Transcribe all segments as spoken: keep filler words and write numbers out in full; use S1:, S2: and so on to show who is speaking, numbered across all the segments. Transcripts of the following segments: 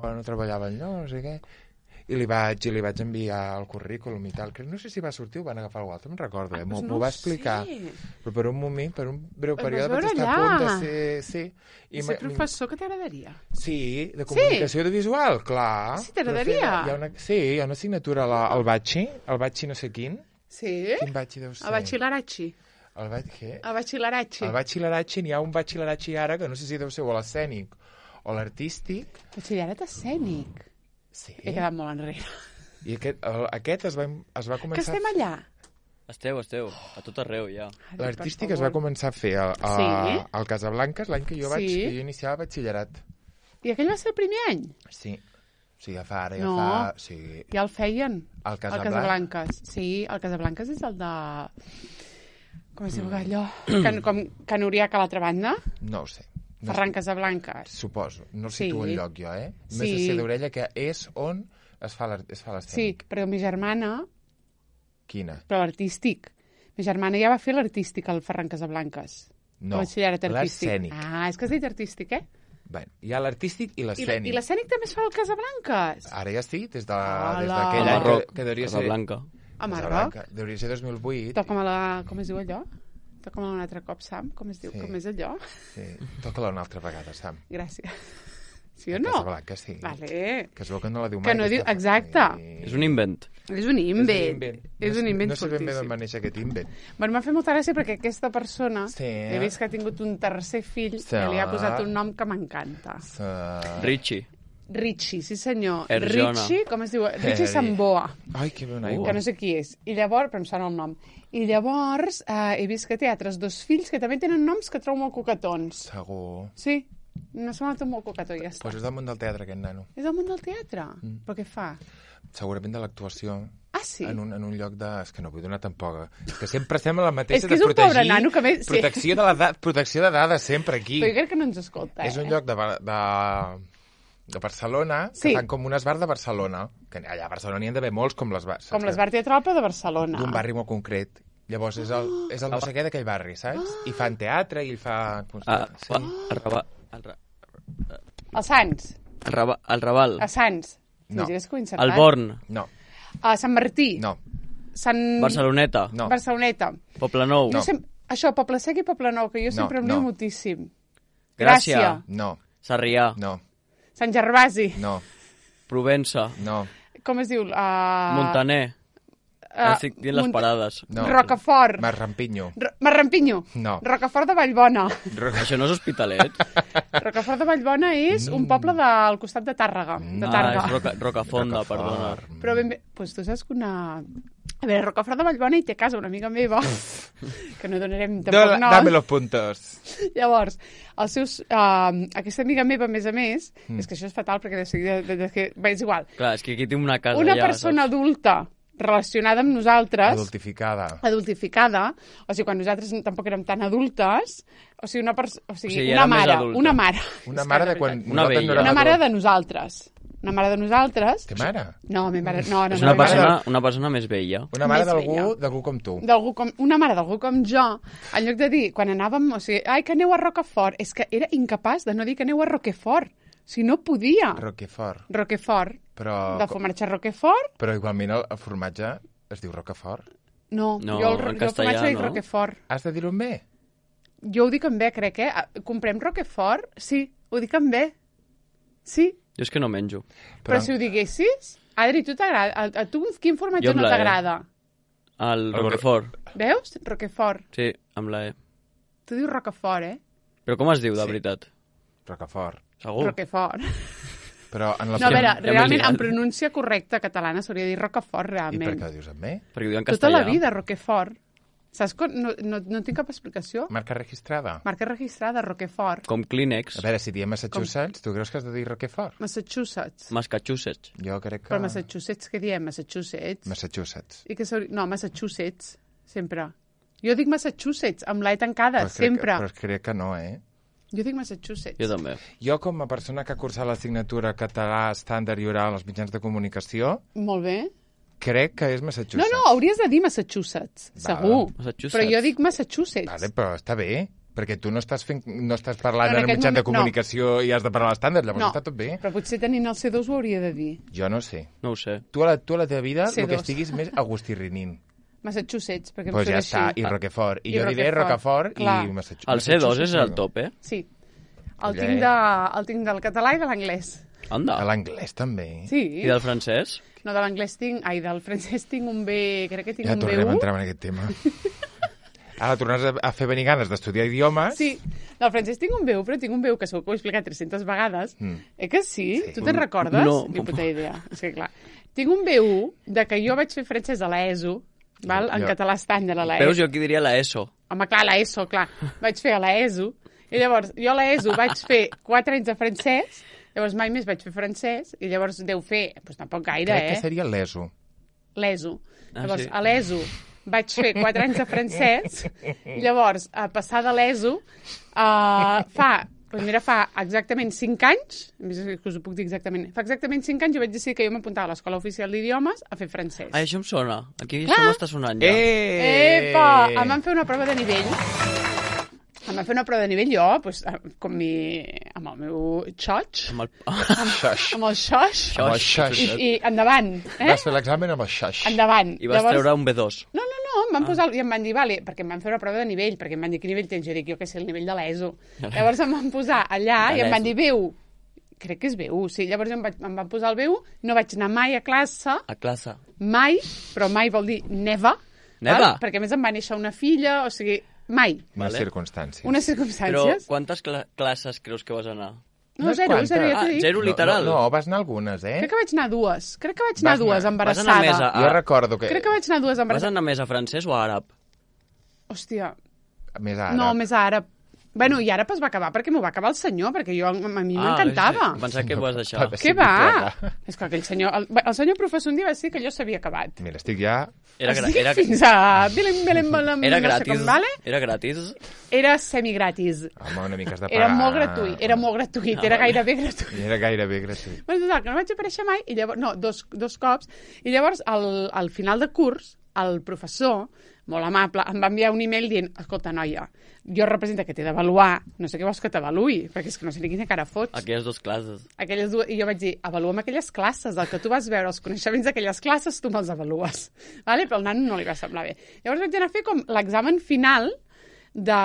S1: no treballava enlloc, no sé què. I li vaig, i li vaig enviar el currículum i tal. No sé si va sortir o van agafar algú altre, no me'n recordo. Eh?
S2: Ah,
S1: M'ho
S2: doncs no
S1: va explicar.
S2: sé.
S1: Però per un moment, per un breu
S2: El
S1: període,
S2: vas
S1: vaig
S2: veure
S1: estar a punt de
S2: allà.
S1: ser... Sí.
S2: I ser professor, que t'agradaria?
S1: Sí, de comunicació audiovisual, clar.
S2: Sí, t'agradaria?
S1: Hi ha una, sí, hi ha una assignatura la, al Batxi, el Batxi no sé quin.
S2: Sí?
S1: Quin Batxi deu ser?
S2: El Batxilleratxi.
S1: El Batxi, què?
S2: El Batxilleratxi.
S1: El Batxilleratxi, n'hi ha un Batxilleratxi ara, que no sé si deu ser o l'escènic o l'artístic.
S2: Batxillerat escènic.
S1: Sí.
S2: He quedat molt enrere.
S1: I aquest, el, aquest es va, es va començar...
S2: Que estem allà?
S3: Esteu, esteu, a tot arreu, ja.
S1: L'artístic es va començar a fer a, a,
S2: Sí?
S1: al Casablanques l'any que jo vaig,
S2: Sí.
S1: que jo iniciava batxillerat.
S2: I aquell va ser el primer any?
S1: Sí. Sí, ja fa ara, ja
S2: No.
S1: fa... Sí.
S2: Ja el feien.
S1: Al
S2: El
S1: Casablanca.
S2: Casablanques. Sí, el Casablanques és el de... Com es diu allò? Can, com Can Uriac a l'altra banda?
S1: No ho sé. No
S2: Ferran Casablanques.
S1: Suposo. No el
S2: Sí.
S1: situo en lloc jo, eh? Més
S2: Sí.
S1: de ser d'orella, que és on es fa l'ar- es fa
S2: Sí,
S1: l'escènic.
S2: però mi germana,
S1: Quina?
S2: però l'artístic. Mi germana ja va fer l'artístic al Ferran Casablanques.
S1: No,
S2: El batxillerat artístic.
S1: l'escènic.
S2: Ah, és que has dit artístic, eh?
S1: Bé, hi ha l'artístic i
S2: I, la-
S1: l'escènic.
S2: I l'escènic també es fa al Casablanques.
S1: Ara ja sí, des de-
S2: Hola.
S1: des
S3: A
S1: d'aquell any que,
S3: Marroc,
S1: que devia ser...
S3: Casablanca.
S2: A Marroc.
S1: Casablanca. Devia ser dos mil vuit.
S2: Toca'm a la... Com es diu allò? Toca'm un altre cop, Sam. Com es diu?
S1: Sí.
S2: Com és allò?
S1: Sí. Toca-la una altra vegada, Sam.
S2: Gràcies. Sí o
S1: A
S2: no?
S1: Casablanca, sí.
S2: Vale.
S1: Que es veu que no la diu mai.
S2: Que no diu...
S1: aquesta-
S2: Exacte.
S1: Sí.
S3: És un invent.
S2: És un invent. És un invent
S1: No sé ben bé d'on
S2: fortíssim.
S1: va néixer aquest invent.
S2: Bueno, m'ha fet molta gràcia perquè aquesta persona
S1: Sí.
S2: he vist que ha tingut un tercer fill
S1: Sí.
S2: que li ha posat un nom que m'encanta.
S1: Uh...
S3: Richie.
S2: Richie, sí senyor.
S3: Erjona.
S2: Richie, com es diu? Richie
S1: Eri.
S2: Samboa,
S1: Ai, que bona
S3: Uh.
S1: aigua.
S2: que no sé qui és. I llavors, però em sona el nom. I llavors eh, he vist que té altres dos fills que també tenen noms que trobo molt coquetons.
S1: Segur.
S2: Sí, no sembla tot molt coquetó, ja està.
S1: Pues és del món del teatre, aquest nano.
S2: És del món del teatre?
S1: Mm.
S2: Però què fa?
S1: Segurament de l'actuació.
S2: Ah, sí?
S1: En un, en un lloc de... És que no vull donar tampoc. És que sempre estem a la mateixa
S2: És que és
S1: de
S2: un
S1: protegir...
S2: pobre nano que més- sí.
S1: Protecció de, la da... protecció de dades sempre aquí.
S2: Però jo crec que no ens escolta, eh?
S1: És un lloc de, Ba- de, de Barcelona,
S2: Sí.
S1: que fan com un esbar de Barcelona. Que allà a Barcelona n'hi ha d'haver molts com l'esbar. saps
S2: Com
S1: que-
S2: l'Esbar Teatral, però de Barcelona.
S1: D'un barri molt concret. Llavors és el, és el no sé què d'aquell barri, saps? I fan teatre i el fa... com es
S3: Ah,
S1: diu?
S3: sí. el, Raval, el, Ra-
S2: A Sants.
S3: el, Raval, el Raval.
S2: A Sants.
S1: No.
S2: Imagines que ho he encertat.
S3: El Born.
S1: No,
S2: A Sant Martí.
S1: no,
S2: Sant...
S3: Barceloneta.
S1: no.
S2: Barceloneta.
S3: Poblenou.
S2: Jo
S1: No.
S2: sem... Això, Poble Sec i Poble Nou, que jo
S1: No,
S2: sempre em
S1: no.
S2: lio moltíssim.
S3: Gràcia.
S2: Gràcia.
S1: no,
S3: Sarrià.
S1: no, Sant
S2: Sant Gervasi.
S1: no,
S3: Provença.
S1: no,
S2: Com es diu? Uh...
S3: Montaner.
S2: Uh,
S3: Estic dient les parades.
S1: no.
S2: Rocafort.
S1: Marrampinyo.
S2: Ro- Marrampinyo.
S1: No.
S2: Rocafort de Vallbona.
S3: Això no és Hospitalet?
S2: Rocafort de Vallbona és un poble del costat de Tàrrega. De
S3: Ah,
S2: Tàrrega.
S3: és Roca, Rocafonda, perdona.
S2: Però ben bé... Pues tu saps que una... A veure, Rocafort de Vallbona hi té casa una amiga meva, que no donarem tampoc
S1: Dame
S2: noms.
S1: dame los puntos.
S2: Llavors, els seus, uh, aquesta amiga meva, a més a més, mm. és que això és fatal perquè de seguida... De, de, de, bé, és igual.
S3: Clar, és que aquí tinc una casa
S2: Una
S3: allà,
S2: persona
S3: saps?
S2: adulta relacionada amb nosaltres,
S1: Adultificada.
S2: adultificada, o sigui, quan nosaltres tampoc érem tan adultes, o sigui, una, pers o sigui,
S3: O sigui,
S2: una
S3: era més
S2: mare,
S3: adulta.
S2: una mare.
S1: Una
S2: És
S1: mare
S2: que,
S1: de quan...
S3: Una
S1: nosaltres
S3: vella.
S1: no érem
S2: Una mare
S1: adults.
S2: de nosaltres. Una mare de nosaltres.
S1: Té mare?
S2: No, mi mare... No, no,
S3: És
S2: no,
S3: una
S2: mi mare
S3: persona, una persona més vella.
S1: Una mare
S2: Més
S1: d'algú
S2: vella.
S1: d'algú com tu.
S2: d'algú com, una mare d'algú com jo, en lloc de dir, quan anàvem, o sigui, ai, que aneu a Rocafort, és que era incapaç de no dir que aneu a Roquefort. Si no podia.
S1: Roquefort.
S2: Roquefort.
S1: Però,
S2: De formatge Roquefort?
S1: però igualment el, el formatge es diu Roquefort.
S2: No,
S3: No,
S2: jo el,
S3: en
S2: jo el
S3: castellà,
S2: formatge dic
S3: no?
S2: Roquefort.
S1: Has de dir-ho en bé?
S2: Jo ho dic en bé, crec, eh? Ah, comprem Roquefort? Sí, ho dic en bé. Sí,
S3: Jo és que no menjo.
S2: però, però si ho diguessis... Adri, tu t'agrada? A, a tu quin formatge
S3: Jo amb
S2: no
S3: la E.
S2: t'agrada?
S3: El
S1: El
S3: Roquefort.
S2: Veus? Roquefort.
S3: Sí, amb la E.
S2: Tu dius Roquefort, eh?
S3: Però com es diu, de
S1: Sí.
S3: veritat?
S1: Roquefort.
S3: Segur?
S2: Roquefort.
S1: Però en la...
S2: No, a veure,
S3: ja m'he
S2: realment,
S3: liat.
S2: en pronúncia correcta catalana s'hauria de dir Roquefort,
S1: I per
S2: realment.
S1: què ho dius en bé?
S3: Perquè ho diuen en
S2: Tota
S3: castellà.
S2: la vida, Roquefort. Saps com? No, no, no tinc cap explicació.
S1: Marca registrada?
S2: Marca registrada, Roquefort.
S3: Com Kleenex.
S1: A veure, si diem Massachusetts, tu creus que has de dir Roquefort?
S2: Massachusetts.
S3: Massachusetts.
S1: Jo crec que...
S2: Però Massachusetts, què diem? Massachusetts.
S1: Massachusetts.
S2: I que s'hauria- no, Massachusetts, sempre. Jo dic Massachusetts, amb l'E tancada,
S1: Però crec
S2: sempre.
S1: Que, però crec que no, eh?
S2: Jo dic Massachusetts.
S3: Jo també.
S1: Jo, com a persona que ha cursat l'assignatura català estàndard i oral als mitjans de comunicació,
S2: Molt bé.
S1: crec que és
S2: No,
S1: Massachusetts.
S2: no, hauries de dir Massachusetts,
S1: Val.
S2: segur.
S3: Massachusetts.
S2: Però jo dic Massachusetts.
S1: Vale, però està bé. Perquè tu no estàs, fent, no estàs parlant
S2: No, en
S1: en un
S2: aquest
S1: mitjà de
S2: moment-
S1: comunicació i has de parlar l'estàndard, llavors
S2: No,
S1: està tot bé.
S2: però potser tenint el C dos ho hauria de dir.
S1: Jo no sé.
S3: No ho sé.
S1: Tu a la, tu a la teva vida
S2: C
S1: el que
S2: dos.
S1: estiguis més Agustí Rinin.
S2: Massachusetts, perquè em
S1: Doncs pues
S2: surt
S1: ja està,
S2: així.
S1: i Roquefort. I,
S2: I
S1: jo diré
S2: Roquefort,
S1: Rocafort
S2: clar.
S1: i Massachusetts.
S3: El C dos és el top, eh?
S2: Sí. El
S1: Ja
S2: tinc,
S1: és.
S2: de, el tinc del català i de l'anglès.
S3: Anda.
S1: A l'anglès també.
S2: Sí.
S3: I del francès?
S2: No, de l'anglès tinc... Ai, del francès tinc un B... Crec que tinc
S1: Ja
S2: un B
S1: tornem a
S2: u.
S1: entrar en aquest tema. Ara tornes a, a fer venir ganes d'estudiar idiomes.
S2: Sí, del francès tinc un B u, però tinc un B u que segur que ho he explicat tres-centes vegades.
S1: Mm.
S2: Eh que sí?
S1: Sí.
S2: Tu te'n recordes?
S3: No.
S2: Ni puta idea. És que clar. Tinc un B u de que jo vaig fer francès a l'ESO, val? En
S1: Jo-
S2: català estàndard a
S3: Veus,
S2: l'ESO.
S3: jo aquí diria la ESO.
S2: Home, clar, a l'ESO, clar. Vaig fer a l'ESO. I llavors, jo a l'ESO vaig fer quatre anys de francès, llavors mai més vaig fer francès, i llavors deu fer, doncs tampoc gaire,
S1: Crec
S2: eh?
S1: que seria l'ESO.
S2: L'ESO.
S3: Ah,
S2: Llavors,
S3: sí?
S2: a l'ESO vaig fer quatre anys de francès, i llavors, a passar de l'ESO, uh, fa, doncs mira, fa exactament cinc anys, a més que us ho puc dir exactament, fa exactament cinc anys jo vaig decidir que jo m'apuntava a l'Escola Oficial d'Idiomes a fer francès.
S3: Ai, això em sona. Aquí
S2: Clar.
S3: això m'està sonant ja.
S1: Eh!
S2: Epa! Em van fer una prova de nivell. Em van fer una prova de nivell jo, doncs, com mi, amb el meu xoig,
S3: Amb el...
S1: Xaix.
S2: amb el xoix,
S1: Amb el xaix.
S2: i, i endavant, eh?
S1: Vas fer l'examen amb el xaix.
S2: Endavant.
S3: I vas treure un B dos.
S2: No, no, no, em van posar... I em van dir, vale, perquè em van fer una prova de nivell, perquè em van dir, quin nivell tens? Jo dic, jo què sé, el nivell de l'ESO. Llavors em van posar allà
S3: De
S2: i em van
S3: l'ESO.
S2: dir, B u. Crec que és B u, sí. Llavors em, vaig, em van posar el B u, no vaig anar mai a classe,
S3: A classe.
S2: mai, però mai vol dir never.
S3: Never?
S2: Val? Perquè a més em va néixer una filla, o sigui, mai.
S1: Unes
S3: Vale.
S1: circumstàncies.
S2: Unes
S3: Però
S2: circumstàncies.
S3: quantes cla classes creus que vas anar?
S2: No,
S1: Unes
S2: zero,
S1: quantes.
S2: zero, ja
S3: Ah,
S2: t'ho dic.
S3: zero literal.
S1: No, no, vas anar algunes, eh?
S2: Crec que vaig anar a dues. Crec que vaig anar
S1: Vas
S2: a dues,
S1: anar-
S2: embarassada.
S3: vas anar més a-
S1: Jo recordo que...
S2: Crec que vaig anar a dues
S3: Vas
S2: embarassada.
S3: anar més a francès o a àrab?
S2: Hòstia,
S1: Més ara.
S2: no, més àrab. Bueno, i àrab es va acabar perquè m'ho va acabar el senyor, perquè jo, a mi m'encantava.
S3: Ah, pensava que ho vas deixar.
S1: Papa,
S2: Què
S1: sí,
S2: va?
S1: clar.
S2: És que aquell senyor... El, el senyor professor un dia va dir que allò s'havia acabat.
S1: Mira, estic ja...
S3: Era, gra
S2: Estic
S3: era,
S2: fins a... Belem, belem, belem,
S3: era
S2: no sé
S3: gratis.
S2: com, vale?
S3: Era gratis.
S2: Era semigratis.
S1: Home, una mica has de pagar.
S2: Era molt gratuït, era molt gratuït,
S3: Ah,
S2: era
S3: vale.
S2: gairebé gratuït.
S1: Era gairebé gratuït.
S2: Bueno, total, que no vaig aparèixer mai, i llavors, no, dos, dos cops, i llavors, al, al final de curs, el professor, molt amable, em va enviar un email dient, escolta, noia, jo representa que t'he d'avaluar, no sé què vols que t'avaluï, perquè és que no sé ni quina cara fots.
S3: Aquelles dues classes.
S2: Aquelles dues, I jo vaig dir, avalua'm aquelles classes, el que tu vas veure, els coneixements d'aquelles classes, tu me'ls avalues. Vale? Però al nano no li va semblar bé. Llavors vaig anar a fer com l'examen final de,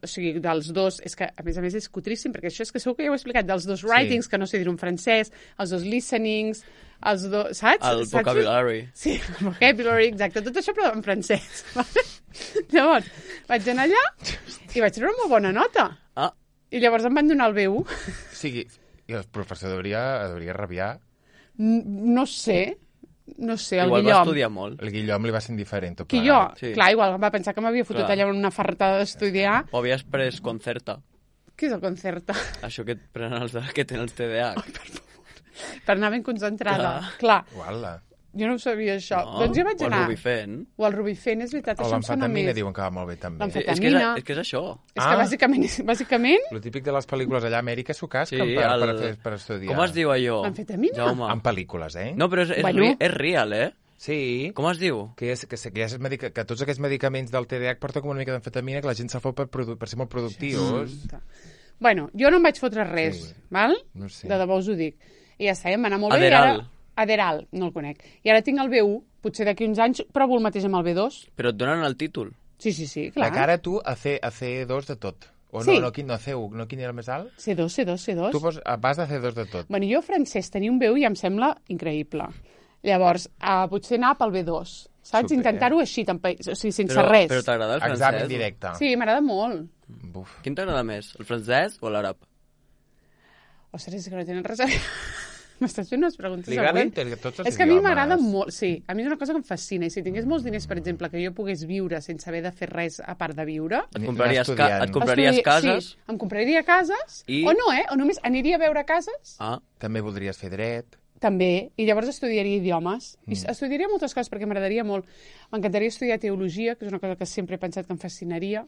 S2: o sigui, dels dos, és que a més a més és cutríssim, perquè això és que segur que ja ho he explicat, dels dos writings, que no sé dir en francès, els dos listenings, els dos, saps?
S3: El
S2: Saps?
S3: vocabulary.
S2: Sí, el vocabulary, exacte, tot això però en francès. Vale? Llavors, vaig anar allà i vaig treure una molt bona nota.
S3: Ah,
S2: I llavors em van donar el B u.
S1: O sigui, i el professor hauria, hauria rabiar.
S2: N- No sé, no sé, el
S3: igual va
S2: Guillom.
S3: estudiar molt.
S1: El Guillom li va ser indiferent. Tot
S2: Que jo,
S1: plegat.
S3: Sí.
S2: clar, igual va pensar que m'havia fotut
S3: Clar.
S2: allà en una fartada d'estudiar.
S3: O havies pres concerta.
S2: Què és el concerta?
S3: Això que et prenen els de, que tenen els T D A H.
S2: Per anar ben concentrada. Clar,
S1: Uala.
S2: jo no ho sabia això.
S3: No?
S2: Doncs jo vaig
S3: O el
S2: anar...
S3: Rubifent.
S2: O el Rubifent, és veritat,
S1: O
S2: això em sona
S1: l'amfetamina
S2: més.
S1: diuen que va molt bé també.
S2: L'amfet-
S3: És que és,
S2: Vitamina.
S3: és que és això.
S2: És que
S1: Ah.
S2: bàsicament, bàsicament,
S1: El típic de les pel·lícules allà a Amèrica s'ho casquen
S3: Sí,
S1: per,
S3: el-
S1: per, fer, per estudiar.
S3: Com es diu allò?
S2: L'amfetamina?
S3: Jaume.
S1: En pel·lícules, eh?
S3: No, però és, és,
S2: Bueno.
S3: ri, és real, eh?
S1: Sí.
S3: Com es diu?
S1: Que, és, que, que, és medica, que tots aquests medicaments del T D A H porten com una mica d'amfetamina que la gent se'l fot per, produ- per ser molt productius.
S2: bueno, jo no em vaig fotre res,
S1: Sí.
S2: val?
S1: No sé.
S2: De debò us ho dic. I ja està, em va anar molt
S3: Aderal.
S2: bé. I ara... Aderal, no el conec. I ara tinc el B u, potser d'aquí uns anys provo el mateix amb el B dos.
S3: Però et donen el títol.
S2: Sí, sí, sí,
S1: La
S2: clar.
S1: cara tu a C, a C dos de tot. O
S2: Sí.
S1: no, no, quin, no, C un, no, quin era el més alt?
S2: C dos, C dos, C dos.
S1: Tu pos, vas de C dos de tot.
S2: Bueno, jo francès tenia un B u i em sembla increïble. Llavors, uh, potser anar pel B dos, saps?
S1: Super.
S2: Intentar-ho així, tampa- o sigui, sense
S3: Però,
S2: res.
S3: però t'agrada el francès?
S1: Examen directe.
S2: Sí, m'agrada molt.
S1: Buf.
S3: Quin t'agrada més? El francès o l'àrab?
S2: Ostres, és que no tenen res a veure. M'estàs fent unes preguntes
S1: Li agraden
S2: següents.
S1: tots els
S2: És que a mi
S1: idiomes.
S2: m'agrada molt, sí. A mi és una cosa que em fascina. I si tingués molts diners, per exemple, que jo pogués viure sense haver de fer res a part de viure...
S3: Et
S1: Anar
S3: compraries, ca
S1: estudiant.
S3: et compraries
S2: estudi-
S3: cases?
S2: Sí, em compraria cases.
S3: I-
S2: O no, eh? O només aniria a veure cases.
S3: Ah,
S1: També voldries fer dret.
S2: També, i llavors estudiaria idiomes. I estudiaria moltes coses perquè m'agradaria molt. M'encantaria estudiar teologia, que és una cosa que sempre he pensat que em fascinaria.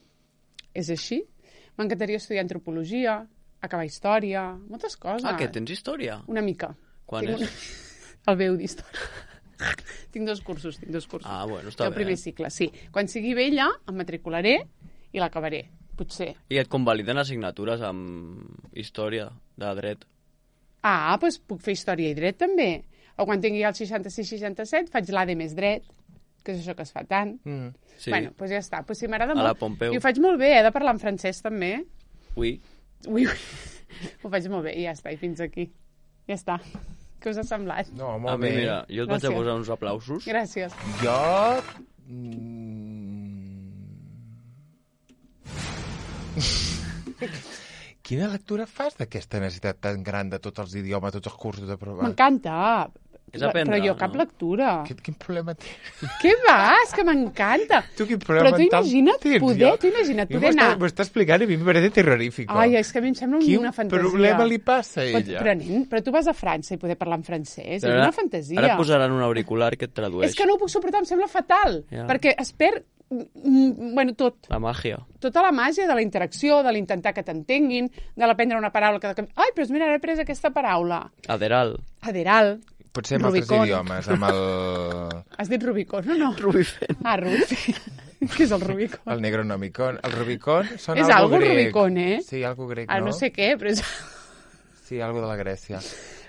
S2: És així. M'encantaria estudiar antropologia, acabar història, moltes coses.
S3: ah que tens història?
S2: Una mica.
S3: Quan
S2: Tinc
S3: és?
S2: Un... El B u d'història. tinc dos cursos, tinc dos cursos.
S3: Ah, bueno, està
S2: el
S3: bé.
S2: primer cicle, sí. Quan sigui vella, em matricularé i l'acabaré. Potser.
S3: I et convaliden assignatures amb història de dret.
S2: Ah, doncs puc fer història i dret també. O quan tingui el seixanta-sis seixanta-set faig l'A D més dret, que és això que es fa tant.
S1: Mm.
S3: Sí.
S2: Bueno, doncs ja està. Pues sí, m'agrada
S3: A
S2: molt.
S3: la Pompeu.
S2: I ho faig molt bé, he de parlar en francès també.
S3: Ui.
S2: Ui, ui. Ho faig molt bé i ja està, i fins aquí. Ja està. Què us ha semblat?
S1: No,
S3: A
S1: molt
S3: mi,
S1: bé.
S3: mira, jo et vaig a
S2: Gràcies.
S3: posar uns aplausos.
S2: Gràcies.
S1: Jo... Mm... Quina lectura fas d'aquesta necessitat tan gran de tots els idiomes, tots els cursos de prova?
S2: M'encanta.
S3: És aprendre,
S2: Però jo cap
S3: no?
S2: lectura.
S1: Quin, quin problema tens?
S2: Què vas? Que m'encanta.
S1: Tu quin problema
S2: Però tu
S1: mental
S2: imagina't
S1: tens,
S2: poder,
S1: jo?
S2: tu imagina't
S1: Jo
S2: poder
S1: m'ho està-
S2: anar.
S1: M'ho està explicant i a mi em parece terrorífico.
S2: Ai, és que a mi em sembla
S1: Quin
S2: una fantasia.
S1: problema li passa a
S2: Però,
S1: ella?
S2: però, nen, però tu vas a França i poder parlar en francès,
S3: Però
S2: és una fantasia.
S3: Ara et posaran un auricular que et tradueix.
S2: És que no ho puc suportar, em sembla fatal,
S3: Ja.
S2: perquè es perd, mm, bueno, tot.
S3: La màgia.
S2: Tota la màgia de la interacció, de l'intentar que t'entenguin, de l'aprendre una paraula que... Ai, però mira, ara he pres aquesta paraula.
S3: Aderal.
S2: Aderal.
S1: Potser amb altres
S2: Rubicon.
S1: idiomes, amb el,
S2: Has dit Rubicon, no? No.
S3: Rubicon.
S2: Ah, Rubicon. Què és el Rubicon?
S1: el Negronomicon. El Rubicon són
S2: És
S1: algo
S2: algo
S1: grec.
S2: Rubicon, eh?
S1: Sí, algo grec,
S2: Ah,
S1: no?
S2: no sé què, però és...
S1: Sí, algo de la Grècia.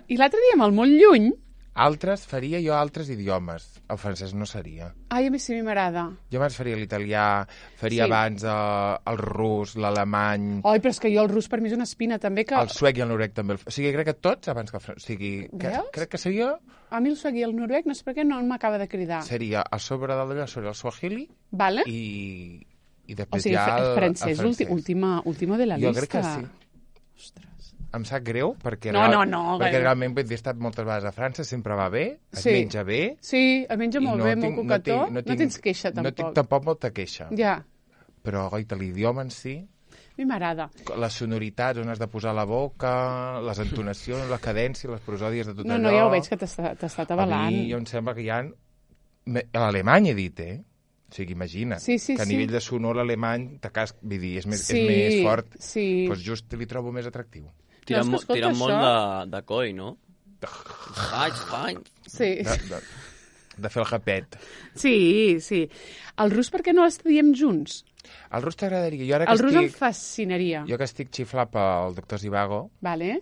S2: I l'altre dia, amb el molt lluny...
S1: Altres, faria jo altres idiomes. El francès no seria.
S2: Ai, a mi sí m'agrada.
S1: Jo abans faria l'italià, faria
S2: Sí.
S1: abans eh, el rus, l'alemany,
S2: Ai, però és que jo el rus per mi és una espina, també, que...
S1: el suec i el noruec també. El... O sigui, crec que tots abans que el francès. O sigui, que,
S2: Veus?
S1: crec que seria,
S2: A mi el suec i el noruec, no sé per què no m'acaba de cridar.
S1: seria a sobre del d'allò, sobre el swahili
S2: Vale?
S1: i, i
S2: O
S1: després
S2: sigui,
S1: ja
S2: el,
S1: el,
S2: francès,
S1: el
S2: últim, última, última de la
S1: Jo
S2: llista.
S1: crec que sí.
S2: Ostres.
S1: Em sap greu perquè,
S2: No, no, no,
S1: perquè
S2: gaire.
S1: realment vull dir, he estat moltes vegades a França, sempre va bé, es
S2: Sí.
S1: menja bé.
S2: Sí, el menja
S1: i
S2: molt
S1: no
S2: bé,
S1: tinc-
S2: molt coquetó.
S1: no,
S2: No,
S1: tinc,
S2: tens queixa, tampoc.
S1: No tinc tampoc molta queixa.
S2: Ja,
S1: Però, goita, l'idioma en si,
S2: a mi m'agrada.
S1: les sonoritats, on has de posar la boca, les entonacions, la cadència, les prosòdies de tot
S2: No,
S1: allò...
S2: no, ja ho veig que t'ha t'ha estat
S1: A
S2: avalant.
S1: mi jo em sembla que hi ha... me- A l'alemany he dit, eh? O sigui, imagina't,
S2: Sí, sí,
S1: que a
S2: sí.
S1: nivell de sonor l'alemany te cas... Vull dir, és més,
S2: Sí,
S1: és més fort.
S2: sí.
S1: Doncs just li trobo més atractiu.
S3: Tiren,
S2: No,
S3: mo
S2: és que escolta,
S3: tiren molt
S2: això-
S3: de, de coi, no? Ai, ai.
S2: Sí.
S1: De, de, de fer el japet.
S2: sí, sí. El rus, per què no l'estudiem junts?
S1: El rus t'agradaria. Jo ara que
S2: El rus em
S1: estic...
S2: fascinaria.
S1: Jo que estic xiflat pel doctor Zivago
S2: Vale?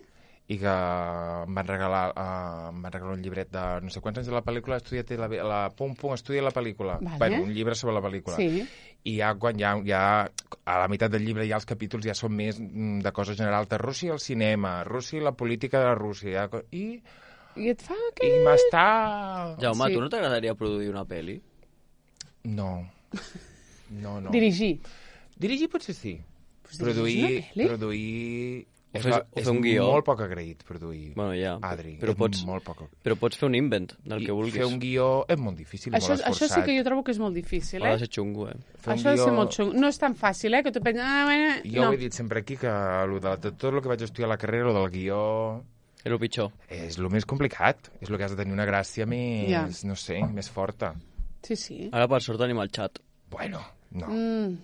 S1: i que em van regalar, uh, em van regalar un llibret de no sé quants anys de la pel·lícula, estudia la, la Pum Pum, estudia la pel·lícula.
S2: Vale.
S1: Bueno, un llibre sobre la pel·lícula.
S2: Sí.
S1: I ja quan ja, ja a la meitat del llibre ja els capítols ja són més mm, de coses generals de Rússia al cinema, Rússia i la política de Rússia. Ja, co- I,
S2: I et fa
S1: i
S2: que...
S1: m'està...
S3: Jaume,
S2: Sí.
S3: tu no t'agradaria produir una pel·li?
S1: No. No, no.
S2: Dirigir.
S1: Dirigir potser sí.
S2: Pues
S1: produir...
S2: dirigir una pel·li?
S1: Produir...
S3: O
S1: És,
S3: fer-
S1: la,
S3: o
S1: és
S3: fer un guió.
S1: molt poc agraït, produir.
S3: Bueno, ja.
S1: Adri,
S3: però
S1: és
S3: pots,
S1: molt poc agraït.
S3: però pots fer un invent del que vulguis.
S1: Fer un guió és molt difícil i
S2: Això,
S1: molt
S2: això
S1: esforçat.
S2: sí que jo trobo que és molt difícil,
S3: Ha
S2: eh?
S3: de ser xungo, eh?
S1: Fer un
S2: Això ha de ser
S1: guió-
S2: molt xungo. No és tan fàcil, eh? Que tu penses... Ah, bueno,
S1: Jo
S2: no.
S1: ho he dit sempre aquí, que lo de, de tot el que vaig estudiar a la carrera, lo del guió,
S3: És el pitjor.
S1: és el més complicat. És el que has de tenir una gràcia més,
S2: Ja.
S1: no sé, més forta.
S2: Sí, sí.
S3: Ara, per sort, tenim el xat.
S1: Bueno, no.
S2: Mm.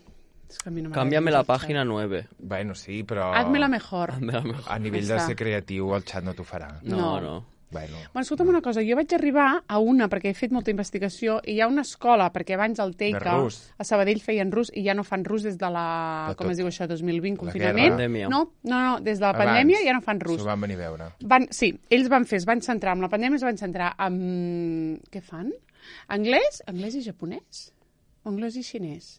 S2: És que a mi no m'agrada
S3: Cámbiame
S2: gens
S3: la
S2: el xat.
S3: pàgina nueve.
S1: Bueno, sí, però...
S2: Hazme-la mejor.
S3: Hazme la mejor.
S1: A nivell
S2: Ja
S1: de
S2: està.
S1: ser creatiu, el xat no t'ho farà.
S3: No,
S2: No.
S3: no.
S1: Bueno,
S2: Bueno, escolta'm una cosa, jo vaig arribar a una, perquè he fet molta investigació, i hi ha una escola, perquè abans al Teica,
S1: rus.
S2: a Sabadell feien rus, i ja no fan rus des de la,
S1: De
S2: com
S1: tot.
S2: es diu això, dos mil vint,
S1: La
S2: confinament.
S1: guerra.
S3: Pandèmia.
S2: No, no, no, des de la
S1: abans,
S2: pandèmia ja no fan rus.
S1: S'ho van venir a veure.
S2: Van, sí, ells van fer, es van centrar, amb la pandèmia es van centrar en... Què fan? Anglès? Anglès i japonès? O anglès i xinès?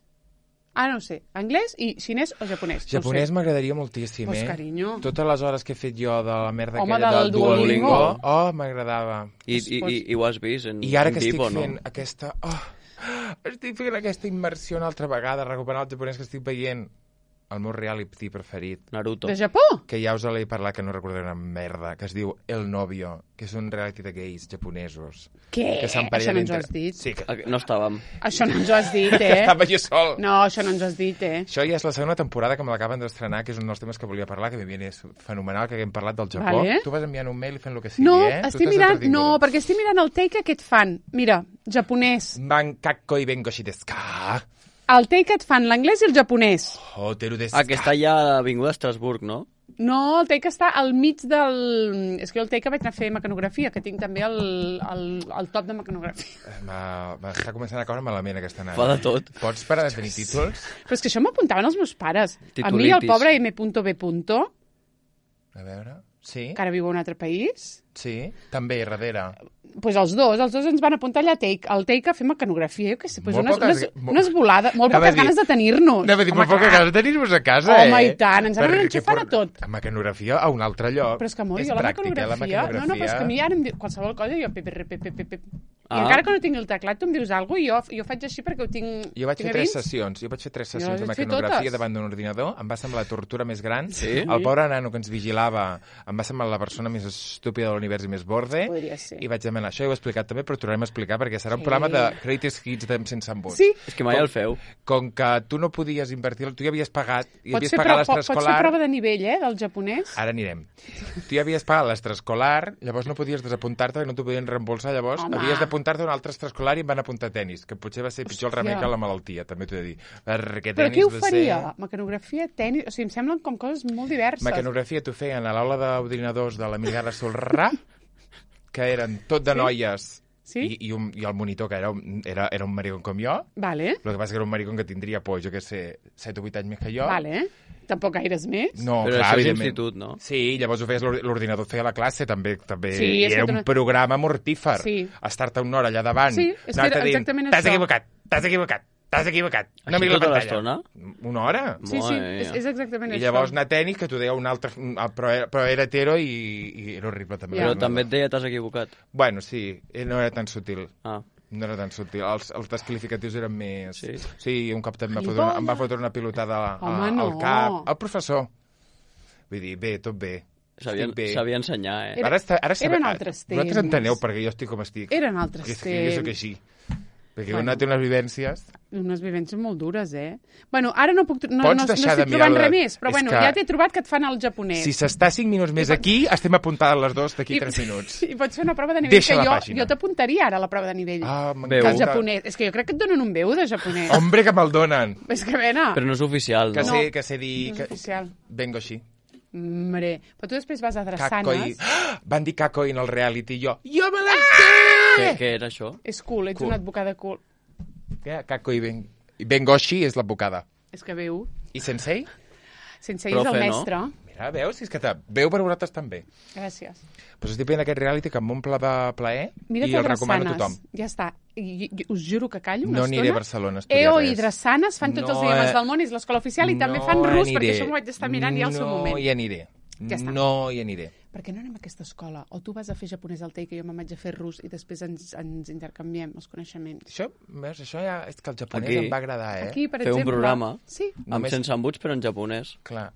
S2: Ah, no ho sé. Anglès i xinès o japonès?
S1: Japonès
S2: no ho sé.
S1: m'agradaria moltíssim,
S2: Pues,
S1: eh?
S2: carinyo.
S1: Totes les hores que he fet jo de la merda
S2: Home,
S1: aquella
S2: del Duolingo.
S1: Oh, m'agradava.
S3: I, i, i, i ho has vist en,
S1: I ara
S3: en
S1: que estic
S3: Tipo,
S1: fent
S3: no?
S1: aquesta... Oh, estic fent aquesta immersió una altra vegada, recuperant el japonès que estic veient, el meu reality preferit,
S3: Naruto.
S2: De Japó?
S1: que ja us l'he parlat, que no recordaré una merda, que es diu El Novio, que és un reality de gais japonesos.
S2: Què?
S1: Que
S2: Això
S1: s'emparellen
S2: no ens ho
S1: entre-
S2: has dit.
S1: Sí, que,
S3: Ah, no estàvem.
S2: Això no ens ho has dit,
S1: que
S2: eh?
S1: estava jo sol.
S2: No, això no ens ho has dit, eh?
S1: Això ja és la segona temporada que me l'acaben d'estrenar, que és un dels temes que volia parlar, que m'hi és fenomenal, que haguem parlat del Japó.
S2: Vale.
S1: Tu vas enviant un mail i fent el que sigui,
S2: No,
S1: eh? Tu
S2: estic
S1: estàs
S2: mirant...
S1: entretinguda.
S2: No, perquè estic mirant el take que et fan. Mira, japonès.
S1: Bankakko i bengoshi desu ka?
S2: El take et fan l'anglès i el japonès.
S1: Hoteru desu
S3: Ah, que està allà a l'Avinguda Estrasburg, no?
S2: No, el Teica està al mig del... És que jo el Teica vaig anar a fer mecanografia, que tinc també el, el, el top de mecanografia.
S1: M'està començant a caure malament aquesta nana.
S3: Fa de tot.
S1: Pots parar de tenir títols?
S2: Però és que això m'apuntaven els meus pares.
S3: Titulitis.
S2: A mi, el pobre M B.
S1: A veure... Sí,
S2: que ara viu a un altre país,
S1: sí, també, darrere.
S2: pues els dos, els dos ens van apuntar allà a Teica, al Teica a fer mecanografia, jo què sé, pues
S1: Molt
S2: unes,
S1: poques-
S2: unes, unes volades, molt
S1: Anava a
S2: poques
S1: dir-
S2: ganes de tenir-nos.
S1: Anava a dir,
S2: Home,
S1: molt poca
S2: clar.
S1: ganes de tenir-vos a casa,
S2: Home,
S1: eh?
S2: i tant, ens anaven
S1: Perquè
S2: enxufant a
S1: por-
S2: tot.
S1: A mecanografia a un altre lloc.
S2: Però és que, amor,
S1: és
S2: jo la
S1: pràctica,
S2: mecanografia...
S1: la
S2: No, no, però és que a mi ara em diu qualsevol cosa, jo... Pe, pe, pe, pe, pe, pe. I
S3: Ah.
S2: encara que no tingui el teclat, tu em dius alguna cosa, jo, jo faig així perquè ho tinc...
S1: Jo vaig
S2: tinc
S1: fer
S2: a
S1: tres
S2: dins.
S1: sessions, jo vaig fer tres
S2: Jo
S1: sessions de
S2: les vaig fer
S1: mecanografia
S2: totes.
S1: davant d'un ordinador, em va semblar la tortura més gran.
S3: Sí?
S1: El pobre nano que ens vigilava em va semblar la persona més estúpida de l'univers i més borde.
S2: Podria ser.
S1: I vaig demanar això, i ho he explicat també, però ho tornarem a explicar perquè serà un
S2: Sí.
S1: programa de Greatest Hits de sense embut.
S2: Sí,
S3: És que mai el feu.
S1: Com que tu no podies invertir, tu ja havies pagat, i
S2: pots
S1: havies
S2: fer,
S1: pagat
S2: pro, pots fer
S1: l'extraescolar...
S2: prova de nivell, eh, del japonès.
S1: Ara anirem. Tu ja havies pagat l'extraescolar, llavors no podies desapuntar-te, perquè no t'ho podien reembolsar, llavors
S2: Home.
S1: havies d'apuntar-te a un altre extraescolar i em van apuntar tenis, que potser va ser pitjor el remei
S2: Hòstia.
S1: que la malaltia, també t'ho he de dir. Perquè
S2: Però
S1: tenis
S2: què ho
S1: va
S2: faria?
S1: Ser...
S2: Mecanografia, tenis... O sigui, em semblen com coses molt diverses.
S1: Mecanografia t'ho feien a l'aula d'ordinadors de la Milgara Solrà, que eren tot de
S2: Sí?
S1: noies,
S2: Sí?
S1: i, i, un, i el monitor, que era un, era, era un maricón com jo,
S2: Vale,
S1: el que passa que era un maricón que tindria, pues, jo què sé, set o vuit anys més que jo.
S2: vale. Tampoc gaires més.
S1: No,
S3: Però
S1: clar,
S3: això és
S1: evidentment.
S3: institut, no?
S1: Sí, llavors ho feies, l'or- l'ordinador et feia la classe, també, també.
S2: Sí,
S1: I
S2: és que
S1: era
S2: tu
S1: un
S2: no-
S1: programa mortífer.
S2: Sí.
S1: Estar-te una hora allà davant,
S2: Sí, és que
S1: anar-te
S2: era
S1: dient,
S2: exactament
S1: t'has
S2: això."
S1: equivocat, t'has equivocat, t'has equivocat. No
S3: Així
S1: miri la
S3: tota
S1: pantalla.
S3: l'estona?
S1: Una hora.
S2: Sí, sí,
S3: Mare
S2: és,
S3: mia.
S2: és exactament
S1: I
S2: això.
S1: llavors anar a tenis, que t'ho deia un altre, un- ah, però, era, però era hetero i, i era horrible també.
S2: Ja.
S3: Però també et deia t'has equivocat.
S1: Bueno, sí, eh, no era tan sutil.
S3: Ah.
S1: No era tan sutil. Els, els desqualificatius eren més...
S3: Sí?
S1: Sí, un cop també em va fotre una, em va fotre una pilotada a,
S2: Home,
S1: a, al
S2: no.
S1: cap. El professor. Vull dir, bé, tot bé.
S3: Sabia,
S1: Estic bé.
S3: sabia ensenyar, eh?
S2: Era-
S1: Ara, està, ara
S2: eren altres
S1: Vosaltres
S2: temps.
S1: enteneu perquè jo estic com estic.
S2: Eren altres
S1: Perquè és que jo soc
S2: temps.
S1: així. Perquè
S2: Bueno.
S1: bueno. una té unes vivències...
S2: Unes vivències molt dures, eh? Bueno, ara no puc... tr- No,
S1: Pots
S2: no, no
S1: deixar
S2: estic
S1: de mirar
S2: trobant
S1: la-
S2: res més, però
S1: És
S2: bueno,
S1: que-
S2: ja t'he trobat que et fan el japonès.
S1: Si s'està cinc minuts més aquí, estem apuntades les dues d'aquí tres minuts.
S2: I pots fer una prova de nivell
S1: Deixa
S2: que
S1: la
S2: jo,
S1: pàgina.
S2: jo t'apuntaria ara a la prova de nivell.
S1: Ah,
S3: Veu.
S2: del
S1: m'encanta.
S2: japonès. És que jo crec que et donen un veu de japonès.
S1: Hombre, que me'l donen.
S2: És que, vena,
S3: Però no és oficial,
S1: Que
S3: no?
S1: sé, que sé dir...
S2: no és
S1: Que...
S2: oficial.
S1: Vengo així.
S2: Hombre, però tu després vas a
S1: Kakoi.
S2: Drassanes.
S1: Ah! Van dir Kakoi en el reality i jo. Jo me la
S2: Ah!
S3: Què, què era això?
S2: És cool, ets
S1: Cool.
S2: una advocada cool.
S1: sé. Kakoi ben... I Bengoshi és l'advocada.
S2: És que veu.
S1: I Sensei?
S2: Sense ir és el
S3: Profe, no?
S2: mestre.
S1: Mira, veus? Si és que te... veu per vosaltres també.
S2: Gràcies.
S1: Pues estic veient aquest reality que m'omple de plaer
S2: Mira't
S1: i
S2: a
S1: el recomano a
S2: Drassanes.
S1: tothom.
S2: Ja està. I, i, us juro que callo una
S1: No
S2: estona.
S1: aniré a Barcelona a estudiar
S2: E O
S1: res.
S2: i Drassanes fan tots
S1: No,
S2: els idiomes
S1: eh,
S2: del món, és l'escola oficial, i també
S1: no
S2: fan rus,
S1: aniré.
S2: perquè això m'ho vaig estar mirant ja al seu moment.
S1: No hi aniré.
S2: Ja està.
S1: No hi aniré.
S2: Per què no anem a aquesta escola? O tu vas a fer japonès al Teica i jo me'n vaig a fer rus i després ens, ens intercanviem els coneixements.
S1: Això, veus, això ja és que el japonès
S3: Aquí.
S1: em va agradar, eh?
S2: Aquí, per
S3: Fer un
S2: exemple...
S3: programa.
S2: Sí.
S3: Amb
S1: Només-
S3: sense embuts, però en japonès.
S1: Clar.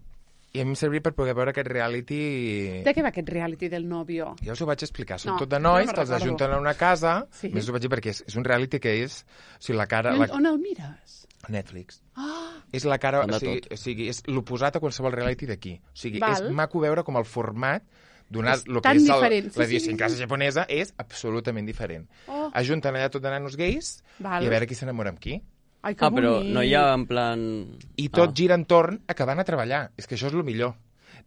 S1: I a mi em servia per poder veure aquest reality...
S2: De què va aquest reality del novio?
S1: Ja us ho vaig explicar. Són
S2: No,
S1: tot de
S2: jo no
S1: nois
S2: me'n
S1: que els
S2: recordo.
S1: ajunten a una casa.
S2: Sí.
S1: Més us ho vaig dir perquè és, és un reality que és... O sigui, la cara...
S2: I
S1: La...
S2: on, on el mires?
S1: Netflix.
S2: Ah,
S1: És la cara...
S3: Fan de
S1: O sigui,
S3: tot.
S1: o sigui, és l'oposat a qualsevol reality d'aquí. O sigui,
S2: Val.
S1: és maco veure com el format donat
S2: És
S1: el que
S2: tan
S1: és
S2: diferent. Sí,
S1: la
S2: sí,
S1: idiosincràsia
S2: sí.
S1: japonesa és absolutament diferent.
S2: Oh.
S1: Ajunten allà tot de nanos gais
S2: Val.
S1: i a veure qui s'enamora amb qui.
S2: ai, que
S3: Ah, però
S2: bonic.
S3: no hi ha en plan...
S1: I tot
S3: Ah.
S1: gira entorn a que van a treballar. És que això és el millor.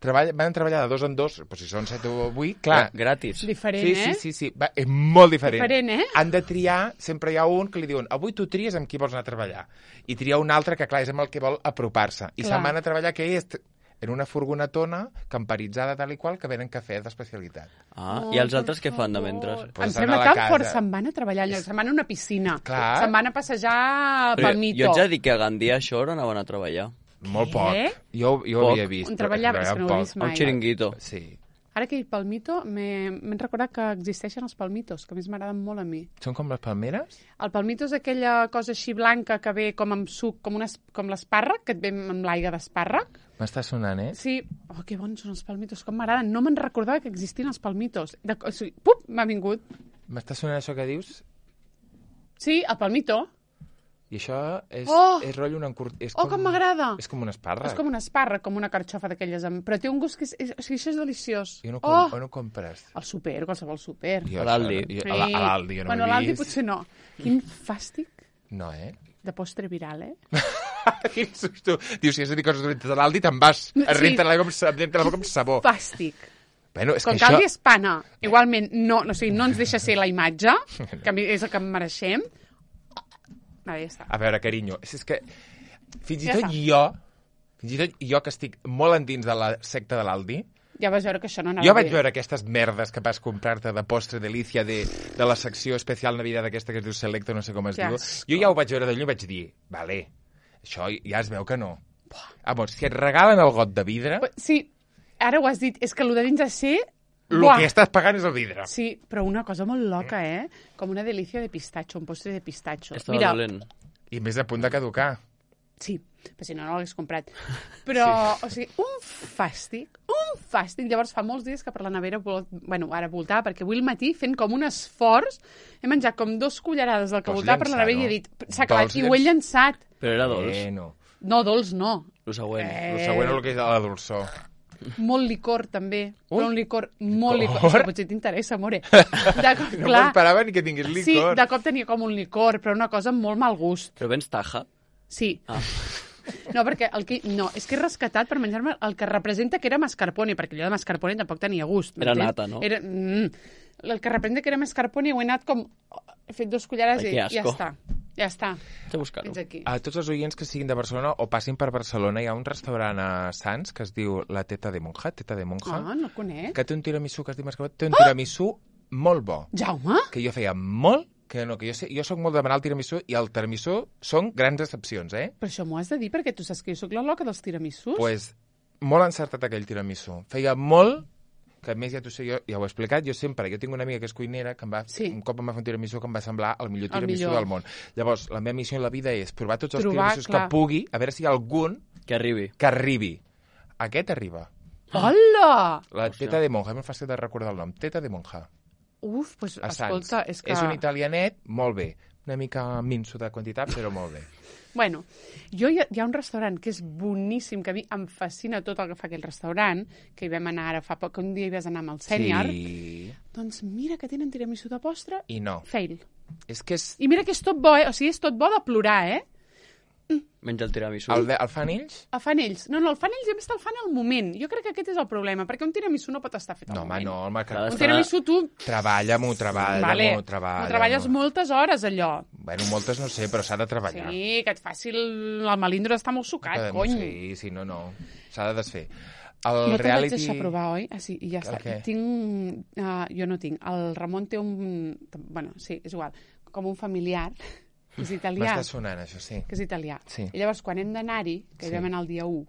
S1: Treball, van a treballar de dos en dos, però si són set o vuit, clar.
S3: Ah, gratis.
S2: Diferent,
S1: Sí,
S2: eh?
S1: sí, sí, sí. Va, és molt diferent.
S2: Diferent, eh?
S1: Han de triar, sempre hi ha un que li diuen avui tu tries amb qui vols anar a treballar. I tria un altre que, clar, és amb el que vol apropar-se. I
S2: Clar.
S1: se'n van a treballar, que és en una furgonetona camperitzada tal i qual que venen cafè d'especialitat.
S3: Ah,
S2: Oh,
S3: i els
S2: per
S3: altres què fan de
S2: favor.
S3: mentre?
S1: Pues
S2: Em
S1: estan
S2: sembla
S1: a la
S2: tan
S1: casa.
S2: fort. Se'n van a treballar allà, se'n van a una piscina.
S1: Clar.
S2: Se'n van a passejar
S3: Però
S2: pel
S3: jo
S2: mito.
S3: ets a dir que a Gandia Shore anaven a treballar.
S1: Molt
S2: Què?
S1: poc. Jo, jo ho
S3: Poc.
S1: havia vist.
S2: On treballava?
S1: però
S2: És que no ho he
S1: poc.
S2: vist
S3: A
S2: mai.
S3: un xiringuito.
S1: Sí.
S2: Ara que he dit palmito, m'he m'he recordat que existeixen els palmitos, que a més m'agraden molt a mi.
S1: Són com les palmeres?
S2: El palmito és aquella cosa així blanca que ve com amb suc, com, unes, com l'espàrrec, que et ve amb l'aigua d'espàrrec.
S1: M'està sonant, eh?
S2: Sí. Oh, que bons són els palmitos, com m'agraden. No me'n recordava que existien els palmitos. De, o sigui, pup, m'ha vingut.
S1: M'està sonant això que dius?
S2: Sí, el palmito.
S1: I això és,
S2: Oh!
S1: és rotllo un encurt... És
S2: Oh, com m'agrada.
S1: És com un espàrrec.
S2: És com un espàrrec, com una carxofa d'aquelles, amb... però té un gust que és, és, o sigui, això és deliciós.
S1: I on ho, com,
S2: oh!
S1: on ho compres?
S2: Al súper, qualsevol súper.
S1: Jo
S3: A l'Aldi.
S1: això no- jo- A la- a l'Aldi, jo no
S2: bueno,
S1: ho
S2: a
S1: he
S2: l'Aldi
S1: vist.
S2: potser no. Quin fàstic
S1: No, eh?
S2: de postre viral, eh?
S1: Dius, tu, dius, si has de dir coses dolentes de l'Aldi, te'n vas.
S2: Sí.
S1: Es renta la boca com sabó.
S2: Fàstic.
S1: Bueno, és
S2: Com
S1: que
S2: caldi
S1: això...
S2: espana, igualment, no, no, o sigui, no ens deixa ser la imatge, que a mi és el que em mereixem. Ah, ja està.
S1: A veure, carinyo, és, és que fins i
S2: Ja
S1: tot
S2: està.
S1: jo, fins i tot jo que estic molt endins de la secta de l'Aldi,
S2: Ja vas veure que això no anava
S1: jo vaig
S2: bé.
S1: veure aquestes merdes que vas comprar-te de postre delícia de, de la secció especial Navidad aquesta que es diu Selecto, no sé com es
S2: Que
S1: diu.
S2: asco.
S1: Jo ja ho vaig veure de lluny i vaig dir, vale, això ja es veu que no. Vamos, si et regalen el got de vidre,
S2: Però, sí, ara ho has dit, és que el de dins de ser...
S1: el
S2: Buah.
S1: que estàs pagant és el vidre.
S2: Sí, però una cosa molt loca, eh? Com una delícia de pistatxo, un postre de pistatxo.
S3: Estava
S2: Mira,
S3: dolent.
S1: I més a punt de caducar.
S2: sí, però si no, no l'hagués comprat. Però, sí. o sigui, un fàstic, un fàstic. Llavors, fa molts dies que per la nevera, vol... bueno, ara voltava, perquè avui al matí, fent com un esforç, he menjat com dos cullerades del que
S1: Vols
S2: voltava per la
S1: llançar,
S2: nevera
S1: no?
S2: i he dit, s'ha acabat,
S1: Vols
S2: i ho he llançat.
S3: Però era dolç.
S1: Eh, no.
S2: No, dolç no.
S3: El següent.
S2: Eh.
S1: El següent és el que és la dolçó.
S2: Molt licor, també.
S1: Ui.
S2: Però un licor molt licor.
S1: Licor?
S2: Això potser t'interessa, amore. De cop,
S1: No
S2: clar,
S1: m'esperava ni que tingués licor.
S2: sí, de cop tenia com un licor, però una cosa amb molt mal gust.
S3: Però vens taja?
S2: Sí.
S3: Ah.
S2: No, perquè el que, no, és que he rescatat per menjar-me el que representa que era mascarpone, perquè allò de mascarpone tampoc tenia gust.
S3: Era
S2: m'entens?
S3: nata, no?
S2: Era, mm, el que representa que era mascarpone ho he anat com... He fet dos cullerades
S3: Ai,
S2: i
S3: que
S2: ja
S3: asco.
S2: està. Ja està.
S3: Haig de buscar-ho.
S2: Fins aquí.
S1: A tots els oients que siguin de Barcelona o passin per Barcelona, hi ha un restaurant a Sants que es diu La Teta de Monja, Teta de Monja,
S2: Ah, no el conec.
S1: que té un tiramisú que es diu mascarpone, té un tiramisú molt bo,
S2: Jaume?
S1: que jo feia molt que no, que jo, sé, jo soc molt de demanar el tiramisú i el tiramisú són grans decepcions, eh?
S2: Però això m'ho has de dir perquè tu saps que jo sóc la loca dels tiramisús.
S1: Pues molt encertat aquell tiramisú. Feia molt, que a més ja t'ho sé, jo ja ho he explicat, jo sempre, jo tinc una amiga que és cuinera, que em va,
S2: Sí.
S1: un cop em va fer un tiramisú que em va semblar el millor
S2: El
S1: tiramisú
S2: millor.
S1: del món. Llavors, la meva missió en la vida és provar tots els
S2: Trobar,
S1: tiramisús
S2: clar.
S1: que pugui, a veure si hi ha algun
S3: Que arribi.
S1: que arribi. Aquest arriba.
S2: Hola!
S1: La
S3: Hòstia.
S1: Teta de Monja, és molt fàcil de recordar el nom. Teta de Monja,
S2: Uf, doncs,
S1: a Sants.
S2: escolta, és que...
S1: És un italianet, molt bé. Una mica minso de quantitat, però molt bé.
S2: Bueno, jo hi ha, hi ha un restaurant que és boníssim, que a mi em fascina tot el que fa aquell restaurant, que hi vam anar ara fa poc, que un dia hi vas anar amb el sènior.
S1: Sí.
S2: Doncs mira que tenen tiramisú de postre,
S1: I no.
S2: fail.
S1: És que és...
S2: I mira que és tot bo, eh? O sigui, és tot bo de plorar, eh?
S3: Menja el tiramisú.
S1: El, de, el fan ells?
S2: El fan ells. No, no, el fan ells i a més te'l fan al moment. Jo crec que aquest és el problema, perquè un tiramisú no pot estar fet al
S1: No, home,
S2: moment.
S1: no, home, que...
S3: Clar,
S2: Un tiramisú tu...
S1: Treballa-m'ho, treballa-m'ho,
S2: Vale,
S1: treballa.
S2: ho treballes moltes hores, allò.
S1: Bueno, moltes no sé, però s'ha de treballar.
S2: Sí, que et faci el, el melindro d'estar molt sucat,
S1: Que-
S2: cony.
S1: Sí, sí, no, no. S'ha de desfer. El
S2: No te'l vaig
S1: reality...
S2: deixar provar, oi? Ah, sí, i ja
S1: El
S2: està.
S1: què?
S2: Tinc... Uh, jo no tinc. El Ramon té un... Bueno, sí, és igual. Com un familiar, que és italià.
S1: M'està sonant, això, sí.
S2: Que és italià.
S1: Sí.
S2: I llavors, quan hem d'anar-hi, que
S1: Sí.
S2: hi vam anar el dia u,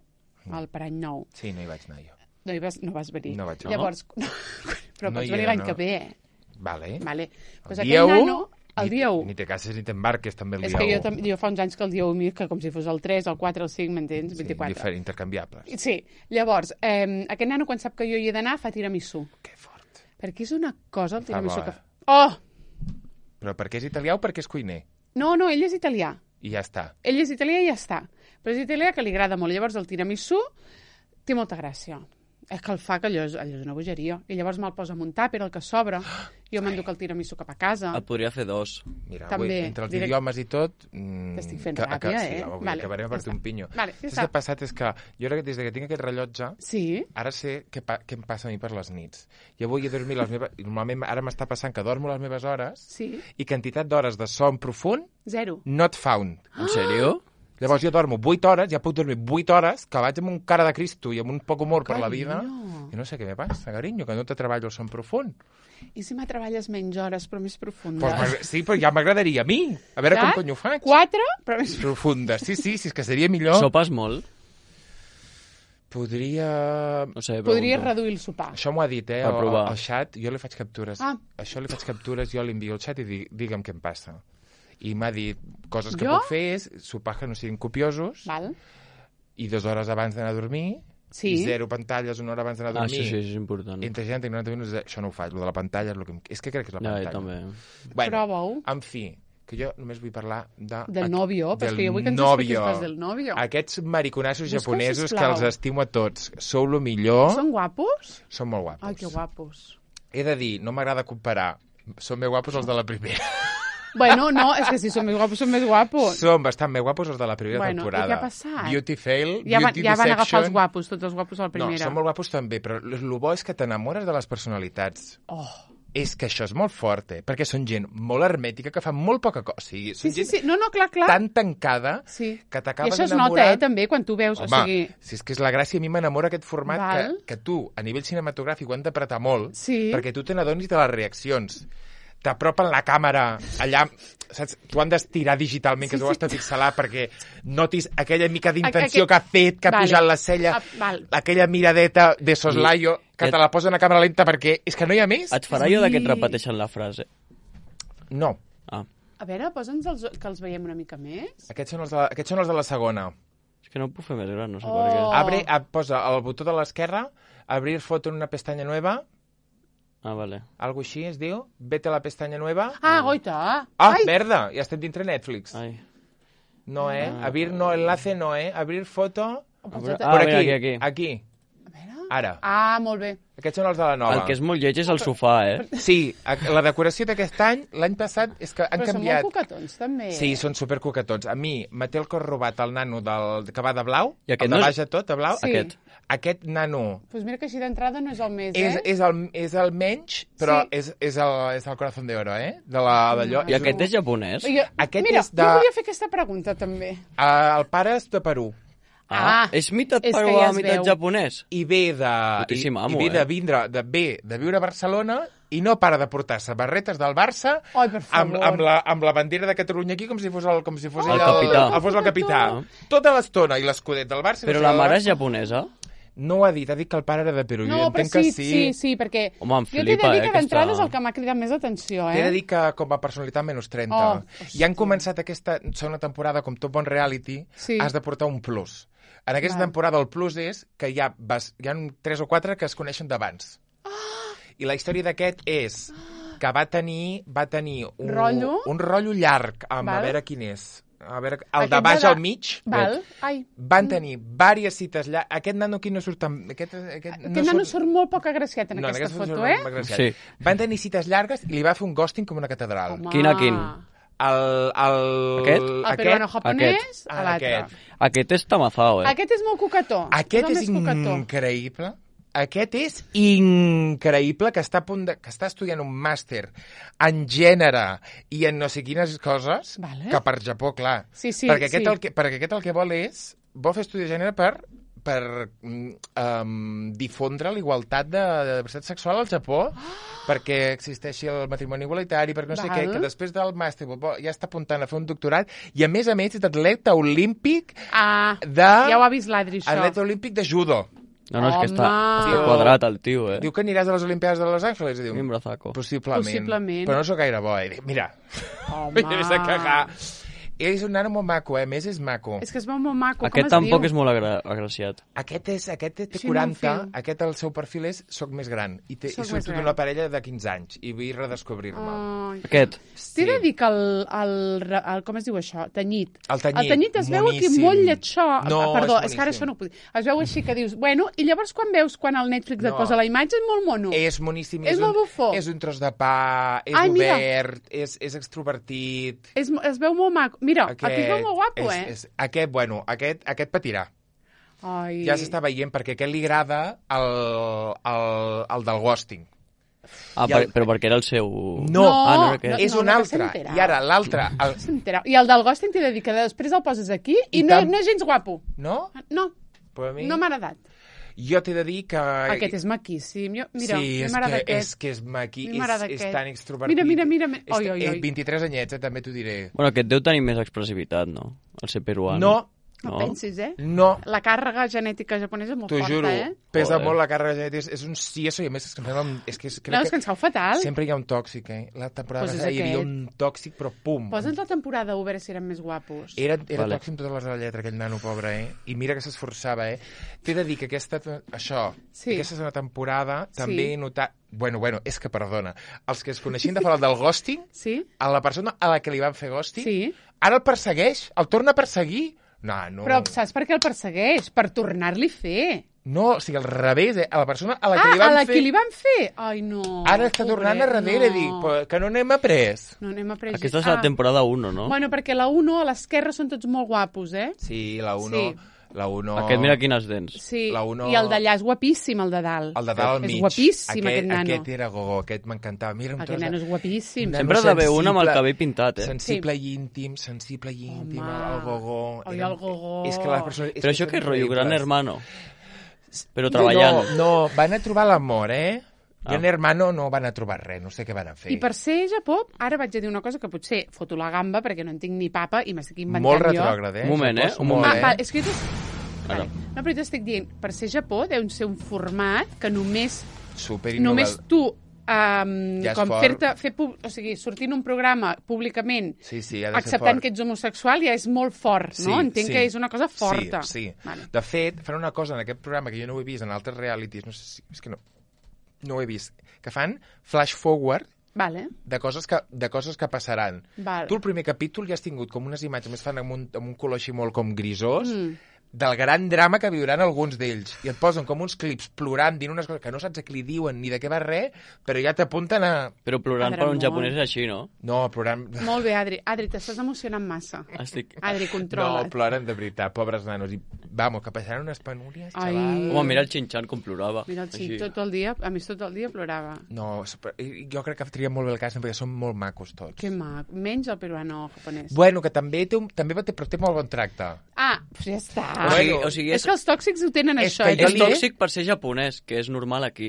S2: al Parany Nou,
S1: Sí, no hi vaig anar jo.
S2: no, hi vas, no vas venir.
S1: No vaig, no?
S2: Llavors, no, però
S1: No
S2: pots
S1: hi
S2: venir
S1: era,
S2: l'any
S1: no.
S2: que ve, eh?
S1: Vale.
S2: Vale.
S1: El
S2: Pues
S1: dia
S2: aquell
S1: u,
S2: nano, el
S1: ni,
S2: dia u.
S1: Ni te cases ni t'embarques també el
S2: És
S1: dia
S2: que
S1: u.
S2: jo, tam- jo fa uns anys que el dia u m'hi que com si fos el tres, el quatre, el cinc, m'entens?
S1: Sí,
S2: vint-i-quatre.
S1: diferent, intercanviables.
S2: Sí, llavors, eh, aquest nano quan sap que jo hi he d'anar fa tiramisú.
S1: Que fort.
S2: Perquè és una cosa el tiramisú
S1: bo,
S2: que
S1: eh?
S2: fa... Oh!
S1: Però perquè és italià o perquè és cuiner?
S2: No, no, ell és italià.
S1: I ja està.
S2: Ell és italià i ja està. Però és italià que li agrada molt. Llavors el tiramisú té molta gràcia. És que el fa que allò és, allò és una bogeria. I llavors me'l posa en un tàper, el que sobra. Jo m'enduc el tiramisú cap a casa.
S3: Et podria fer dos.
S1: Mira,
S2: També,
S1: avui, entre els
S2: direct-
S1: idiomes i tot... Mm,
S2: T'estic fent
S1: que-
S2: ràbia,
S1: que,
S2: eh?
S1: Sí, avui
S2: Vale,
S1: acabarem
S2: ja
S1: per fer
S2: està.
S1: un pinyo.
S2: Vale, ja
S1: Saps
S2: està.
S1: què ha passat? És que jo ara, des que tinc aquest rellotge,
S2: Sí?
S1: ara sé què, pa què em passa a mi per les nits. Jo vull dormir les meves... Normalment ara m'està passant que dormo les meves hores
S2: Sí?
S1: i quantitat d'hores de son profund
S2: Zero.
S1: not found.
S3: En sèrio?
S1: Llavors jo dormo vuit hores, ja puc dormir vuit hores, que vaig amb un cara de Cristo i amb un poc humor per la vida.
S2: Carinyo.
S1: I no sé què me passa, carinyo, que no te treballo el son profund.
S2: I si me treballes menys hores, però més profundes?
S1: Pues, m'agra- sí, però ja m'agradaria a mi. A veure com
S2: Saps?
S1: cony ho faig.
S2: Quatre, però més...
S1: Profundes. Sí, sí, sí, és que seria millor.
S3: Sopes molt?
S1: Podria...
S3: No sé,
S2: Podries
S3: pregunto.
S2: reduir el sopar.
S1: Això m'ho ha dit, eh,
S3: Per
S1: al,
S3: provar.
S1: al xat. Jo li faig captures.
S2: Ah.
S1: Això li faig captures, jo li envio al xat i dic, digue'm què em passa. I m'ha dit coses que
S2: Jo?
S1: puc fer és sopars que no siguin copiosos
S2: Val?
S1: i dues hores abans d'anar a dormir,
S2: Sí.
S1: i zero pantalles una hora abans d'anar a
S3: Ah,
S1: dormir.
S3: sí, sí, és important.
S1: Entre trenta i noranta minuts, això no ho faig. Lo de la pantalla és el que... em- És que crec que és la
S3: Ja,
S1: pantalla.
S3: jo també.
S1: Bueno,
S2: Prova-ho.
S1: en fi, que jo només vull parlar de...
S2: Del novio, però és
S1: del
S2: que jo vull que ens
S1: novio.
S2: expliquis coses del novio.
S1: Aquests mariconassos
S2: Busca-ho,
S1: japonesos que
S2: sisplau.
S1: els estimo a tots. Sou lo millor.
S2: Són guapos?
S1: Són molt guapos.
S2: Ai, que guapos.
S1: He de dir, no m'agrada comparar. Són més guapos els de la primera.
S2: Bueno, no, és que si són més guapos, són més guapos.
S1: Són bastant més guapos els de la primera
S2: Bueno,
S1: temporada.
S2: i què ha passat?
S1: Beauty fail,
S2: Ja, van,
S1: beauty
S2: ja van agafar
S1: deception.
S2: els guapos, tots els guapos a la primera.
S1: No, són molt guapos també, però el bo és que t'enamores de les personalitats.
S2: Oh.
S1: És que això és molt fort, eh? Perquè són gent molt hermètica, que fa molt poca cosa. O sigui, són
S2: Sí, sí,
S1: gent
S2: sí. No, no, clar, clar.
S1: tan tancada
S2: Sí.
S1: que
S2: I
S1: t'acabes
S2: això es
S1: enamorant.
S2: nota, eh, també, quan tu veus.
S1: Home,
S2: o sigui...
S1: si és que és la gràcia, a mi m'enamora aquest format que,
S2: Val.
S1: que tu, a nivell cinematogràfic, ho han d'apretar molt,
S2: Sí.
S1: perquè tu te n'adonis de les reaccions. T'apropen la càmera allà, saps? Tu han d'estirar digitalment, que
S2: Sí,
S1: tu ho has
S2: sí.
S1: de pixelar perquè notis aquella mica d'intenció
S2: Aqu-
S1: que ha fet, que ha
S2: Vale.
S1: pujat la cella,
S2: Ah, val.
S1: aquella miradeta de soslaio, que
S3: Et-
S1: te la posen a càmera lenta perquè és que no hi ha més.
S3: Et farà allò de que et
S2: Sí.
S3: repeteixen la frase?
S1: No.
S3: Ah,
S2: A veure, posa'ns els, que els veiem una mica més.
S1: Aquests són els de la, aquests són els de la segona.
S3: és que no ho puc fer més gran, no sé
S2: Oh.
S3: per què.
S1: Abre, a, posa el botó de l'esquerra, abrir foto en una pestanya nueva,
S3: Ah, vale.
S1: algo així es diu, vete a la pestanya nueva.
S2: Ah, goita.
S1: Ah,
S2: Ai,
S1: merda, ja estem dintre Netflix.
S3: Ai.
S1: No, eh? Abrir no, enlace no, eh? Abrir foto...
S2: ho
S3: Ah,
S2: posa't-
S3: Ah,
S1: Por
S3: mira,
S1: aquí,
S3: aquí, aquí.
S1: aquí.
S2: A veure.
S1: Ara.
S2: Ah, molt bé.
S1: Aquests són els de la nova.
S3: El que és molt lleig és el sofà, eh?
S1: Sí, a- la decoració d'aquest any, l'any passat, és que han
S2: Però
S1: canviat...
S2: són molt coquetons, també.
S1: Sí, són supercoquetons. A mi me té el cor robat el nano del, que va de blau,
S3: I aquest
S1: el de
S3: no és-
S1: baix de tot, de blau.
S2: Sí.
S3: Aquest.
S1: Aquest nano
S2: Doncs pues mira que així d'entrada no és el més,
S1: és,
S2: eh?
S1: és, el, és el menys, però
S2: Sí.
S1: és, és, el, és el corazón de oro, eh? De la- d'allò.
S3: I aquest és japonès?
S2: Jo,
S1: Aquest
S2: mira,
S1: és de-
S2: jo volia fer aquesta pregunta, també.
S1: Uh, el pare és de Perú.
S2: Ah,
S3: és meitat
S2: és que
S3: peruà,
S2: ja es
S3: meitat
S2: veu.
S3: japonès?
S1: I ve de,
S3: Putíssim
S1: i,
S3: amo,
S1: i ve
S3: eh?
S1: de, vindre, de, ve de viure a Barcelona i no para de portar-se barretes del Barça
S2: Ai, per
S1: amb,
S2: favor.
S1: amb, la, amb la bandera de Catalunya aquí com si fos el, com si fos
S3: El
S1: ell
S3: capità.
S1: El, el, fos el capità. Tota l'estona i l'escudet del Barça.
S3: Però
S1: i
S3: la
S1: del
S3: mare és
S1: Barça.
S3: japonesa?
S1: No ho ha dit, ha dit que el pare era de Perú.
S2: No,
S1: jo
S2: però
S1: entenc
S2: sí,
S1: que
S2: sí,
S1: sí.
S2: sí, perquè
S3: Home, em
S2: jo t'he de
S3: flipa,
S2: dir
S3: eh,
S2: que d'entrada
S3: aquesta-
S2: és el que m'ha cridat més atenció, eh?
S1: T'he de dir que com a personalitat menys trenta.
S2: Oh,
S1: I han començat aquesta segona temporada, com tot bon reality,
S2: Sí.
S1: has de portar un plus. En aquesta
S2: Val.
S1: temporada el plus és que hi ha, vas, hi ha tres o quatre que es coneixen d'abans. I la història d'aquest és que va tenir, va tenir un
S2: Rotllo?
S1: un rotllo llarg, amb, a
S2: Val.
S1: veure quin és. A veure, el
S2: Aquest
S1: de baix
S2: de-
S1: al mig,
S2: Val? Ai.
S1: van tenir diverses cites llargues. Aquest nano aquí no surt tan... Aquest, aquest,
S2: Aquest nano surt molt poc agraciat en
S1: no,
S2: aquesta
S1: aquest
S2: foto,
S1: surt
S2: eh?
S1: molt agraciat.
S3: Sí.
S1: Van tenir cites llargues i li va fer un ghosting com una catedral.
S2: Home.
S3: Quin a quin?
S1: El, el,
S3: Aquest?
S2: El peruano japonès,
S1: Ah,
S2: a l'altre.
S1: aquest.
S3: Aquest és tamazao, eh?
S2: Aquest és molt coquetó.
S1: Aquest
S2: el
S1: és
S2: més coquetó.
S1: increïble. Aquest és increïble, que està, a punt de, que està estudiant un màster en gènere i en no sé quines coses,
S2: Vale.
S1: que per Japó, clar.
S2: Sí, sí,
S1: perquè, aquest
S2: sí.
S1: el que, perquè aquest el que vol és... Vol fer estudi de gènere per per um, difondre la igualtat de, de diversitat sexual al Japó, oh! perquè existeixi el matrimoni igualitari, perquè no sé
S2: Val.
S1: què, que després del màster ja està apuntant a fer un doctorat, i a més a més és atleta olímpic
S2: Ah,
S1: de...
S2: ja ho ha vist l'Adri, això.
S1: Atleta olímpic de judo.
S3: No, no, és que està,
S2: Home.
S3: està quadrat el tio, eh?
S1: Diu que aniràs a les Olimpiades de Los Angeles? I diu,
S3: Un brazaco.
S1: possiblement.
S2: Possiblement.
S1: Però no sóc gaire bo. I dic, mira,
S2: Home.
S1: vés a cagar. És un nano molt maco, eh? A més, és maco.
S2: És que es veu molt maco.
S3: Aquest
S2: Com es
S3: tampoc
S2: diu?
S3: és molt agra agraciat.
S1: Aquest, és, aquest té
S2: Sí, no em
S1: quaranta,
S2: fio.
S1: aquest el seu perfil és soc més gran. I, té,
S2: Soc
S1: i
S2: més
S1: surto
S2: gran.
S1: d'una parella de quinze anys i vull redescobrir-me.
S2: Ai.
S3: Aquest.
S2: T'he de dir que el, el, el... Com es diu això? Tenyit.
S1: El tenyit,
S2: El tenyit es veu aquí
S1: moníssim.
S2: molt lletxó.
S1: No,
S2: Ah, Perdó,
S1: és
S2: és, que ara
S1: boníssim.
S2: això no ho puc dir. Es veu així que dius... Bueno, i llavors quan veus quan el Netflix et
S1: No.
S2: posa la imatge és molt mono.
S1: És moníssim.
S2: És
S1: un,
S2: molt bufó.
S1: És un tros de pa, és
S2: Ai, mira.
S1: obert, és, és extrovertit.
S2: És, es veu molt maco. Mira, aquest, aquí es veu molt guapo,
S1: és,
S2: eh?
S1: És, aquest, bueno, aquest, aquest patirà.
S2: Ai.
S1: Ja s'està veient perquè aquest li agrada el, el, el del ghosting.
S3: Ah,
S1: I
S3: per,
S1: el-
S3: però perquè era el seu...
S1: No,
S3: ah, no, era aquest.
S2: no,
S1: és un
S2: no, que
S1: altre.
S2: s'entera.
S1: I ara l'altre... El...
S2: S'entera. I el del ghosting t'he de dir que després el poses aquí i,
S1: I
S2: no,
S1: tam-
S2: no és gens guapo.
S1: No?
S2: No,
S1: Però a mi...
S2: no m'ha agradat.
S1: Jo t'he de dir que...
S2: Aquest és maquíssim. Jo, mira,
S1: sí,
S2: a
S1: és
S2: mi m'agrada
S1: que,
S2: aquest.
S1: és que és maqui,
S2: A mi
S1: és,
S2: m'agrada
S1: és
S2: aquest.
S1: tan extrovertit.
S2: Mira, mira, mira.
S1: És,
S2: Oi, oi,
S1: és
S2: oi.
S1: vint-i-tres anyets, eh, també t'ho diré.
S3: Bueno, aquest deu tenir més expressivitat, no? El ser peruano.
S1: No,
S2: No pensis, eh?
S1: no,
S2: La càrrega genètica japonesa és molt
S1: t'ho
S2: forta,
S1: juro.
S2: eh?
S1: Pesa
S3: Joder.
S1: molt la càrrega genètica. És, és un sieso i a més és que, em sembla un- és que és, crec
S2: No, és que ens cau fatal.
S1: sempre hi ha un tòxic, eh? La temporada
S2: Pues és
S1: passada hi havia
S2: aquest.
S1: un tòxic, però pum.
S2: Posa'ns la temporada a veure si eren més guapos.
S1: Era, era
S3: Vale.
S1: tòxic amb totes les de la lletra, aquell nano pobre, eh? I mira que s'esforçava, eh? T'he de dir que aquesta, això,
S2: Sí.
S1: aquesta segona temporada també
S2: Sí.
S1: he notat... Bueno, bueno, és que perdona. Els que es coneixien de fora del ghosting,
S2: Sí?
S1: a la persona a la que li van fer ghosting,
S2: Sí.
S1: ara el persegueix, el torna a perseguir. No, no.
S2: Però saps per què el persegueix? Per tornar-li a fer.
S1: No, o sigui, al revés, eh? A la persona a la que
S2: Ah,
S1: li van
S2: a la
S1: fer...
S2: que li van fer? Ai, no.
S1: Ara està tornant a
S2: pobret,
S1: darrere,
S2: no.
S1: dic, però que no n'hem après.
S2: No n'hem après.
S3: Aquesta és la temporada uno, no?
S2: Bueno, perquè la uno a l'esquerra són tots molt guapos, eh?
S1: Sí, la uno...
S2: Sí.
S1: La uno...
S3: Aquest mira quines dents.
S2: Sí,
S1: La uno-
S2: i el d'allà és guapíssim, el de dalt.
S1: El de dalt al mig.
S2: És guapíssim, aquest, nano.
S1: Aquest era gogo, aquest m'encantava. Mira, un
S2: Aquest
S1: tros de-
S2: nano és guapíssim.
S1: Un
S3: Sempre ha d'haver un amb el cabell pintat, eh?
S1: Sensible i íntim, sensible i íntim,
S2: Home.
S1: el, el gogó.
S2: Oi,
S1: Era-
S2: el gogó.
S1: És que les persones...
S3: Però això que és rotllo, gran hermano. Però
S1: No,
S3: treballant.
S1: no, van a trobar l'amor, eh?
S3: Ah.
S1: Gran hermano no van a trobar res, no sé què van a fer.
S2: I per ser Japó, ara vaig a dir una cosa que potser foto la gamba perquè no en tinc ni papa i m'estic inventant
S1: Molt
S2: jo.
S1: retrògrad, eh?
S3: Un moment, eh?
S1: Japó,
S3: Un
S1: molt,
S3: moment.
S2: Ah,
S1: eh?
S2: va, és que jo t'es-
S3: Ara.
S2: Vale. No, però jo t'estic dient, per ser Japó deu ser un format que només,
S1: Super
S2: només
S1: innovador.
S2: tu, um,
S1: Ja és
S2: com
S1: fort.
S2: fer-te, fer, pub- o sigui, sortir en un programa públicament,
S1: Sí, sí, ha de ser
S2: acceptant
S1: fort.
S2: que ets homosexual, ja és molt fort, no? Entenc que és una cosa forta.
S1: Sí, sí.
S2: Vale.
S1: De fet, fan una cosa en aquest programa que jo no ho he vist en altres realities, no sé si... És que no, no ho he vist. Que fan flash forward
S2: Vale.
S1: de coses que, de coses que passaran.
S2: Val.
S1: Tu el primer capítol ja has tingut com unes imatges, més fan amb un, amb un color així molt com grisós,
S2: Mm.
S1: del gran drama que viuran alguns d'ells. I et posen com uns clips plorant, dient unes coses que no saps a qui li diuen ni de què va res, però ja t'apunten a...
S3: Però plorant
S2: Adre
S3: per un
S2: molt.
S3: japonès és així, no?
S1: No, plorant...
S2: Molt bé, Adri. Adri, t'estàs emocionant massa.
S3: Estic...
S2: Adri,
S1: No,
S2: controla't.
S1: ploren de veritat, pobres nanos. I, vamos, que passaran unes penúries,
S2: Ai.
S1: xaval.
S3: Home, mira el Xinxan com plorava.
S2: Mira, el Xim,
S3: Així.
S2: tot el dia, a més tot el dia plorava.
S1: No, super- i- jo crec que tria molt bé el cas perquè són molt macos tots.
S2: Que mac. Menys el peruano japonès.
S1: Bueno, que també té, un, també té, però té molt bon tracte.
S2: Ah, pues ja està.
S3: O sigui,
S1: Bueno,
S3: o sigui
S2: És
S3: és,
S2: que els tòxics ho tenen,
S1: És
S2: això.
S1: que
S2: eh,
S1: jo
S3: és
S1: li-
S2: també?
S3: tòxic per ser japonès, que és normal aquí.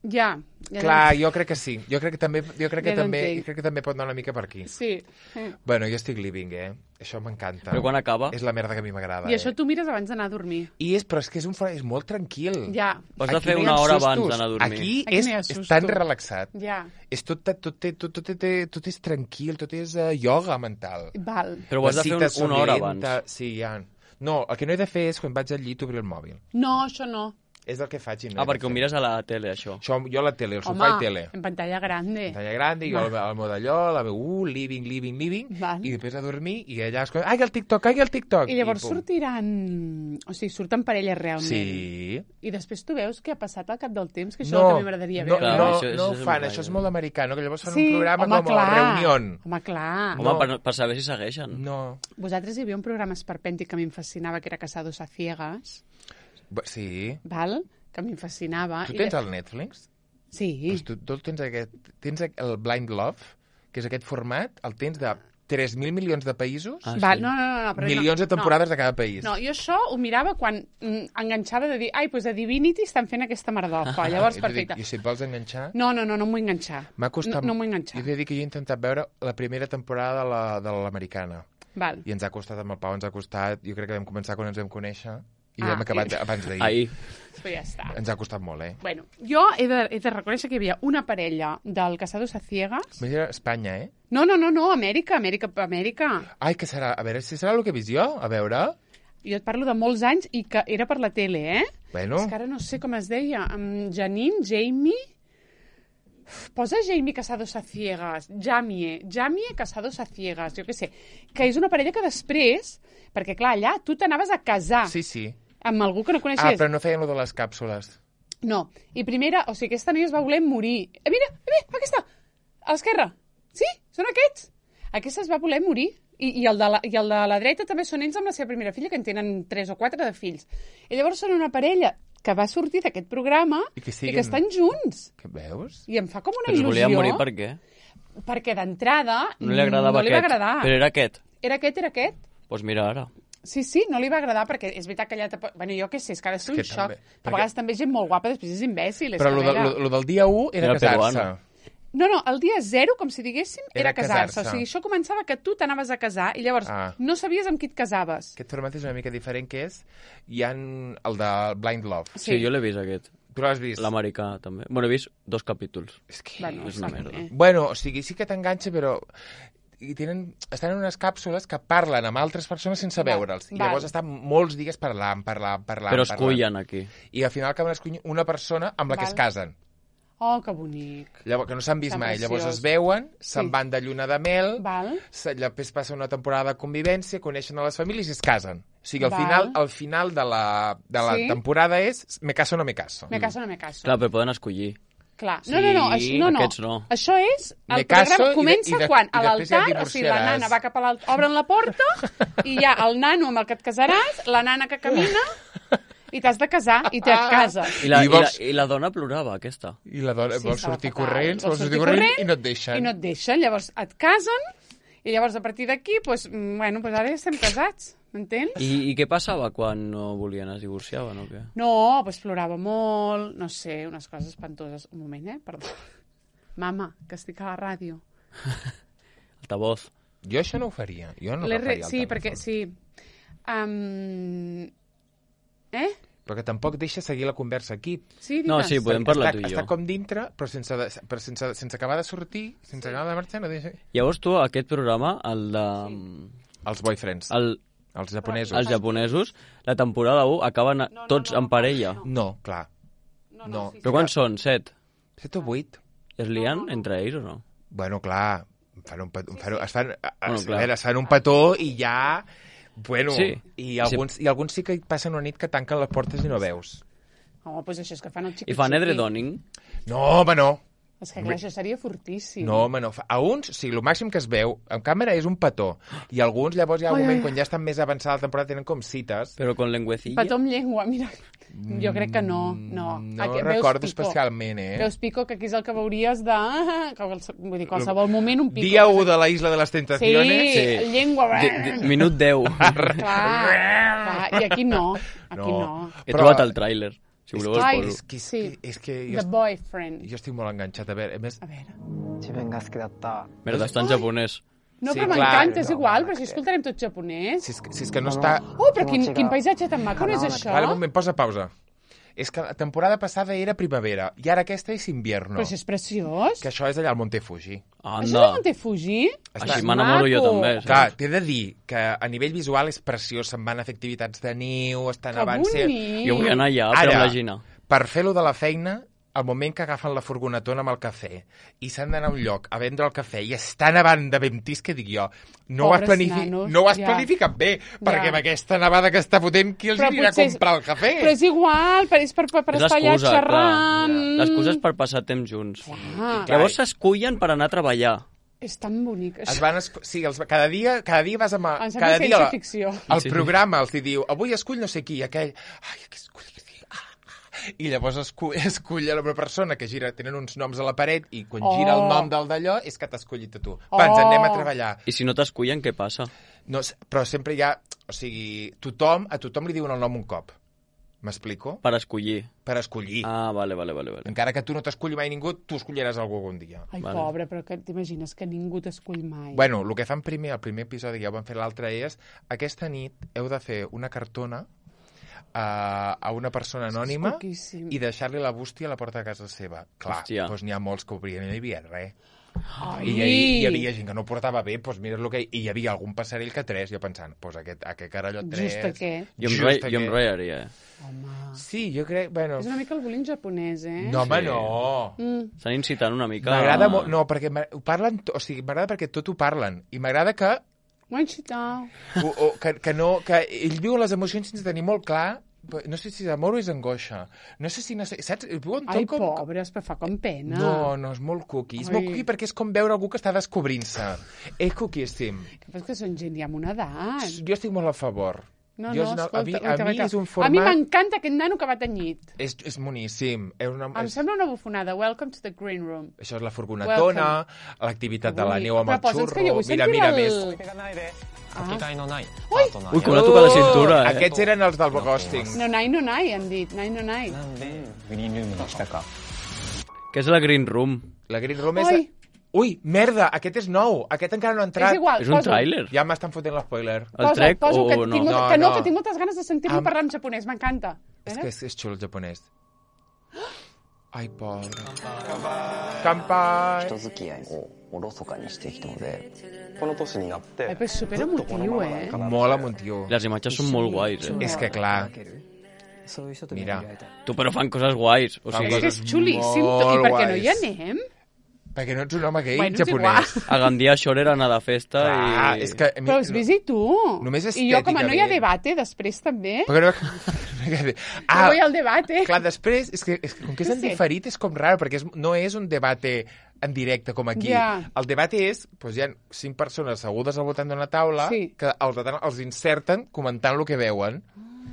S2: Ja. ja
S1: Clar, jo crec que sí. Jo crec que també, jo crec que
S2: Ja
S1: també,
S2: t'entenc.
S1: jo crec que també pot anar una mica per aquí.
S2: Sí. Eh.
S1: Bueno, jo estic living, eh? Això m'encanta.
S3: Però quan acaba?
S1: És la merda que a mi m'agrada.
S2: I això
S1: eh?
S2: tu mires abans d'anar a dormir.
S1: I és, però és que és, un, fora- és molt tranquil.
S2: Ja.
S3: Has de
S1: Aquí
S3: fer
S1: no hi
S3: una
S1: ha
S3: hora
S1: sustos.
S3: abans d'anar a dormir.
S1: Aquí,
S2: Aquí
S1: és,
S2: no hi ha
S1: és
S2: sustos.
S1: tan relaxat.
S2: Ja.
S1: És tot, tot, tot, tot, tot, tot, tot és tranquil, tot és uh, ioga mental.
S2: Val.
S3: Però ho has de fer
S1: Necessites
S3: un, una hora
S1: solenta-
S3: abans.
S1: Sí, ja. No, el que no he de fer és quan vaig al llit obrir el mòbil.
S2: No, això no.
S1: És el que faig. i No
S3: Ah,
S1: he de
S3: perquè ho
S1: fer.
S3: mires a la tele, això.
S1: Això, jo a la tele, el
S2: Home,
S1: sofà i tele.
S2: en pantalla grande.
S1: Pantalla grande, i jo al, al mode allò, la veu, uh, living, living, living,
S2: Val.
S1: i després a dormir, i allà es... Ai, el TikTok, ai, el TikTok!
S2: I llavors
S1: pum.
S2: sortiran... O sigui, surten parelles realment.
S1: Sí.
S2: I després tu veus què ha passat al cap del temps, que això
S1: No,
S2: és el que a mi m'agradaria
S1: no,
S2: veure.
S1: no,
S3: Clar, això-
S1: no ho
S3: això és
S1: fan,
S3: un
S1: això és
S3: rotllo.
S1: molt americà, no? Que llavors fan
S2: sí,
S1: un programa
S2: home,
S1: com
S2: clar.
S1: a reunió.
S2: Home, clar.
S3: Home,
S1: No.
S3: per, per saber si segueixen.
S1: No.
S2: Vosaltres hi havia un programa esperpèntic que a mi em fascinava, que era Casados a Ciegas,
S1: Bu- Sí.
S2: val? Que a mi em fascinava.
S1: Tu
S2: I
S1: tens
S2: de-
S1: el Netflix?
S2: Sí.
S1: Pues tu, tu tens, aquest, tens el Blind Love, que és aquest format, el tens de tres mil milions de països,
S3: Ah,
S2: Val,
S3: sí.
S2: no, no, no, no, però
S1: milions
S2: no,
S1: de temporades de cada país.
S2: No, jo això ho mirava quan mm, enganxava de dir ai, doncs a Divinity estan fent aquesta merdofa. Llavors,
S1: I tu dic,
S2: perfecte.
S1: I si et vols enganxar...
S2: No, no, no, no m'ho vull enganxar.
S1: M'ha costat...
S2: No, no m'ho vull enganxar.
S1: Jo t'he de dir que jo he intentat veure la primera temporada de la- de l'americana.
S2: Val.
S1: I ens ha costat, amb el Pau ens ha costat... Jo crec que vam començar quan ens vam conèixer i
S2: Ah,
S1: hem acabat
S2: i-
S1: abans d'ahir.
S3: Ahir.
S2: Però ja està.
S1: Ens ha costat molt, eh?
S2: Bueno, jo he de, he de reconèixer que hi havia una parella del Casados a Ciegas.
S1: Mira, Espanya, eh?
S2: No, no, no, no, Amèrica, Amèrica, Amèrica.
S1: Ai, què serà? A veure, si serà el que he vist jo? A veure...
S2: Jo et parlo de molts anys i que era per la tele, eh?
S1: Bueno,
S2: És que ara no sé com es deia. Um, Janine, Jamie... Uf, posa Jamie Casados a Ciegas. Jamie, Jamie Casados a Ciegas, jo què sé. Que és una parella que després... Perquè, clar, allà tu t'anaves a casar
S1: sí, sí.
S2: amb algú que no
S1: Ah,
S2: coneixies.
S1: però no feien lo de les càpsules.
S2: No. I primera, o sigui, aquesta noia es va voler morir. Eh, mira, eh, mira, aquesta, a l'esquerra. Sí, són aquests. Aquesta es va voler morir. I, i, el de la, I el de la dreta també són ells amb la seva primera filla, que en tenen tres o quatre de fills. I llavors són una parella que va sortir d'aquest programa
S1: I que
S2: i
S1: siguen-
S2: que estan junts.
S1: Que veus?
S2: I em fa com una
S3: Però es
S2: il·lusió.
S3: volia morir per què?
S2: Perquè d'entrada
S3: No li agradava
S2: no li va
S3: aquest.
S2: agradar.
S3: Però era aquest.
S2: Era aquest, era aquest.
S3: Doncs pues mira ara.
S2: Sí, sí, no li va agradar perquè és veritat que allà... Te... Bueno, jo què sé, és que ha de ser un
S1: que
S2: xoc.
S1: també,
S2: A
S1: perquè-
S2: vegades també gent molt guapa, després és imbècil. És
S1: Però
S2: que,
S1: lo,
S2: a
S1: de,
S2: veure-
S1: lo, lo del dia u era
S3: Era
S1: casar-se.
S3: peruano.
S2: No, no, el dia zero, com si diguéssim, era,
S1: Era
S2: casar-se.
S1: casar-se.
S2: O sigui, això començava que tu t'anaves a casar i llavors
S1: Ah.
S2: no sabies amb qui et casaves.
S1: Aquest format és una mica diferent, que és... Hi ha el de Blind Love.
S3: Sí, sí jo l'he vist, aquest.
S1: Tu l'has vist?
S3: L'americà, també. Bueno, he vist dos capítols.
S1: És que...
S2: Bueno,
S3: és una
S2: està
S3: merda.
S2: bé.
S1: Bueno, o sigui, sí que t'enganxa, però i tenen, estan en unes càpsules que parlen amb altres persones sense
S2: Val,
S1: veure'ls. I
S2: val.
S1: llavors estan molts dies parlant, parlant, parlant,
S3: Però es
S1: parlant.
S3: cullen aquí.
S1: I al final acaben escollint una persona amb la que
S2: Val.
S1: es casen.
S2: Oh, que bonic.
S1: Llavors, que no s'han vist
S2: Que
S1: mai. Llavors
S2: preciós.
S1: es veuen, se'n
S2: Sí.
S1: van de lluna de mel,
S2: Val.
S1: se- després passa una temporada de convivència, coneixen a les famílies i es casen. O sigui, al
S2: Val.
S1: final, al final de la, de la
S2: Sí.
S1: temporada és me caso o no me caso.
S2: Me caso o no me caso.
S3: Clar, però poden escollir.
S2: Clar.
S1: Sí,
S2: No, no, no, això, no, no.
S3: aquests no.
S2: Això és... El
S1: Me caso
S2: programa
S1: i de-
S2: comença
S1: i de-
S2: quan
S1: i
S2: a
S1: després ja et
S2: l'altar, o sigui, la
S1: divorciaràs.
S2: nana va cap a l'altar, obren la porta i hi ha el nano amb el que et casaràs, la nana que camina i t'has de casar i te cases.
S3: I la,
S1: I
S3: i,
S1: vols-
S3: la, I la dona plorava, aquesta.
S1: I la dona
S2: Sí,
S1: vol
S2: estava
S1: sortir
S2: fatal.
S1: corrents,
S2: Vol
S1: vol sortir corrents i no et deixen.
S2: I no et deixen. Llavors et casen i llavors a partir d'aquí, pues, mm, bueno, pues ara ja estem casats, m'entens?
S3: I, I què passava quan no volien, es divorciaven o què?
S2: No, pues plorava molt, no sé, unes coses espantoses. Un moment, eh? Perdó. Mama, que estic a la ràdio.
S3: Altavoz.
S1: Jo això no ho faria. Jo no
S2: L'he
S1: agafaria
S2: re...
S1: el
S2: Sí,
S1: telèfon.
S2: perquè, sí. Um... Eh?
S1: Perquè tampoc deixa seguir la conversa aquí.
S2: Sí,
S3: No,
S2: digues.
S3: sí, podem
S1: Està,
S3: parlar tu i jo.
S1: està com dintre, però sense, de, però sense, sense acabar de sortir, sense acabar de marxar, no deixa...
S3: Llavors tu, aquest programa, el de...
S1: Els boyfriends,
S3: El,
S1: els japonesos.
S3: els japonesos, la temporada u acaben
S2: No, no,
S3: tots
S2: no,
S3: en parella.
S2: no.
S1: No, clar.
S2: No,
S1: no.
S2: sí,
S3: Però quants són? Set?
S1: Set o vuit?
S3: I es lien entre ells o no?
S1: Bueno, clar, fan un petó, fan, es fan, a, a,
S3: Bueno,
S1: a
S3: clar.
S1: veure, es fan un petó i ja... Bueno,
S3: Sí.
S1: i, alguns, i alguns sí que passen una nit que tanquen les portes i no veus.
S2: Home, doncs això és que fan el xiqui
S3: I fan edredoning?
S1: No, home, no.
S2: És que clar, això seria fortíssim.
S1: No, home, no. A uns, o sigui, el màxim que es veu en càmera és un petó. I alguns, llavors, hi ha un
S2: Ai,
S1: moment,
S2: ai.
S1: quan ja estan més avançada la temporada, tenen com cites.
S3: Però con lengüecilla?
S2: Petó amb llengua, mira. Jo crec que no, no.
S1: Mm, No
S2: Aquí,
S1: recordo
S2: veus Pico.
S1: especialment, eh?
S2: Veus Pico, que aquí és el que veuries de... que quals- Vull dir, qualsevol moment un Pico.
S1: Dia u de la Isla de les
S2: Sí,
S1: Tentaciones.
S3: Sí.
S2: llengua...
S3: De, de, minut deu.
S2: Clar, clar, i aquí no, aquí
S1: No.
S2: no.
S3: He
S1: Però-
S3: trobat el tràiler. Si voleu
S2: Ai,
S3: el
S1: És
S3: poso.
S1: que, és,
S2: Sí.
S1: que, és que
S2: The
S1: jo,
S2: Boyfriend.
S1: jo estic molt enganxat. A veure, a més,
S2: A veure...
S4: 自分が好きだった
S3: Merda, està en japonès.
S2: No,
S1: Sí,
S2: però
S1: clar.
S2: m'encanta, és igual, però si escoltarem tot japonès.
S1: si és, que- si és que no està...
S2: Oh, però quin, quin paisatge tan maco, no és això?
S1: Vale, un moment, posa pausa. És que la temporada passada era primavera i ara aquesta és invierno.
S2: Però això és preciós.
S1: Que això és allà al Monte Fuji.
S2: Això és
S3: Anda.
S2: de Monte Fuji?
S1: Està-
S3: Així m'enamoro jo
S2: Maco.
S3: també.
S1: Clar,
S3: saps?
S1: t'he de dir que a nivell visual és preciós, se'n van a fer activitats de niu, estan
S2: Que
S1: abans...
S2: bonic.
S3: Jo vull anar allà, però amb la Gina.
S1: per fer-lo de la feina, al moment que agafen la furgonetona amb el cafè i s'han d'anar a un lloc a vendre el cafè i estan avant de ventis, que dic jo, no ho has,
S2: Pobres
S1: planifi
S2: nanos,
S1: no ho has
S2: ja.
S1: planificat bé, perquè
S2: Ja.
S1: amb aquesta nevada que està fotent, qui els
S2: Però
S1: anirà a
S2: potser és-
S1: comprar el cafè?
S2: Però és igual, per, és per, per, per
S3: És
S2: estar allà
S3: l'excusa,
S2: xerrant.
S3: clar. L'excusa és per passar temps junts.
S2: Ah,
S3: Llavors s'escullen per anar a treballar.
S2: és tan bonic.
S1: Es van esco- sí, els, cada, dia, cada dia vas amb... a-
S2: Em sembla
S1: cada dia la-
S2: ciència-ficció.
S1: el
S3: Sí.
S1: programa els hi diu, avui escull no sé qui, aquell... Ai, aquest escull... Ah, ah. I llavors escull, escull una persona que gira, tenen uns noms a la paret i quan
S2: Oh.
S1: gira el nom del d'allò és que t'ha escollit a tu.
S2: Oh.
S1: Va, ens en anem a treballar.
S3: I si no t'escullen, què passa?
S1: No, s- però sempre hi ha... O sigui, tothom, a tothom li diuen el nom un cop. M'explico?
S3: Per escollir.
S1: Per escollir.
S3: Ah, vale, vale, vale. vale.
S1: Encara que tu no t'esculli mai ningú, tu escolliràs algú algun dia.
S2: Ai,
S3: Vale.
S2: pobre, però que t'imagines que ningú t'escull mai.
S1: Bueno, el que fan primer, el primer episodi, ja ho van fer l'altre, és aquesta nit heu de fer una cartona a, a una persona anònima
S2: poquíssim.
S1: i deixar-li la bústia a la porta de casa seva. Clar,
S3: Hòstia.
S1: doncs n'hi ha molts que obrien i no hi havia res.
S2: Ai.
S1: I hi, hi havia gent que no ho portava bé, doncs mira el que... I hi havia algun passarell que tres, jo pensant, doncs aquest, aquest carallot tres...
S2: Just aquest.
S3: Jo em,
S1: just
S3: re,
S1: aquest.
S3: jo em reiaria, eh?
S2: Home.
S1: Sí, jo crec... Bueno,
S2: És una mica el bullying japonès, eh?
S1: no, home,
S3: Sí.
S1: no.
S2: Mm.
S3: Estan incitant una mica...
S1: M'agrada molt... No, perquè m'a- ho parlen... to- O sigui, m'agrada perquè tot ho parlen. I m'agrada que,
S2: Wanchita.
S1: o, o, que, que, no, que ell viu les emocions sense tenir molt clar. No sé si és amor o és angoixa. No sé si... No sé, saps? Viuen tot
S2: Ai,
S1: com...
S2: pobres, però fa com pena.
S1: No, no, és molt cookie. És molt
S2: Ai.
S1: cookie perquè és com veure algú que està descobrint-se. És cookiessim.
S2: Que passa que són gent ja amb una edat.
S1: Jo estic molt a favor.
S2: No,
S1: jo
S2: no,
S1: és una,
S2: escolta,
S1: a mi, a
S2: escolta,
S1: mi
S2: escolta.
S1: és un
S2: A mi
S1: format...
S2: m'encanta aquest nano que va tenyit.
S1: És, és boníssim. És una,
S2: Em
S1: és,
S2: sembla una bufonada. Welcome to the green room.
S1: això és la furgonetona, l'activitat de la
S2: Avui-
S1: neu amb
S2: Però
S1: el
S2: posa'ns que jo
S1: xurro...
S2: vull
S1: Mira,
S2: sentir
S1: mira,
S2: el-
S1: més...
S4: 手がないで
S2: Ah.
S4: かけがえのないパ
S2: Ui!
S4: ートナー
S3: Ui, que la toca la cintura, eh?
S1: Aquests eren els del ghosting.
S2: No nai, no nai, han dit. Nai, no nai.
S4: なんでグリーンルームにしたか
S3: Què és la Green Room?
S1: La Green Room és...
S2: Ui.
S1: Ui, merda, aquest és nou. Aquest encara no ha entrat.
S2: És igual,
S3: És un
S2: posa-ho.
S3: tràiler?
S1: Ja m'estan fotent l'espoiler.
S3: El
S2: Posa,
S3: trec
S2: posa,
S3: o,
S2: que
S3: o no?
S2: tinc, molta-
S1: No,
S2: que no,
S1: no.
S2: que tinc moltes ganes de sentir-lo
S1: Am-
S2: parlar en japonès, m'encanta.
S1: És
S2: Mira.
S1: que és, és xulo el japonès. Ai, pobre. Kampai.
S4: 人付き合いをおろそかにしてきたのでこの年になって
S2: Ai, però és super emotiu, eh?
S1: Molt emotiu.
S3: Les imatges són molt guais, eh?
S1: És que, clar,
S4: そういう人と巡り
S1: Mira.
S4: 合いたい
S3: Tu, però fan coses guais. O
S1: Fan
S3: sigui,
S2: És que és xulíssim.
S1: molt
S2: I per què no hi
S1: guais.
S2: anem?
S1: Perquè no ets un home gay
S2: Bueno, és
S1: japonès.
S3: a Gandia això era anar de festa
S1: Ah,
S3: i...
S1: és que... a mi-
S2: Però has vist i tu.
S1: Només
S2: I jo, com a no hi ha
S1: estèticament.
S2: debate, després també.
S1: Perquè no...
S2: Ah, no hi ha el debate.
S1: Clar, després, és que, és que com que és
S2: Sí,
S1: en
S2: sí.
S1: diferit és com raro, perquè és, no és un debate en directe com aquí.
S2: Ja.
S1: El debate és, doncs hi ha cinc persones assegudes al voltant d'una taula
S2: Sí.
S1: que els, els inserten comentant el que veuen,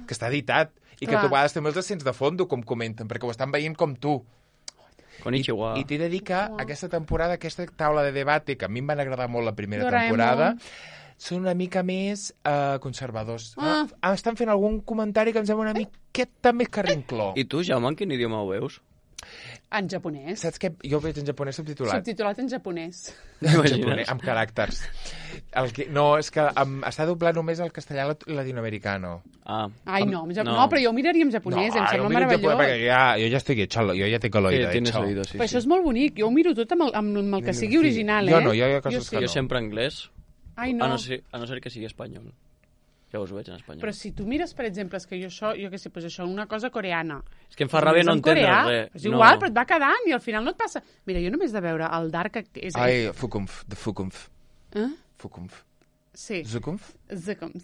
S1: que està editat, i
S2: Clar.
S1: que tu a vegades també els sents de fondo com comenten, perquè ho estan veient com tu.
S3: Konnichiwa.
S1: I t'he de dir que aquesta temporada, aquesta taula de debate, que a mi em van agradar molt la primera
S2: Doraemon.
S1: temporada, són una mica més uh, conservadors.
S2: Ah.
S1: Ah, estan fent algun comentari que em sembla una miqueta més carrincló.
S3: I tu, Jaume, en quin idioma ho veus?
S2: En japonès.
S1: Saps què? Jo ho veig en japonès subtitulat.
S2: Subtitulat en japonès.
S1: En
S3: T'imagines?
S1: japonès, amb caràcters. El que, no, és que um, està doblat només al castellà lat- latinoamericano.
S3: Ah.
S2: Ai,
S3: Am-
S2: no, en jap... no. no, però jo ho miraria en japonès, em
S1: jo
S2: sembla
S1: miro en
S2: meravellós.
S1: japonès perquè ja, jo ja estic hecho, jo ja tinc
S3: Sí,
S1: l'oïda
S3: tienes
S1: hecho.
S3: oído, sí.
S2: Però això
S3: sí.
S2: és molt bonic, jo ho miro tot amb el, amb, amb el que sigui
S1: Sí.
S2: original,
S1: Jo
S2: eh?
S1: no, jo hi ha coses
S2: sí.
S1: que
S3: Jo sempre anglès,
S2: Ai,
S3: a,
S2: no.
S3: no ser, a no ser que sigui espanyol. Ja us veig en espanyol.
S2: Però si tu mires, per exemple, és que jo això, jo què sé, pues això, una cosa coreana.
S3: És que em fa ràbia no
S2: En
S3: entendre
S2: coreà,
S3: res.
S2: És igual,
S3: no.
S2: però et va quedant i al final no et passa... Mira, jo només de veure el Dark... És...
S1: Ai, Fukumf, de Fukumf.
S2: Eh?
S1: Fukumf.
S2: Sí.
S1: Zukumf?
S2: Zukumf.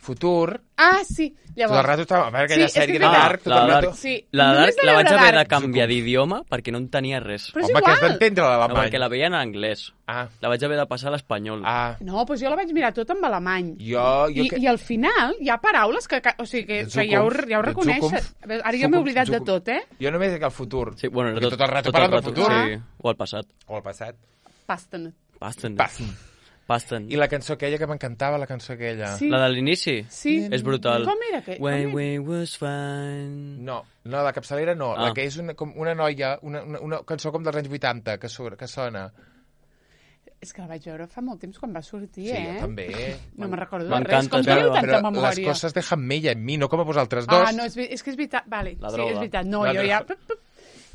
S1: Futur.
S2: Ah, sí.
S1: Tot el
S2: Llavors...
S1: rato estava... A veure, aquella
S2: Sí, és que
S1: sèrie
S2: és
S1: de
S2: veritat.
S1: Dark, tot
S3: la
S1: el rato...
S3: Dark.
S2: Sí.
S3: La,
S2: Només
S3: Dark,
S2: de
S3: la vaig
S2: veure
S3: haver de
S2: Dark.
S3: canviar d'idioma perquè no entenia res.
S2: Però és
S1: Home, que has
S2: igual.
S1: d'entendre
S3: No,
S1: l'alemany.
S3: perquè la veia en anglès.
S1: Ah,
S3: La vaig haver de passar a l'espanyol.
S1: ah.
S2: No, doncs jo la vaig mirar tot en alemany.
S1: Jo... jo
S2: I,
S1: que...
S2: I al final hi ha paraules que, que o sigui, que, que ja, ho, ja ho
S1: De
S2: reconeixes.
S1: Zukunft.
S2: Ara jo m'he
S1: Zukunft,
S2: oblidat de
S1: Zukunft.
S2: tot, eh?
S1: Jo només dic el futur.
S3: Sí, bueno, era
S1: Perquè
S3: tot,
S1: tot el rato
S3: tot
S1: parlant del
S3: rato,
S1: futur.
S3: Sí, o al passat.
S1: O el passat.
S2: Pasten.
S3: Pasten.
S1: Passen.
S3: Pasten.
S1: I la cançó aquella que m'encantava, la cançó aquella.
S2: Sí.
S3: La de l'inici?
S2: Sí.
S3: És brutal.
S2: Com era? Que, com
S3: When
S2: era?
S3: we was fine...
S1: No, no, la capçalera no.
S3: Ah.
S1: La que és una, com una noia, una, una, una cançó com dels anys vuitanta, que, surt, que sona.
S2: És que la vaig veure fa molt temps quan va sortir,
S1: Sí,
S2: eh?
S1: jo també.
S2: No me'n recordo de
S3: M'encanta,
S2: res. Com
S3: però-
S2: teniu tanta
S1: Però
S2: memòria?
S1: les coses dejan mella en mi, no com a vosaltres dos.
S2: Ah, no, és, ve- és que és veritat. Vale,
S3: La
S2: sí,
S3: droga.
S2: és veritat. No,
S1: La
S2: jo ja...
S1: droga.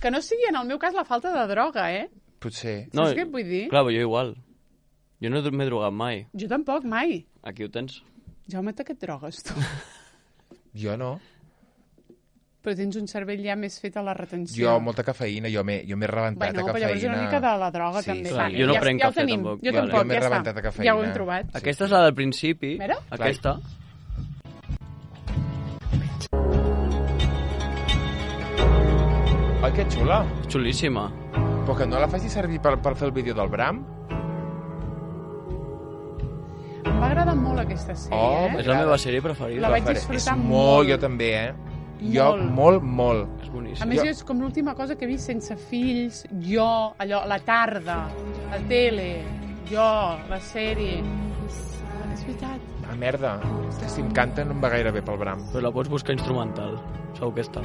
S2: Que no sigui, en el meu cas, la falta de droga, eh?
S1: Potser.
S3: No,
S2: Saps què et vull dir?
S3: Clar, jo igual. Jo no m'he drogat mai.
S2: Jo tampoc, mai.
S3: Aquí ho tens.
S2: Jaume, te que et drogues, tu.
S1: Jo no.
S2: Però tens un cervell ja més fet a la retenció.
S1: Jo, molta cafeïna, jo m'he jo m'he rebentat
S2: Bueno,
S1: a
S2: però
S1: cafeïna.
S2: llavors una mica de la droga,
S1: Sí,
S2: també.
S1: sí.
S2: Va,
S3: Jo no
S2: ja,
S3: prenc
S2: ja ho
S3: cafè,
S2: tenim.
S3: tampoc.
S2: Jo
S3: Vale.
S2: tampoc,
S1: Jo m'he
S2: ja
S1: rebentat a
S2: està.
S1: cafeïna.
S2: Ja ho hem trobat.
S1: Sí.
S3: Aquesta és la del principi.
S2: Mira.
S3: Aquesta.
S1: Ai, que xula.
S3: Xulíssima.
S1: Però que no la faci servir per, per fer el vídeo del Bram?
S2: Em va agradar molt aquesta sèrie,
S1: Oh,
S2: eh?
S3: És la meva sèrie preferida.
S2: La vaig
S1: Faré.
S2: disfrutar
S1: és
S2: molt.
S1: Jo també, eh? Jo,
S2: Molt.
S1: molt, molt.
S3: És
S2: A
S3: boníssim.
S2: més,
S1: Jo-
S2: jo... és com l'última cosa que he vist sense fills, jo, allò, la tarda, la tele, jo, la sèrie... És veritat.
S1: Ah, merda. Si em canta no em va gaire bé pel Bram.
S3: Però la pots buscar instrumental. Segur que està.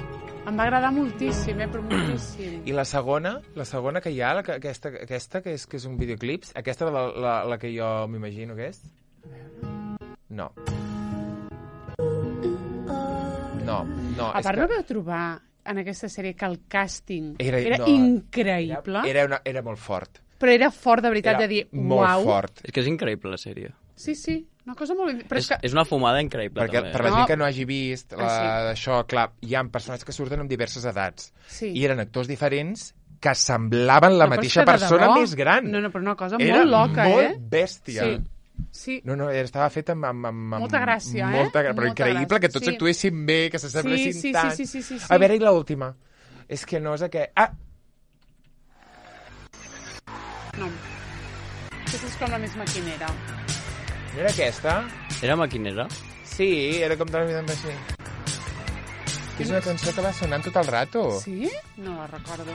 S2: Em va agradar moltíssim, eh, però moltíssim.
S1: I la segona, la segona que hi ha, la, que- aquesta, aquesta que és, que és un videoclips, aquesta la, la, la que jo m'imagino que és? No. No, no.
S2: A
S1: és
S2: part,
S1: que
S2: no veu trobar en aquesta sèrie que el càsting
S1: Era-
S2: era,
S1: no,
S2: increïble,
S1: Era, una, era molt fort.
S2: però era fort de veritat
S1: Era
S2: de dir,
S1: molt
S2: uau.
S1: fort.
S3: És que és increïble, la sèrie.
S2: Sí, sí, una cosa molt... Però
S3: És,
S2: és que...
S3: és una fumada increïble,
S1: Perquè
S3: també.
S1: per la
S2: No.
S1: gent que no hagi vist la,
S2: Ah,
S1: això, clar, hi ha personatges que surten amb diverses edats.
S2: Sí.
S1: I eren actors diferents que semblaven la
S2: No, però és
S1: mateixa
S2: que de
S1: persona
S2: debò-
S1: més gran.
S2: No, no, però una cosa
S1: Era
S2: molt loca,
S1: molt
S2: eh?
S1: bèstia.
S2: Sí, sí.
S1: No, no, estava fet amb... amb, amb amb
S2: Molta gràcia, eh?
S1: molta, gra- Però
S2: Molta
S1: increïble
S2: gràcia,
S1: que tots
S2: sí.
S1: actuessin bé, que s'assemblessin
S2: Sí, sí,
S1: tant.
S2: sí, sí, sí, sí, sí.
S1: A veure, i l'última? És que no és aquest... Ah!
S2: No. Aquesta és com la més maquinera.
S1: No era aquesta?
S3: Era maquinera?
S1: Sí, era com de la vida més així. És una cançó que va sonant tot el rato.
S2: Sí? No la recordo.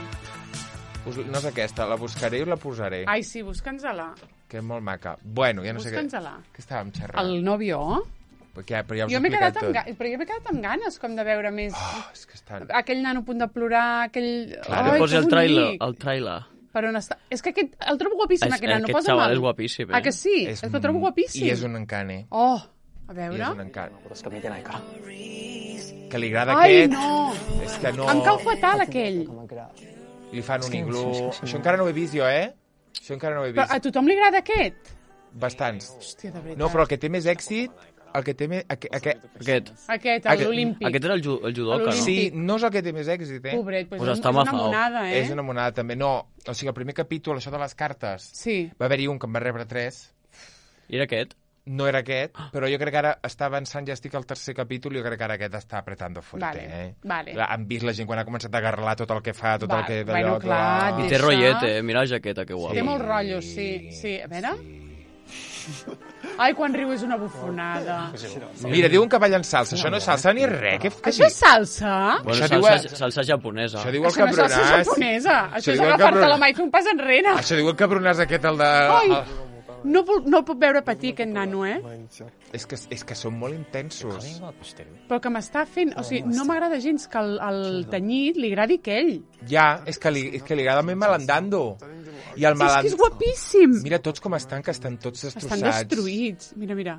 S1: Us, no és aquesta, la buscaré i la posaré.
S2: Ai, sí, busca'ns-la.
S1: Que és molt maca. Bueno, ja no sé què...
S2: Busca'ns-la.
S1: Què estàvem xerrant?
S2: El nòvio?
S1: Perquè, però ja us
S2: Jo
S1: he
S2: m'he
S1: explicat
S2: quedat, amb
S1: tot.
S2: ga... però jo m'he quedat amb ganes com de veure més...
S1: Oh, és que estan...
S2: Aquell nano a punt de plorar, aquell...
S1: Clar,
S2: Ai,
S3: Que posi
S2: que
S3: el trailer.
S2: bonic.
S3: El trailer.
S2: Per on està? És que aquest... El trobo guapíssim,
S3: És-
S2: aquest nano.
S3: aquest
S2: Posa
S3: xaval
S2: mal.
S3: és guapíssim, eh?
S2: Ah, que sí? És, és que el trobo guapíssim.
S1: I és un encane.
S2: Oh, a
S1: I
S2: veure...
S1: és un encane.
S4: ことしか見てないから
S1: Que li agrada
S2: Ai,
S1: aquest...
S2: no!
S1: És que no...
S2: Em cau fatal, aquell.
S4: 鎌倉
S1: Li fan un iglú... Això encara no ho he vist jo, eh? Això encara no ho he
S2: Però
S1: vist.
S2: a tothom li agrada aquest?
S1: Bastants.
S2: Hòstia, de veritat.
S1: No, però el que té més èxit el que té més... Aqu aquest,
S3: Aquest.
S2: Aquest,
S1: Aquest-
S2: l'Olímpic.
S3: Aquest era el, ju el judoka, no?
S2: L'Olímpic.
S1: sí, no és el que té més èxit, eh?
S2: Pobret, pues
S3: Pues
S2: és,
S3: està
S2: és una
S3: mafao.
S2: monada, eh?
S1: És una monada, també. No, o sigui, el primer capítol, això de les cartes,
S2: Sí.
S1: va haver-hi un que en va rebre tres,
S3: I era aquest?
S1: no era aquest, però jo crec que ara està avançant, ja estic al tercer capítol, jo crec que ara aquest està apretando fuerte,
S2: Vale,
S1: eh?
S2: vale.
S1: Clar, han vist la gent quan ha començat a agarrar tot el que fa, tot
S2: Va,
S1: el que...
S2: bueno,
S1: d'allò,
S2: clar,
S1: tot-
S3: I
S2: Deixa-
S3: té rotllet, eh? Mira la jaqueta, que guapa.
S2: Té molt rotllo, sí. Sí, a veure... Ai, quan riu és una bufonada.
S1: Mira, diuen que ballen salsa, això no és salsa ni res. Què, què
S2: Això és salsa?
S3: Bueno,
S1: Això diu
S3: salsa,
S1: el-
S3: salsa japonesa.
S1: Això diu el
S2: Això no és salsa
S1: cabronàs.
S2: japonesa. Això és
S1: diu el
S2: agafar-te
S1: cabron-
S2: la mà i fer un pas enrere.
S1: Això diu el cabronàs aquest, el de...
S2: Ai,
S1: el-
S2: no, puc- no el puc veure patir, aquest nano, eh?
S1: És que, és que són molt intensos.
S2: Però que m'està fent... O sigui, no m'agrada gens que el, el tenyit li agradi aquell.
S1: Ja, és que li, és que li agrada més malandando. I el
S2: És que
S1: maland...
S2: és guapíssim.
S1: Mira tots com estan, que estan tots destrossats.
S2: Estan destruïts. Mira, mira.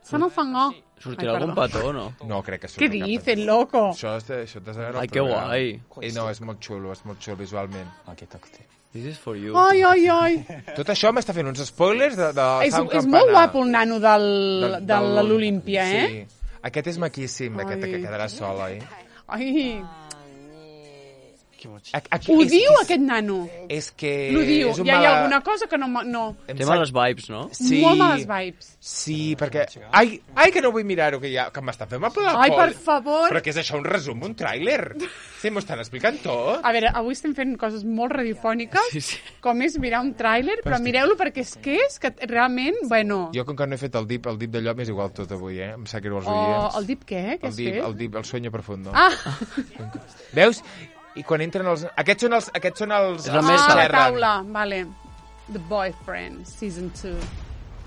S2: Se no fangó.
S3: Sortirà
S2: Ai,
S3: algun
S2: perdó.
S3: petó, no?
S1: No, crec que
S2: Què
S1: surt cap-
S2: dicen, loco?
S1: Això, és de, això t'has de veure el
S3: Ai, que
S1: programa.
S3: guai.
S1: Eh, no, és molt xulo, és molt xulo visualment.
S3: This is for you.
S2: Ai, ai, ai.
S1: Tot això m'està fent uns spoilers de, de
S2: És,
S1: Sound
S2: és
S1: Campana.
S2: molt guapo el nano del,
S1: Del-
S2: de
S1: del-
S2: l'Olímpia, eh?
S1: Sí. Aquest és maquíssim, aquest
S2: Ai.
S1: que quedarà sol, oi?
S2: Ai,
S1: Aquí, aquí,
S2: ho
S1: és,
S2: diu
S1: és,
S2: aquest nano.
S1: És que...
S2: L'ho diu.
S1: és un
S2: Ja hi ha
S1: mala-
S2: alguna cosa que no... ma- no.
S1: Em
S3: Té
S1: sap-
S3: males vibes, no?
S1: Sí.
S2: Molt males vibes.
S1: Sí, perquè... Ai, ai que no vull mirar-ho, que, ja, que m'està fent mal per la
S2: Ai,
S1: coll.
S2: per favor.
S1: Però què és això, un resum, un tràiler? Sí, m'ho estan explicant tot.
S2: A veure, avui estem fent coses molt radiofòniques,
S3: Sí, sí.
S2: com és mirar un tràiler, però mireu-lo perquè és que és que realment, bueno...
S1: Jo, com que no he fet el dip, el dip d'allò m'és igual tot avui, eh? Em sap greu els
S2: Oh,
S1: oients.
S2: el dip què? Què
S1: el
S2: has
S1: dip,
S2: fet?
S1: el dip, el sueño profundo.
S2: Ah,
S1: Veus? I quan entren els... Aquests són els... Aquests són els...
S3: És la
S1: els
S3: mesa.
S2: ah, la
S1: xerren.
S2: taula, vale. The Boyfriend, season two.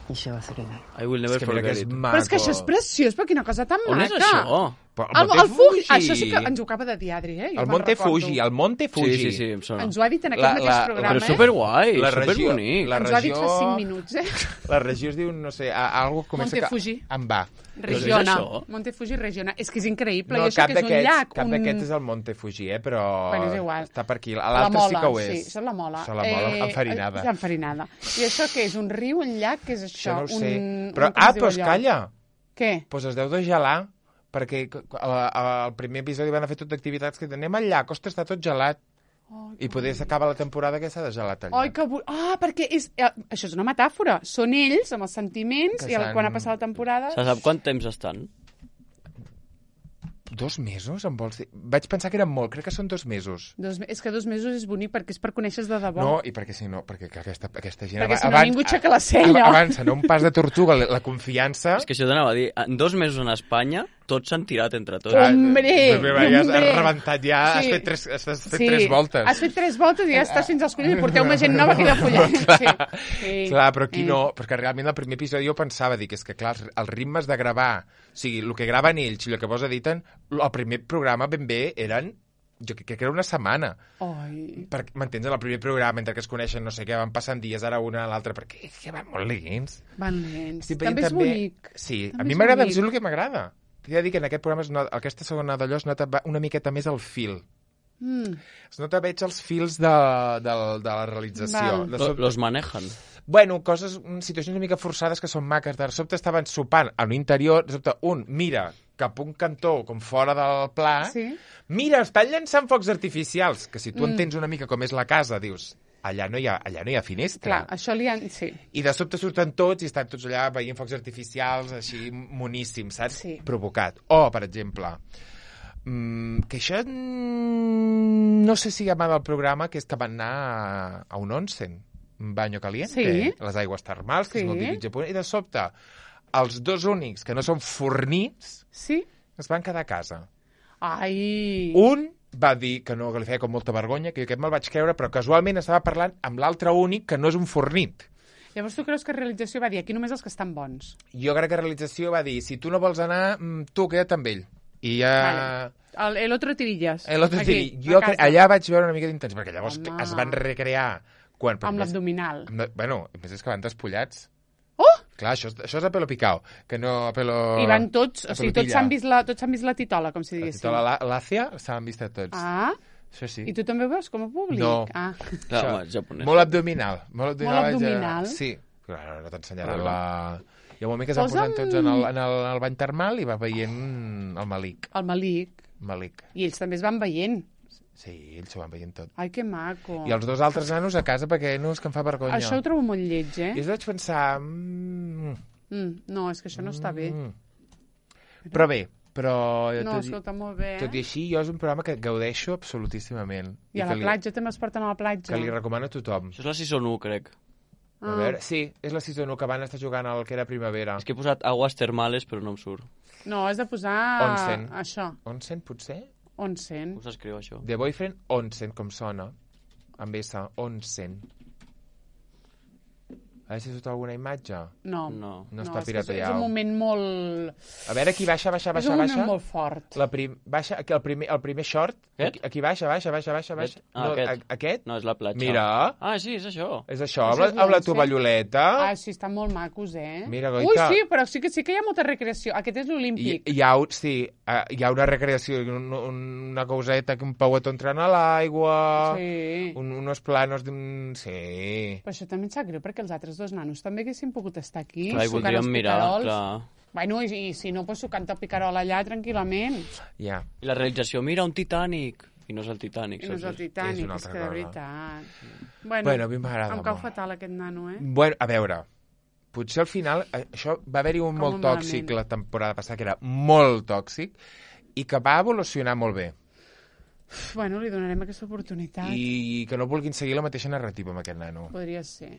S3: I will never
S1: És que mira que
S3: forget
S1: és
S3: it.
S1: maco.
S2: Però és que això és preciós, però quina cosa tan
S3: On
S2: maca.
S3: és això?
S1: Però
S2: El,
S1: Monte
S2: el Fuji,
S1: Fuji.
S2: això sí que ens ho acaba de dir Adri, eh? Jo
S1: El
S2: me'n
S1: Monte
S2: recordo.
S1: Fuji, el Monte Fuji.
S3: Sí, sí, sí, em sona.
S2: Ens ho ha dit en aquest
S1: La-
S2: mateix
S1: la-
S2: programa,
S3: Però és
S2: eh?
S3: superguai,
S1: La regió-
S3: superbonic.
S1: la
S2: Ens ho ha dit fa
S1: regió-
S2: cinc minuts, eh?
S1: La regió es diu, no sé, a, a algo que comença...
S2: Monte
S1: que-
S2: Fuji.
S1: Amb va.
S2: Regiona.
S3: és això?
S2: Monte Fuji Regiona. És que és increïble.
S1: No,
S2: I això
S1: cap
S2: que és un
S1: d'aquests
S2: llac.
S1: cap
S2: un...
S1: d'aquests és el Monte Fuji, eh? Però
S2: Bueno, és igual.
S1: està per aquí.
S2: La
S1: L'altre
S2: mola,
S1: sí que ho és.
S2: Sí, això és la mola.
S1: Això és la mola, enfarinada.
S2: Eh, enfarinada. I això què és? Un riu, un llac? Què és això?
S1: Això no ho sé.
S2: Un,
S1: Però,
S2: un, com
S1: ah,
S2: es diu
S1: però es
S2: allò?
S1: calla.
S2: Què?
S1: Doncs es deu de gelar, perquè al primer episodi van a fer tot d'activitats que anem al llac, ostres, està tot gelat.
S2: Oh,
S1: I poder s'acaba la temporada que s'ha de gelat al
S2: Ai,
S1: llac.
S2: que... bu- Ah, perquè és... eh, això és una metàfora. Són ells, amb els sentiments,
S1: Que
S2: i el,
S1: s'han-
S2: quan ha passat la temporada...
S3: Se sap quant temps estan?
S1: Dos mesos, em vols dir? Vaig pensar que eren molt, crec que són dos mesos.
S2: Dos, me- és que dos mesos és bonic perquè és per conèixer de debò.
S1: No, i perquè si no, perquè que aquesta, aquesta gent...
S2: Perquè
S1: aba-
S2: si no ningú aixeca la cella.
S1: ab- Avança, no un pas de tortuga, la, la confiança...
S3: És que això t'anava a dir, en dos mesos en Espanya, tots s'han tirat entre tots.
S1: Ah,
S2: Hombre,
S1: pues mira, ja has
S2: hombre.
S1: rebentat, ja has
S2: Sí.
S1: fet tres, has fet
S2: Sí,
S1: tres voltes.
S2: Has fet tres voltes i ja estàs fins als collons i porteu més gent nova que de follet. Sí. Sí.
S1: Clar, però aquí
S2: Eh.
S1: no, perquè realment el primer episodi jo pensava, dic, és que clar, els, els ritmes de gravar, o sigui, el que graven ells i el que vos editen, el primer programa ben bé eren, jo crec que era una setmana.
S2: Ai.
S1: Perquè, m'entens, en el primer programa, entre que es coneixen, no sé què, van passant dies, ara una a l'altra, perquè és que van molt lents.
S2: Van lents.
S1: Estic veient
S2: També és bonic.
S1: Sí,
S2: També
S1: a mi
S2: és
S1: m'agrada,
S2: bonic.
S1: és el que m'agrada. T'he de dir que en aquest programa, es nota, aquesta segona d'allò es nota una miqueta més el fil.
S2: Mm.
S1: Es nota veig els fils de, de, de la realització.
S2: Val.
S1: De
S3: Lo-
S1: sobte,
S3: Los manejan.
S1: bueno, coses, mm, situacions una mica forçades que són maques. De sobte estaven sopant a l'interior, de sobte un mira cap a un cantó com fora del pla,
S2: Sí.
S1: mira, estan llançant focs artificials, que si tu
S2: Mm.
S1: entens una mica com és la casa, dius, allà no hi ha, allà no hi ha finestra.
S2: Clar, això li han... Sí.
S1: I de sobte surten tots i estan tots allà veient focs artificials, així moníssims, saps?
S2: Sí.
S1: Provocat. O, per exemple, mm, que això mm, no sé si llama del programa, que és que van anar a, a un onsen, un banyo caliente,
S2: Sí.
S1: les aigües termals, que
S2: Sí.
S1: és molt típic japonès, i de sobte els dos únics que no són fornits
S2: Sí?
S1: es van quedar a casa.
S2: Ai.
S1: Un va dir que no, que li feia com molta vergonya, que jo aquest me'l vaig creure, però casualment estava parlant amb l'altre únic que no és un fornit.
S2: Llavors tu creus que realització va dir aquí només els que estan bons?
S1: Jo crec que realització va dir, si tu no vols anar, mm, tu queda't amb ell. I ja...
S2: Vale. El, el otro tirillas.
S1: El otro
S2: Aquí,
S1: tiri. Jo
S2: a
S1: cre...
S2: casa.
S1: allà vaig veure una mica d'intenció, perquè llavors
S2: Home.
S1: es van recrear... Quan,
S2: Amb
S1: més-
S2: l'abdominal.
S1: amb la- Bueno, a més és que van despullats.
S2: Oh!
S1: Clar, això, és- això és a pelo picao, que no a pelo...
S2: I van tots,
S1: a
S2: o sigui,
S1: pelo
S2: tots
S1: pilla.
S2: s'han vist, la, tots s'han vist la titola, com si
S1: La
S2: diguéssim.
S1: titola la- l'Àcia s'han vist a tots.
S2: Ah,
S1: Això sí.
S2: i tu també ho veus com a públic?
S1: No.
S2: Ah.
S3: Clar, home, és japonès.
S1: Molt abdominal. Molt abdominal.
S2: Molt abdominal.
S1: Ja... Sí. Clar, no t'ensenyaran la... Hi ha un moment que es van
S2: Posa'm-
S1: posant tots en el, en, el, en el bany termal i va veient el Malik.
S2: El Malik.
S1: Malik.
S2: I ells també es van veient.
S1: Sí, ells s'ho van veient tot.
S2: Ai, que maco.
S1: I els dos altres nanos a casa perquè no és que em fa vergonya.
S2: Això ho trobo molt lleig, eh?
S1: I es vaig pensar... Mm,
S2: Mm, no, és que això no està bé.
S1: mm. Però bé, però...
S2: No,
S1: tot, i-
S2: escolta, molt bé,
S1: tot i
S2: eh?
S1: així, jo és un programa que gaudeixo absolutíssimament.
S2: I a
S1: que
S2: la
S1: li,
S2: platja també es porten a la platja.
S1: que li recomano a tothom.
S3: Això és la Season u, crec.
S1: A veure, sí, és la season u que van estar jugant al que era primavera.
S3: És que he posat aguas termales, però no em surt.
S2: No, has de posar...
S1: Onsen.
S2: Això,
S1: Onsen, potser?
S2: onsen.
S3: Com s'escriu, això?
S1: The Boyfriend Onsen, com sona. Amb S, Onsen. A veure si surt alguna imatge.
S2: No.
S3: No.
S1: No
S2: és
S1: està
S2: que és, és
S1: pirateado.
S2: un moment molt...
S1: A veure, aquí baixa, baixa,
S2: és
S1: baixa,
S2: un moment
S1: baixa.
S2: molt fort.
S1: La prim... Baixa, aquí el primer, el primer short.
S3: Aquest?
S1: Aquí, aquí baixa, baixa, baixa, baixa, baixa.
S3: Ah,
S1: no,
S3: aquest.
S1: a- aquest?
S3: No, és la platja.
S1: Mira,
S3: Ah, sí, és això.
S1: és això,
S2: Això
S1: amb la,
S2: és
S1: amb la
S2: l'Onsen.
S1: tovalloleta.
S2: Ah, sí, estan molt macos, eh?
S1: Mira,
S2: Ui,
S1: Goita.
S2: sí, però sí que sí que hi ha molta recreació. Aquest és
S1: I,
S2: l'olímpic.
S1: hi ha, un- sí, eh, hi ha una recreació, un, una causeta, que un pauet entrant a l'aigua,
S2: Sí.
S1: un, unos planos d'un... Sí.
S2: Però això també em sap greu, perquè els altres dos nanos també haguessin pogut estar aquí,
S3: Clar, i
S2: sucant
S3: voldríem
S2: els
S3: mirar,
S2: picarols.
S3: clar.
S2: Bueno, i, i si no, pues, sucant el picarol allà tranquil·lament.
S1: Ja.
S3: I la realització, mira, un Titanic. I no és el Titanic,
S2: I no és el
S3: saps?
S2: Titanic,
S1: és una
S2: és,
S1: altra
S2: que de
S1: cosa.
S2: veritat... Bueno,
S1: Bueno, a mi m'agrada
S2: em cau
S1: molt.
S2: fatal aquest nano, eh?
S1: Bueno, a veure, potser al final, eh, això va haver-hi un
S2: Com
S1: molt
S2: malament.
S1: tòxic la temporada passada, que era molt tòxic, i que va evolucionar molt bé.
S2: Uf, bueno, li donarem aquesta oportunitat. I...
S1: I que no vulguin seguir la mateixa narrativa amb aquest nano.
S2: Podria ser,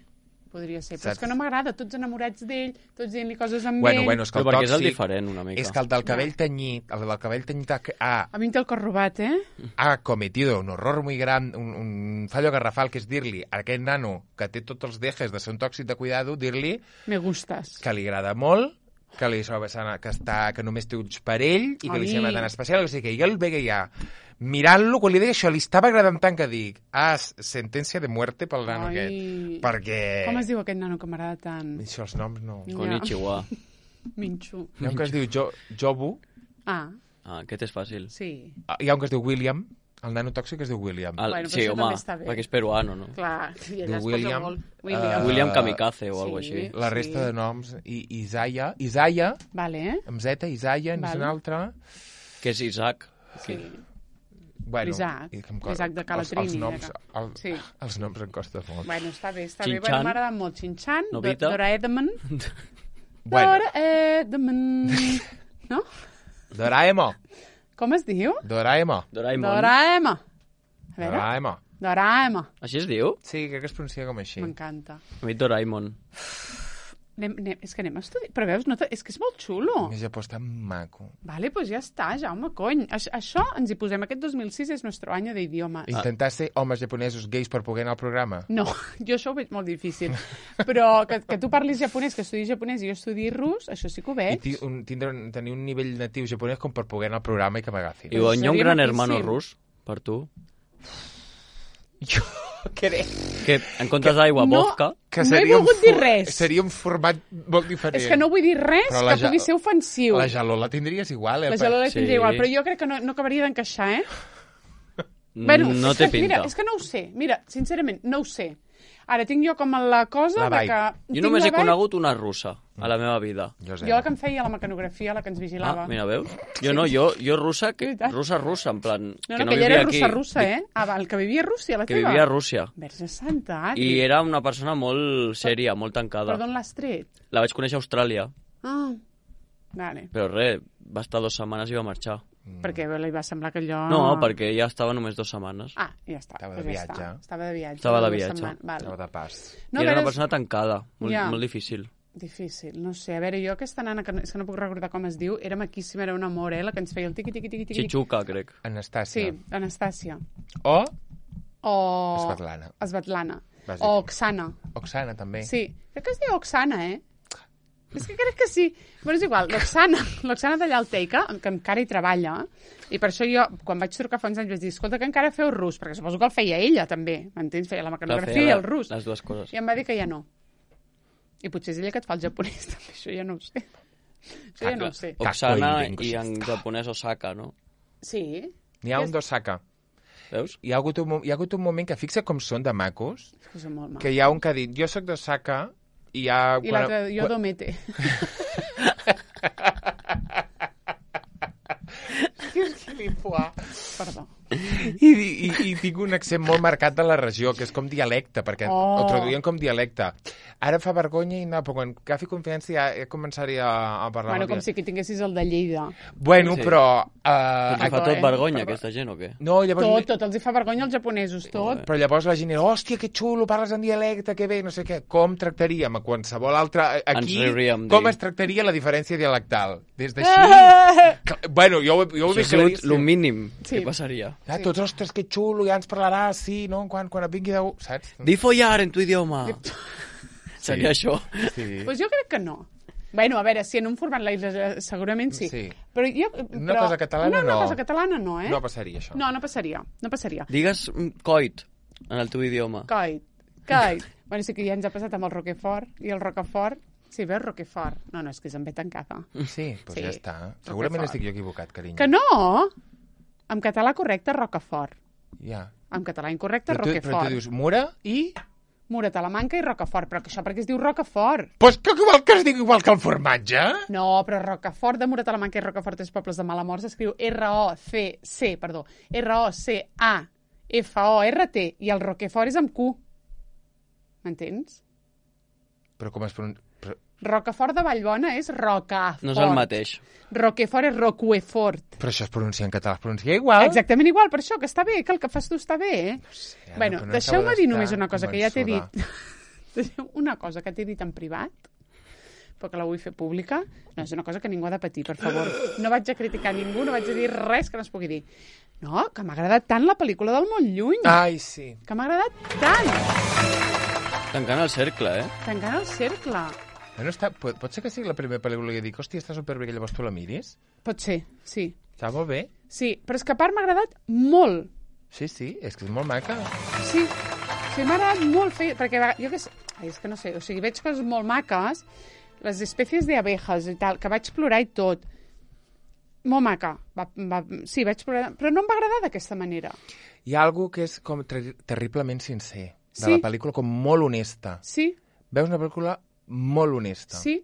S2: podria ser. Però
S1: Saps?
S2: és que no m'agrada, tots enamorats d'ell, tots dient-li coses amb
S1: Bueno,
S2: ell.
S1: bueno, és que
S3: Però
S1: el
S3: perquè és el
S1: tòxic...
S3: diferent, una mica.
S1: És que el del cabell tenyit, el del cabell tenyit ha, ha,
S2: A mi em té el cor robat, eh?
S1: ha cometido un horror muy gran, un, un fallo garrafal, que és dir-li a aquest nano que té tots els dejes de ser un tòxic de cuidado, dir-li
S2: Me gustes.
S1: que li agrada molt, que, li soba, que, està, que només té ulls per ell i que
S2: Ai.
S1: li sembla tan especial. O sigui que jo el veia mirant-lo, quan li deia això, li estava agradant tant que dic, ah, sentència de muerte pel nano
S2: Ai.
S1: aquest. Perquè...
S2: Com es diu aquest nano que m'agrada tant?
S1: Això, els noms no...
S2: Ja.
S3: Konnichiwa.
S2: Minxu.
S1: Hi ha un que es diu jo, Jobu,
S2: Ah,
S3: Ah, aquest és fàcil.
S2: sí.
S1: hi ha un que es diu William, el nano tòxic es diu William.
S3: El,
S2: Bueno, però
S3: sí,
S2: això
S3: home,
S2: també està bé.
S3: perquè és peruano, no?
S2: Clar, i ella es
S1: William,
S2: posa molt.
S1: eh,
S2: William.
S3: William Kamikaze o
S2: Sí.
S3: alguna així.
S1: La resta
S2: Sí.
S1: de noms, i Isaiah, Isaiah,
S2: Vale, eh?
S1: amb Z, Isaiah, n'és
S2: Vale.
S1: un altre.
S3: Que és Isaac.
S2: Sí.
S1: Bueno,
S2: L'Isaac,
S1: i que em co-
S2: l'Isaac de
S1: els,
S2: Calatrini,
S1: els, noms,
S2: de
S1: el,
S2: Sí.
S1: els noms em costa molt.
S2: Bueno, està bé, està
S3: Chin
S2: bé. Bueno,
S3: Chan.
S2: m'agrada molt Chin-Chan, Do-
S3: Nobita.
S2: Doraemon.
S1: Bueno,
S2: Doraemon. No?
S1: Doraemon,
S2: Com es diu?
S1: Doraemon,
S3: Doraemon.
S2: Doraemon. A veure,
S1: Doraemon.
S2: Doraemon.
S3: Així es diu?
S1: Sí, crec que es pronuncia com així.
S2: M'encanta.
S3: A mi Doraemon.
S2: Anem, anem, és que anem a estudiar. Però veus, no te... és que és molt xulo.
S1: El Japó està maco.
S2: Vale, pues ja està, Jaume, cony. Aix això ens hi posem. Aquest dos mil sis és nostre any d'idiomes.
S1: Intentar ser homes japonesos gais per poder anar al programa.
S2: No, jo això ho veig molt difícil. Però que, que tu parlis japonès, que estudis japonès i jo estudi rus, això sí que ho
S1: I
S2: veig.
S1: ti, un, tindre, un- tenir un nivell natiu japonès com per poder anar al programa i que m'agafin.
S3: I on hi ha un
S2: seria
S3: gran
S2: maquíssim.
S3: hermano rus, per tu,
S1: Jo crec
S3: que en comptes d'aigua,
S2: No.
S3: vodka,
S1: que
S2: No he
S1: seria un
S2: volgut dir
S1: for-
S2: res.
S1: Seria un format molt diferent.
S2: És que no vull dir res
S1: Però la
S2: que
S1: ja-
S2: pugui ser ofensiu.
S1: La geló la tindries igual, eh?
S2: La geló la
S3: Sí.
S2: tindria igual, però jo crec que no, no acabaria d'encaixar, eh?
S3: no
S2: és
S3: té
S2: que,
S3: pinta.
S2: Mira, és que no ho sé. Mira, sincerament, no ho sé. Ara tinc jo com la cosa
S1: La
S2: de
S1: vibe.
S2: que...
S3: Jo
S2: tinc
S3: només
S2: la
S3: he
S2: vibe-
S3: conegut una russa a la meva vida.
S1: Jo,
S2: Jo la que em feia la mecanografia, la que ens vigilava.
S3: Ah, mira, veus? Jo no, jo, jo russa, que,
S2: Veritat.
S3: russa, russa, en plan...
S2: no,
S3: que
S2: no,
S3: no
S2: que ella
S3: vivia
S2: era
S3: aquí,
S2: russa, russa, eh? Ah, val, que vivia a Rússia, la
S3: que
S2: teva.
S3: vivia a Rússia.
S2: Verge santa, Adri.
S3: I era una persona molt sèria, molt tancada.
S2: Per d'on l'has tret?
S3: La vaig conèixer a Austràlia,
S2: Ah, vale.
S3: però res, va estar dues setmanes i va marxar.
S2: Perquè li va semblar que allò...
S3: No, perquè ja estava només dues setmanes.
S2: Ah, ja està.
S1: Estava de
S2: doncs ja
S1: viatge.
S2: està. Estava de viatge.
S3: Estava de
S2: dues
S3: viatge.
S2: setmanes. Val.
S1: Estava de pas.
S2: No,
S3: I era
S2: a
S3: una
S2: veure,
S3: persona tancada, molt,
S2: Ja.
S3: molt difícil.
S2: Difícil, no sé. A veure, jo aquesta nana, que no, és que no puc recordar com es diu, era maquíssima, era un amor, eh? La que ens feia el tiqui, tiqui, tiqui, tiqui.
S3: Chichuca, crec.
S1: Anastàcia.
S2: Sí, Anastàcia.
S1: O
S2: O...
S1: Svetlana.
S2: Svetlana.
S1: Vas
S2: O
S1: dir.
S2: Oksana.
S1: Oksana, també.
S2: Sí, crec que es diu Oksana, eh? És que crec que sí. Bueno, és igual, l'Oksana, l'Oksana d'allà al Teika, que encara hi treballa, i per això jo, quan vaig trucar fa uns anys, vaig dir, escolta, que encara feu rus, perquè suposo que el feia ella, també, m'entens? Feia la
S3: Clar,
S2: mecanografia
S3: feia
S2: i
S3: la-
S2: el rus.
S3: Les dues coses.
S2: I em va dir que ja no. I potser és ella que et fa el japonès, també, això ja no ho sé. Això ja no ho sé.
S3: Oksana
S1: Kakoi
S3: i en japonès Osaka, no?
S2: Sí?
S1: N'hi ha
S2: És-
S1: un d'Osaka.
S3: Veus?
S1: Hi ha, hagut un, mo- hi ha hagut un moment que fixa com són de macos,
S2: És que són molt
S1: que
S2: mal.
S1: hi ha un que ha dit, jo sóc d'Osaka, I, ha,
S2: I l'altre, jo domete. Perdó.
S1: I, i, i tinc un accent molt marcat de la regió, que és com dialecte, perquè
S2: Oh.
S1: ho traduïen com dialecte. Ara fa vergonya i no, però quan agafi confiança ja, ja començaria a parlar.
S2: Bueno,
S1: amb
S2: com
S1: dia-
S2: si aquí tinguessis el de Lleida.
S1: Bueno,
S3: Sí.
S1: però... Uh,
S3: Ens fa
S2: Perdó,
S3: tot
S2: eh?
S3: vergonya,
S2: Perdó.
S3: aquesta gent, o què?
S1: no, llavors...
S2: Tot, tot els hi fa vergonya als japonesos, tot.
S1: Però llavors la gent era, hòstia, que xulo, parles en dialecte, que bé, no sé què. Com tractaríem a qualsevol altre... Aquí,
S3: Ens riuríem
S1: com
S3: dir.
S1: es tractaria la diferència dialectal? Des d'així...
S2: Ah!
S1: Cla- Bueno, jo, ho- jo ho
S3: Això
S1: he
S3: ha sigut
S1: vist
S3: el mínim
S2: Sí.
S3: que passaria.
S1: Ah,
S2: Sí.
S1: tots, ostres, que xulo, ja ens parlaràs, sí, no? Quan, quan et vingui de... Saps?
S3: Di follar en tu idioma. Seria això.
S1: Sí.
S2: Pues jo crec que no. Bueno, a veure, si en un format live segurament sí.
S1: Sí.
S2: Però jo,
S1: Una
S2: però...
S1: cosa catalana,
S2: una, una
S1: no.
S2: cosa catalana no, eh?
S1: No passaria això.
S2: No, no passaria. No passaria.
S3: Digues mm, coit en el teu idioma.
S2: Coit. Coit. Bueno, sí que ja ens ha passat amb el Roquefort. I el Roquefort... Sí, veus, Roquefort. No, no, és que és en ve tancada.
S1: Sí, doncs
S2: Sí.
S1: ja està. Segurament
S2: Roquefort.
S1: estic jo equivocat, carinyo.
S2: Que no! En català correcte, Rocafort.
S1: Ja.
S2: En català incorrecte,
S1: Però tu, però tu
S2: Roquefort.
S1: dius Mura i...
S2: Mura, Talamanca i Rocafort. Però que això perquè es diu Rocafort.
S1: Pues que igual que es diu igual que el formatge.
S2: No, però Rocafort de Mura, Talamanca i Rocafort, tres pobles de Malamort, s'escriu R O C C, perdó, R O C A F O R T, i el Roquefort és amb Q. M'entens?
S1: Però com es pronuncia... Però...
S2: Rocafort de Vallbona és Rocafort.
S3: No és el mateix.
S2: Roquefort és Roquefort.
S1: però això es pronuncia en català, es pronuncia igual.
S2: Exactament igual, per això, que està bé, que el que fas tu està bé, eh?
S1: Sí, ara,
S2: bueno,
S1: però no
S2: deixeu-me
S1: acabo
S2: dir
S1: d'estar
S2: només una cosa que ja t'he dit.
S1: convençuda.
S2: Deixeu una cosa que t'he dit en privat, però que la vull fer pública. No, és una cosa que ningú ha de patir, per favor. No vaig a criticar ningú, no vaig a dir res que no es pugui dir. No, que m'ha agradat tant la pel·lícula del Molt Lluny.
S1: Ai, sí.
S2: Que m'ha agradat tant.
S3: Tancant el cercle, eh?
S2: Tancant el cercle.
S1: No està... pot, pot ser que sigui la primera pel·lícula que dic, hòstia, està superbé, que llavors tu la miris?
S2: Pot ser, sí.
S1: Està molt bé?
S2: Sí, però és que a part m'ha agradat molt.
S1: Sí, sí, és que és molt maca.
S2: Sí, sí m'ha agradat molt fer... Perquè va- jo que sé... Ai, és que no sé, o sigui, veig coses molt maques, les espècies d'abejas i tal, que vaig plorar i tot. Molt maca. Va, va, sí, vaig plorar, però no em va agradar d'aquesta manera.
S1: Hi ha algú que és com ter terriblement sincer, de
S2: Sí.
S1: la pel·lícula, com molt honesta.
S2: Sí,
S1: Veus una pel·lícula molt honesta.
S2: sí,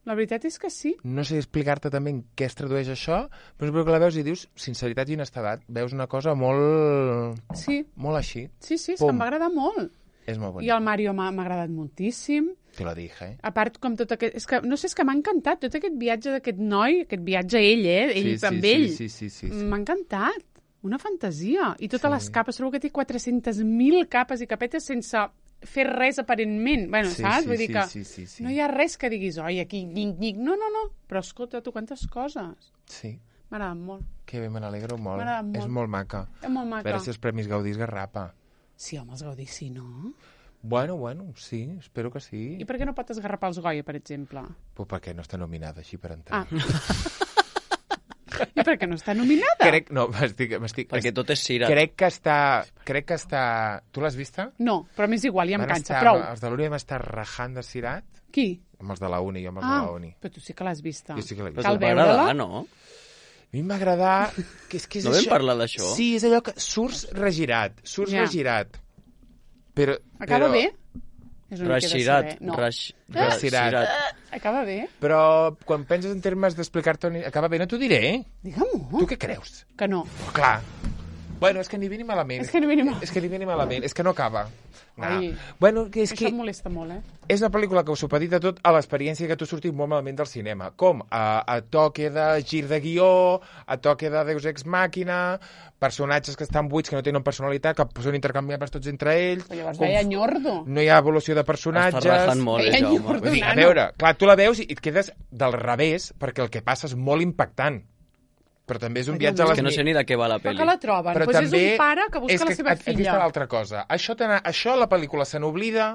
S2: la veritat és que sí.
S1: No sé explicar-te també en què es tradueix això, però és una pel·lícula que la veus i dius sinceritat i honestedat. Veus una cosa molt...
S2: Sí,
S1: molt així.
S2: sí, sí, és
S1: Pum.
S2: que em va agradar molt.
S1: És molt
S2: I
S1: bonic.
S2: el Mario m'ha m'ha agradat moltíssim.
S1: Te lo dije, eh?
S2: A part, com tot aquest... És que, no sé, és que m'ha encantat tot aquest viatge d'aquest noi, aquest viatge a ell, eh? Ell
S1: sí,
S2: amb
S1: sí,
S2: ell.
S1: Sí, sí, sí, sí.
S2: M'ha encantat. Una fantasia. I totes
S1: Sí.
S2: les capes, trobo que té quatre-centes mil capes i capetes sense fer res aparentment. Bueno,
S1: Sí,
S2: saps?
S1: sí,
S2: Vull dir
S1: sí,
S2: que
S1: sí, sí, sí.
S2: no hi ha res que diguis, oi, aquí, nyic, nyic. No, no, no. Però escolta, tu, quantes coses.
S1: Sí.
S2: M'ha agradat molt.
S1: Que bé, me n'alegro molt.
S2: M'ha agradat molt.
S1: És molt maca.
S2: És molt
S1: A
S2: maca.
S1: veure si els Premis Gaudí es garrapa.
S2: Sí, home, els Gaudí, sí, no?
S1: Bueno, bueno, sí, espero que sí.
S2: I per què no pot esgarrapar els Goya, per exemple?
S1: Pues perquè no està nominada així per entrar.
S2: Ah. I per què no està nominada?
S1: Crec, no, m'estic... m'estic
S3: Perquè tot és cira.
S1: Crec que està... Crec que està... Tu l'has vista?
S2: No, però m'és igual, ja em
S1: Van
S2: cansa.
S1: estar-
S2: Prou.
S1: Els de l'Uni vam estar rajant de cirat
S2: Qui?
S1: amb els de la Uni, jo amb els
S2: Ah,
S1: de la Uni.
S2: però tu sí que l'has vista.
S1: Jo sí que l'he
S3: Però
S1: vist.
S2: Cal
S3: te'l va agradar,
S2: veure-la?
S3: no?
S1: A mi m'ha agradat... Que és, que és
S3: No vam
S1: això...
S3: parlar d'això?
S1: Sí, és allò que surts regirat, surts
S2: Ja.
S1: regirat. Però...
S2: Acaba
S1: però,
S2: bé? És una mica de
S3: Rexirat.
S2: saber. No.
S3: Raix...
S1: Rexirat.
S3: Rexirat.
S2: Acaba bé?
S1: Però quan penses en termes d'explicar-te... on- Acaba bé, no t'ho diré, eh?
S2: Digue-m'ho.
S1: Tu què creus?
S2: Que no.
S1: Però clar. Bueno, és que ni bé ni malament.
S2: És que ni bé ni malament.
S1: És que ni bé ni malament. És que no acaba. No.
S2: Ai.
S1: Bueno, que és
S2: Això
S1: que
S2: em molesta molt, eh?
S1: és una pel·lícula que us supedita tot a l'experiència que tu sortis molt malament del cinema. Com? A, a toque de gir de guió, a toque de Deus Ex Màquina, personatges que estan buits, que no tenen personalitat, que són intercanviables tots entre ells.
S2: Però llavors
S1: com
S2: veia Nyordo.
S1: no hi ha evolució de personatges.
S3: Està rajant molt, eh,
S2: Veia
S3: Jaume.
S2: Nyordo,
S1: Vull dir, a
S2: nano.
S1: veure, clar, tu la veus i et quedes del revés, perquè el que passa és molt impactant. Però també és un
S2: Ai,
S1: viatge a
S2: Déu
S1: les...
S3: Que no sé ni de què va la
S2: Però
S3: pel·li.
S2: que la troben.
S1: Però
S2: Doncs
S1: també
S2: és un pare que busca
S1: és
S2: la seva
S1: Aquí
S2: filla.
S1: està l'altra cosa. Això, te això la pel·lícula se n'oblida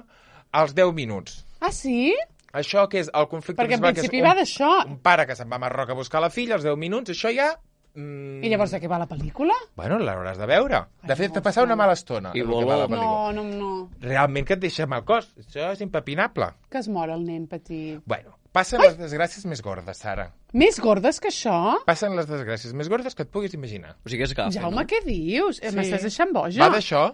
S1: als deu minuts.
S2: Ah, sí?
S1: Això que és el conflicte
S2: Perquè en
S1: principal, que és
S2: principi
S1: un,
S2: va d'això.
S1: un pare que se'n va a Marroc a buscar la filla, als deu minuts, això ja... Mm,
S2: I llavors de què va la pel·lícula?
S1: Bueno, l'hauràs de veure. De
S2: Ai,
S1: fet,
S2: no,
S1: de passar una
S2: no.
S1: mala estona.
S3: I
S1: el que
S3: voló.
S1: va la pel·lícula.
S2: No, no, no.
S1: Realment que et deixa mal cos. Això és impepinable.
S2: Que es mor el nen petit.
S1: Bueno, passen les desgràcies més gordes, Sara.
S2: Més gordes que això?
S1: Passen les desgràcies més gordes que et puguis imaginar.
S3: O sigui que és gafe,
S2: Jaume,
S3: no?
S2: què dius? Sí.
S1: Sí.
S2: M'estàs deixant boja?
S1: Va d'això.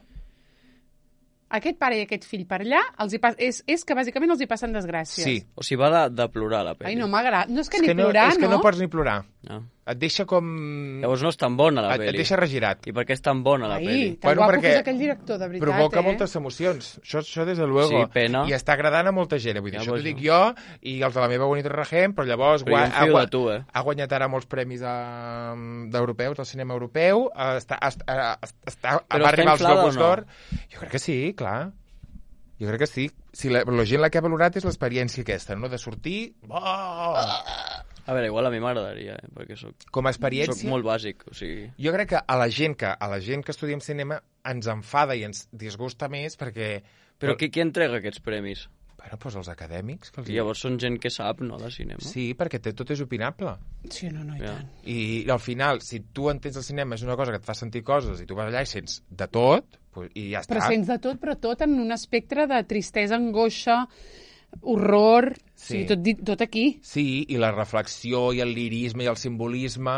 S2: aquest pare i aquest fill per allà, els hi pa... és, és que bàsicament els hi passen desgràcies.
S1: Sí.
S3: O sigui, va de, de plorar, la pel·li.
S2: Ai, no m'agrada. No és que
S1: És
S2: ni
S1: que no,
S2: plorar,
S1: és que no
S2: no?
S1: pots ni plorar.
S3: No.
S1: Et deixa com...
S3: Llavors no és tan bona, la
S1: Et, et
S3: pel·li.
S1: deixa regirat.
S3: I per què és tan bona, la
S2: Ai,
S3: pel·li?
S2: tan
S1: Bueno,
S2: guapo
S1: perquè
S2: que és aquell director, de veritat,
S1: Provoca
S2: eh?
S1: moltes emocions. Això, això des de luego.
S3: Sí, pena.
S1: I està agradant a molta gent. Vull dir,
S3: Ja,
S1: això
S3: pues,
S1: t'ho dic
S3: no.
S1: jo i els de la meva bonita regent, però llavors
S3: Però jo em
S1: ha,
S3: fio
S1: gua-
S3: de tu, eh?
S1: ha guanyat ara molts premis a- d'europeus, del cinema europeu, eh, està, està, està,
S3: Però
S1: va
S3: està
S1: arribar als
S3: inflada
S1: Globus
S3: o no?
S1: d'Or. Jo crec que sí, clar. Jo crec que sí. Si la, la gent la que ha valorat és l'experiència aquesta, no? De sortir... Oh!
S3: A veure, igual a mi m'agradaria, eh? Perquè soc,
S1: Com a
S3: soc
S1: experiència...
S3: molt bàsic, o sigui...
S1: Jo crec que a la gent que a la gent que estudiem cinema ens enfada i ens disgusta més perquè...
S3: Però qui, qui entrega aquests premis?
S1: Bueno, doncs els acadèmics. Que els...
S3: I llavors són gent que sap, no?, de cinema.
S1: Sí, perquè té, tot és opinable.
S2: Sí, no, no, i
S3: Ja.
S2: tant.
S1: I, I al final, si tu entens el cinema és una cosa que et fa sentir coses i tu vas allà i sents de tot, pues, i ja està.
S2: Però sents de tot, però tot en un espectre de tristesa, angoixa, horror... Sí. O sigui, tot, dit- tot aquí.
S1: Sí, i la reflexió i el lirisme i el simbolisme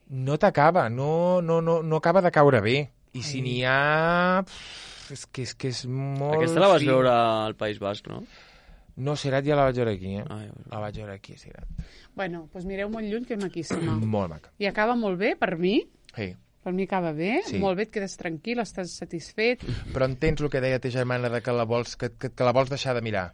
S1: no t'acaba, no, no, no, no acaba de caure bé. I si n'hi ha... pff, És que, és que és molt...
S3: Aquesta la vas
S1: fi.
S3: veure al País Basc, no?
S1: No, Sirat ja la vaig veure aquí, eh?
S3: Ah, ja veure.
S1: La vaig veure aquí, Sirat.
S2: Bueno, doncs mireu molt lluny, que és maquíssima.
S1: Molt maca.
S2: I acaba molt bé, per mi.
S1: Sí.
S2: Per mi acaba bé,
S1: Sí.
S2: molt bé, et quedes tranquil, estàs satisfet.
S1: Però entens el que deia ta germana de que la vols, que, que, que la vols deixar de mirar?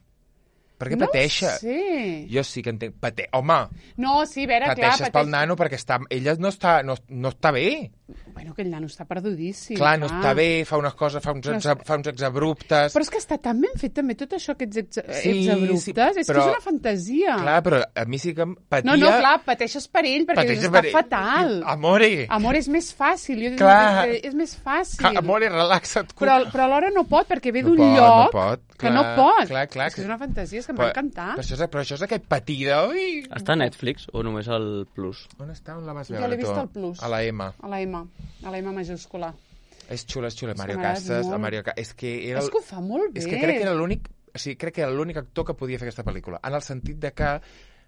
S1: Perquè
S2: no
S1: pateixa.
S2: ho sé.
S1: Jo sí que entenc. Pate... Home,
S2: No, sí, a veure, clar,
S1: pateixes pel nano perquè està... ella no està, no, no està bé.
S2: Bueno, aquell nano està perdudíssim.
S1: Clar, no està bé, fa unes coses, fa uns,
S2: No
S1: exa, fa uns exabruptes.
S2: Però és que està tan ben fet també tot això, aquests ex
S1: Sí,
S2: exabruptes.
S1: sí,
S2: és
S1: però-
S2: que és una fantasia.
S1: Clar, però a mi sí que em patia...
S2: no, no, clar, pateixes per ell, perquè
S1: pateixes
S2: dius,
S1: per
S2: està
S1: ell.
S2: fatal.
S1: Amore,
S2: Amor, és més fàcil. Jo dic,
S1: Clar.
S2: és, és més fàcil.
S1: Ca- amore, relaxa't.
S2: Però, però alhora no pot, perquè ve
S1: No
S2: d'un
S1: pot, no
S2: lloc
S1: pot,
S2: que
S1: clar,
S2: no pot.
S1: clar, clar,
S2: és que
S1: que-
S2: és una fantasia, és que em
S1: Però,
S2: va encantar.
S1: però, això és, però això és aquest patir de... Ui,
S3: Està a Netflix o només al Plus?
S1: on està? On la vas
S2: Jo
S1: veure,
S2: l'he vist
S1: tu?
S2: al Plus.
S1: A la M.
S2: A la M, a la M majúscula.
S1: És xula, és xula.
S2: És que
S1: Mario
S2: m'agrada
S1: Casas,
S2: molt.
S1: el Mario Ca- És que era...
S2: És que ho fa molt bé.
S1: És que crec que era l'únic... O sigui, crec que era l'únic actor que podia fer aquesta pel·lícula. En el sentit de que...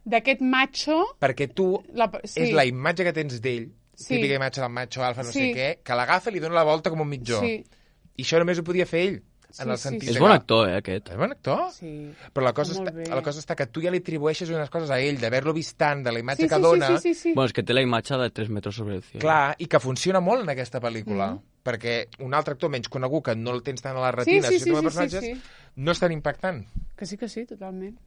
S2: D'aquest macho...
S1: Perquè tu...
S2: La, sí.
S1: És la imatge que tens d'ell,
S2: Sí.
S1: típica imatge del macho alfa, no
S2: Sí.
S1: sé què, que l'agafa i li dona la volta com un mitjó.
S2: Sí,
S1: I això només ho podia fer ell.
S2: Sí,
S1: En el
S2: sí,
S1: sentit
S2: sí.
S3: És
S1: de
S3: bon
S1: que-
S3: actor, eh, aquest.
S1: És bon actor.
S2: sí.
S1: Però la cosa,
S2: Molt
S1: està,
S2: bé.
S1: la cosa està que tu ja li atribueixes unes coses a ell, d'haver-lo vist tant, de la imatge
S2: Sí,
S1: que
S2: sí,
S1: dona,
S2: sí, sí, sí, sí.
S3: Bueno, és que té la imatge de tres metres sobre el cielo.
S1: clar, i que funciona molt en aquesta pel·lícula.
S2: Mm.
S1: Perquè un altre actor menys conegut, que no el tens tant a la
S2: Sí,
S1: retina,
S2: sí,
S1: si
S2: sí,
S1: com a
S2: sí, sí,
S1: personatges,
S2: sí.
S1: no és tan impactant.
S2: Que sí, que sí, totalment.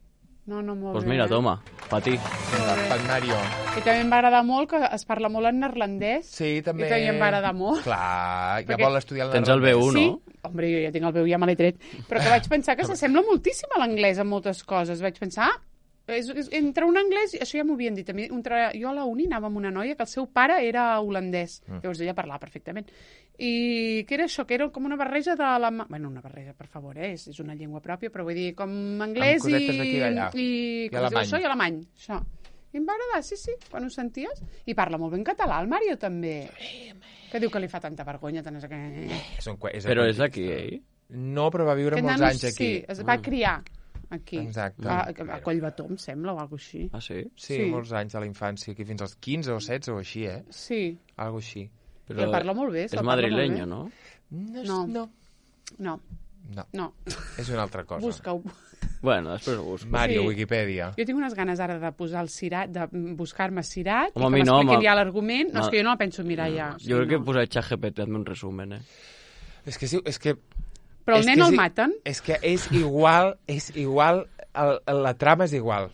S2: No, no, molt
S3: Doncs
S2: bé.
S3: mira,
S2: eh?
S3: toma, patí.
S1: Vinga, pel Mario.
S2: I també em va agradar molt que es parla molt en neerlandès.
S1: Sí, també...
S2: I també em va agradar molt.
S1: Clar, ja
S2: Perquè-
S1: vol estudiar el
S3: Tens el B
S1: neerlandès.
S3: un,
S2: Sí,
S3: no?
S2: hombre, jo ja tinc el veu, ja me l'he tret. Però que vaig pensar que s'assembla moltíssim a l'anglès en moltes coses. Vaig pensar, ah, és, és, entre un anglès, això ja m'ho havien dit a mi, entre, jo a la uni anava amb una noia que el seu pare era holandès, mm. llavors ella parlava perfectament. I que era això, que era com una barreja de la... Bueno, una barreja, per favor, eh? és, és una llengua pròpia, però vull dir, com anglès
S1: Amb cosetes d'aquí i
S2: i,
S1: d'allà.
S2: i,
S1: I
S2: com es diu
S1: alemany.
S2: això? I alemany. Això. I em va agradar, sí, sí, quan ho senties. I parla molt ben català, el Mario també. Que diu que li fa tanta vergonya, tant és que...
S1: És un, que- és
S3: Però
S1: un-
S3: és d'aquí, eh?
S1: No, però va viure
S2: Aquest
S1: molts
S2: nano,
S1: anys aquí.
S2: Sí, es va criar aquí.
S1: Exacte.
S2: A, a Collbató, em sembla, o alguna així.
S3: Ah, sí?
S1: Sí,
S2: Sí.
S1: molts anys de la infància, aquí fins als quinze o setze o així, eh?
S2: Sí,
S1: Algo així.
S2: i el parla molt bé.
S3: És
S2: se'l parla molt
S3: madrileño,
S2: bé.
S3: no?
S1: No,
S2: No.
S1: no.
S2: No,
S1: No,
S2: no.
S1: és una altra cosa.
S2: Busca-ho.
S3: Bueno, després ho busco.
S1: Mario,
S2: Sí.
S1: Wikipedia.
S2: Jo tinc unes ganes ara de posar el Cirat, de buscar-me Cirat,
S3: Home, a
S2: i
S3: mi
S2: que
S3: no,
S2: m'expliquin
S3: home.
S2: ja l'argument. No,
S3: No.
S2: és que jo no la penso mirar ja.
S3: Jo crec que
S2: no.
S3: posaré ChatGPT, hazme un resumen, eh?
S1: És que, sí, és que
S2: Però el
S1: és
S2: nen
S1: que
S2: el
S1: sí-
S2: maten.
S1: És que és igual, és igual, el, el, la trama és igual.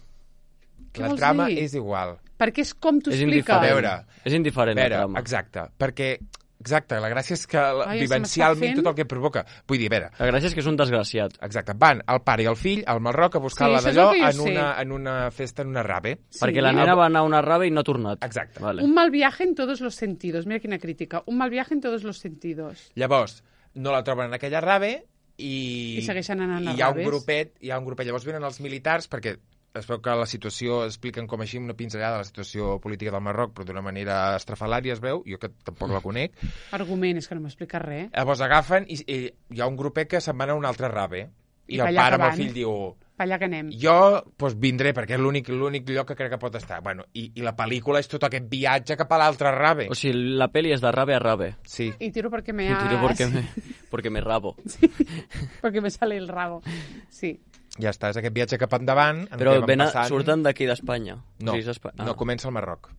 S2: Què
S1: La
S2: vols
S1: trama
S2: dir?
S1: és igual.
S2: Perquè és com t'ho
S3: És
S2: explica.
S1: A veure,
S3: És indiferent,
S1: A veure,
S3: la trama.
S1: exacte, perquè... Exacte, la gràcia és que la,
S2: Ai, se
S1: vivencialment
S2: m'està fent.
S1: tot el que provoca... Vull dir, a veure,
S3: La gràcia és que és un desgraciat.
S1: exacte, van el pare i el fill al Marroc a buscar
S2: Sí,
S1: la
S2: això és
S1: d'allò
S2: el que jo
S1: en,
S2: sé.
S1: una, en una festa, en una rave.
S2: Sí.
S3: Perquè la nena va anar a una rave i no ha tornat.
S1: Exacte.
S3: Vale.
S2: Un mal viaje en todos los sentidos. Mira quina crítica. Un mal viaje en todos los sentidos.
S1: Llavors, no la troben en aquella rave i...
S2: I segueixen anant a
S1: i hi ha un
S2: raves.
S1: grupet, hi ha un grupet. Llavors venen els militars perquè es veu que la situació, expliquen com així una pinzellada de la situació política del Marroc, però d'una manera estrafalària es veu, jo que tampoc la conec.
S2: Argument, és que no m'explica res.
S1: Llavors agafen i, i hi ha un grupet que se'n van a una altra rave. I,
S2: I
S1: el
S2: allà
S1: pare amb el
S2: que van.
S1: fill diu,
S2: per allà que anem.
S1: Jo pues, vindré, perquè és l'únic l'únic lloc que crec que pot estar. Bueno, i, I la pel·lícula és tot aquest viatge cap a l'altre rave.
S3: O sigui, la peli és de rave a rave.
S1: Sí.
S2: Y tiro porque me
S3: Y
S2: ha...
S3: tiro porque me, porque me rabo.
S2: Sí, porque me sale el rabo. Sí.
S1: Ja està, és aquest viatge cap endavant. En
S3: Però
S1: què van
S3: ven a,
S1: passant...
S3: surten d'aquí d'Espanya.
S1: No,
S3: O sigui, és Espa... ah.
S1: no, comença al Marroc.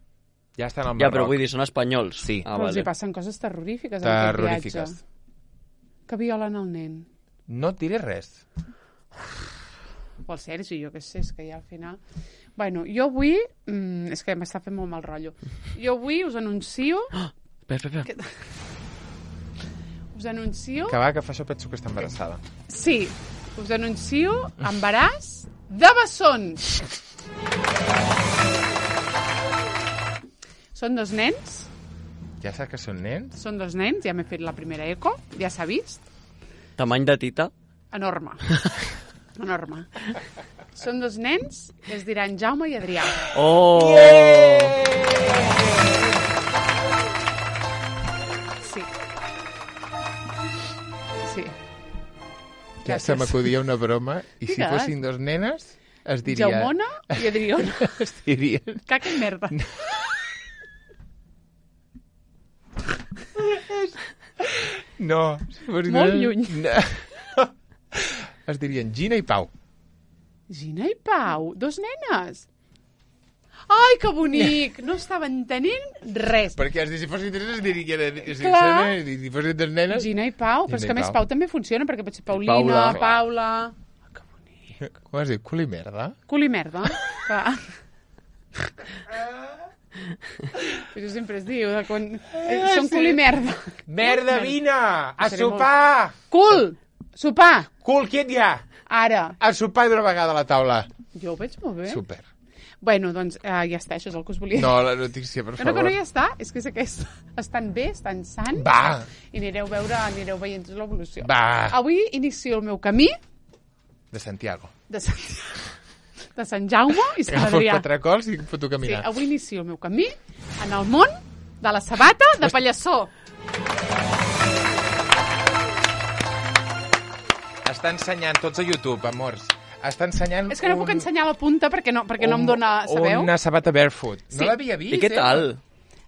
S1: Ja estan al
S3: Ja,
S1: Marroc.
S3: però vull dir, són espanyols.
S1: Sí.
S3: Ah,
S2: Però els
S3: vale.
S2: hi passen coses terrorífiques en aquest
S1: Terrorífiques.
S2: viatge. Que violen el nen.
S1: No et diré res.
S2: O el Sergi, jo què sé, és que ja al final... Bueno, jo avui... Mm, és que m'està fent molt mal rotllo. Jo avui us anuncio...
S3: Ah, espera, espera.
S2: Que... Us anuncio...
S1: Que va, que fa això penso que està embarassada.
S2: Sí, us anuncio embaràs de bessons. Són dos nens,
S1: Ja saps que són nens?
S2: són dos nens, ja m'he fet la primera eco, ja s'ha vist.
S3: Tamany de tita?
S2: Enorme. Enorme. Són dos nens i es diran Jaume i Adrià.
S3: Oh!
S2: Sí. Sí.
S1: Ja se m'acudia una broma. I si
S2: Digues.
S1: fossin dos nenes, es diria...
S2: Jaumona i Adriona.
S1: Es dirien...
S2: Caca i merda.
S1: No. Si fossin
S2: Molt
S1: dos-
S2: lluny.
S1: No. Es dirien Gina i Pau.
S2: Gina i Pau, dos nenes. Ai, que bonic! No estava entenent res.
S1: Perquè has dit, si fossin tres nenes, es dirien... Si,
S2: Clar.
S1: si, si fossin dos nenes...
S2: Gina i Pau, però és
S1: Gina
S2: que
S1: i
S2: a més
S1: Pau.
S2: Pau també funciona, perquè pot ser Paulina,
S3: Paula.
S2: Paula... Que bonic.
S1: Com has dit? Cul i merda?
S2: Cul i merda. Clar. Jo sempre es diu, de quan... Eh, són cul i merda.
S1: Merda, vine! A
S2: Seré
S1: sopar!
S2: Cul! Sopar!
S1: Cul, quiet ja!
S2: Ara.
S1: A sopar d'una vegada a la taula.
S2: Jo ho veig molt bé.
S1: Super.
S2: Bueno, doncs eh, ja està, això és el que us volia dir.
S1: No, la notícia, per
S2: Que no, que
S1: favor.
S2: no ja està, és que és aquest. Estan bé, estan sants.
S1: Va!
S2: I anireu, veure, anireu veient l'evolució.
S1: Va!
S2: Avui inicio el meu camí
S1: De Santiago.
S2: de Sant, de Sant Jaume i Sant
S1: Agafo els
S2: Adrià.
S1: patracols i em foto a
S2: Sí,
S1: caminar.
S2: avui inicio el meu camí en el món de la sabata de Pallassó.
S1: Està ensenyant tots a YouTube, amors. Està ensenyant
S2: És que no
S1: un,
S2: puc ensenyar la punta perquè no, perquè no em dona, sabeu?
S1: Una sabata barefoot.
S2: Sí.
S1: No l'havia vist,
S3: I què tal?
S2: Doncs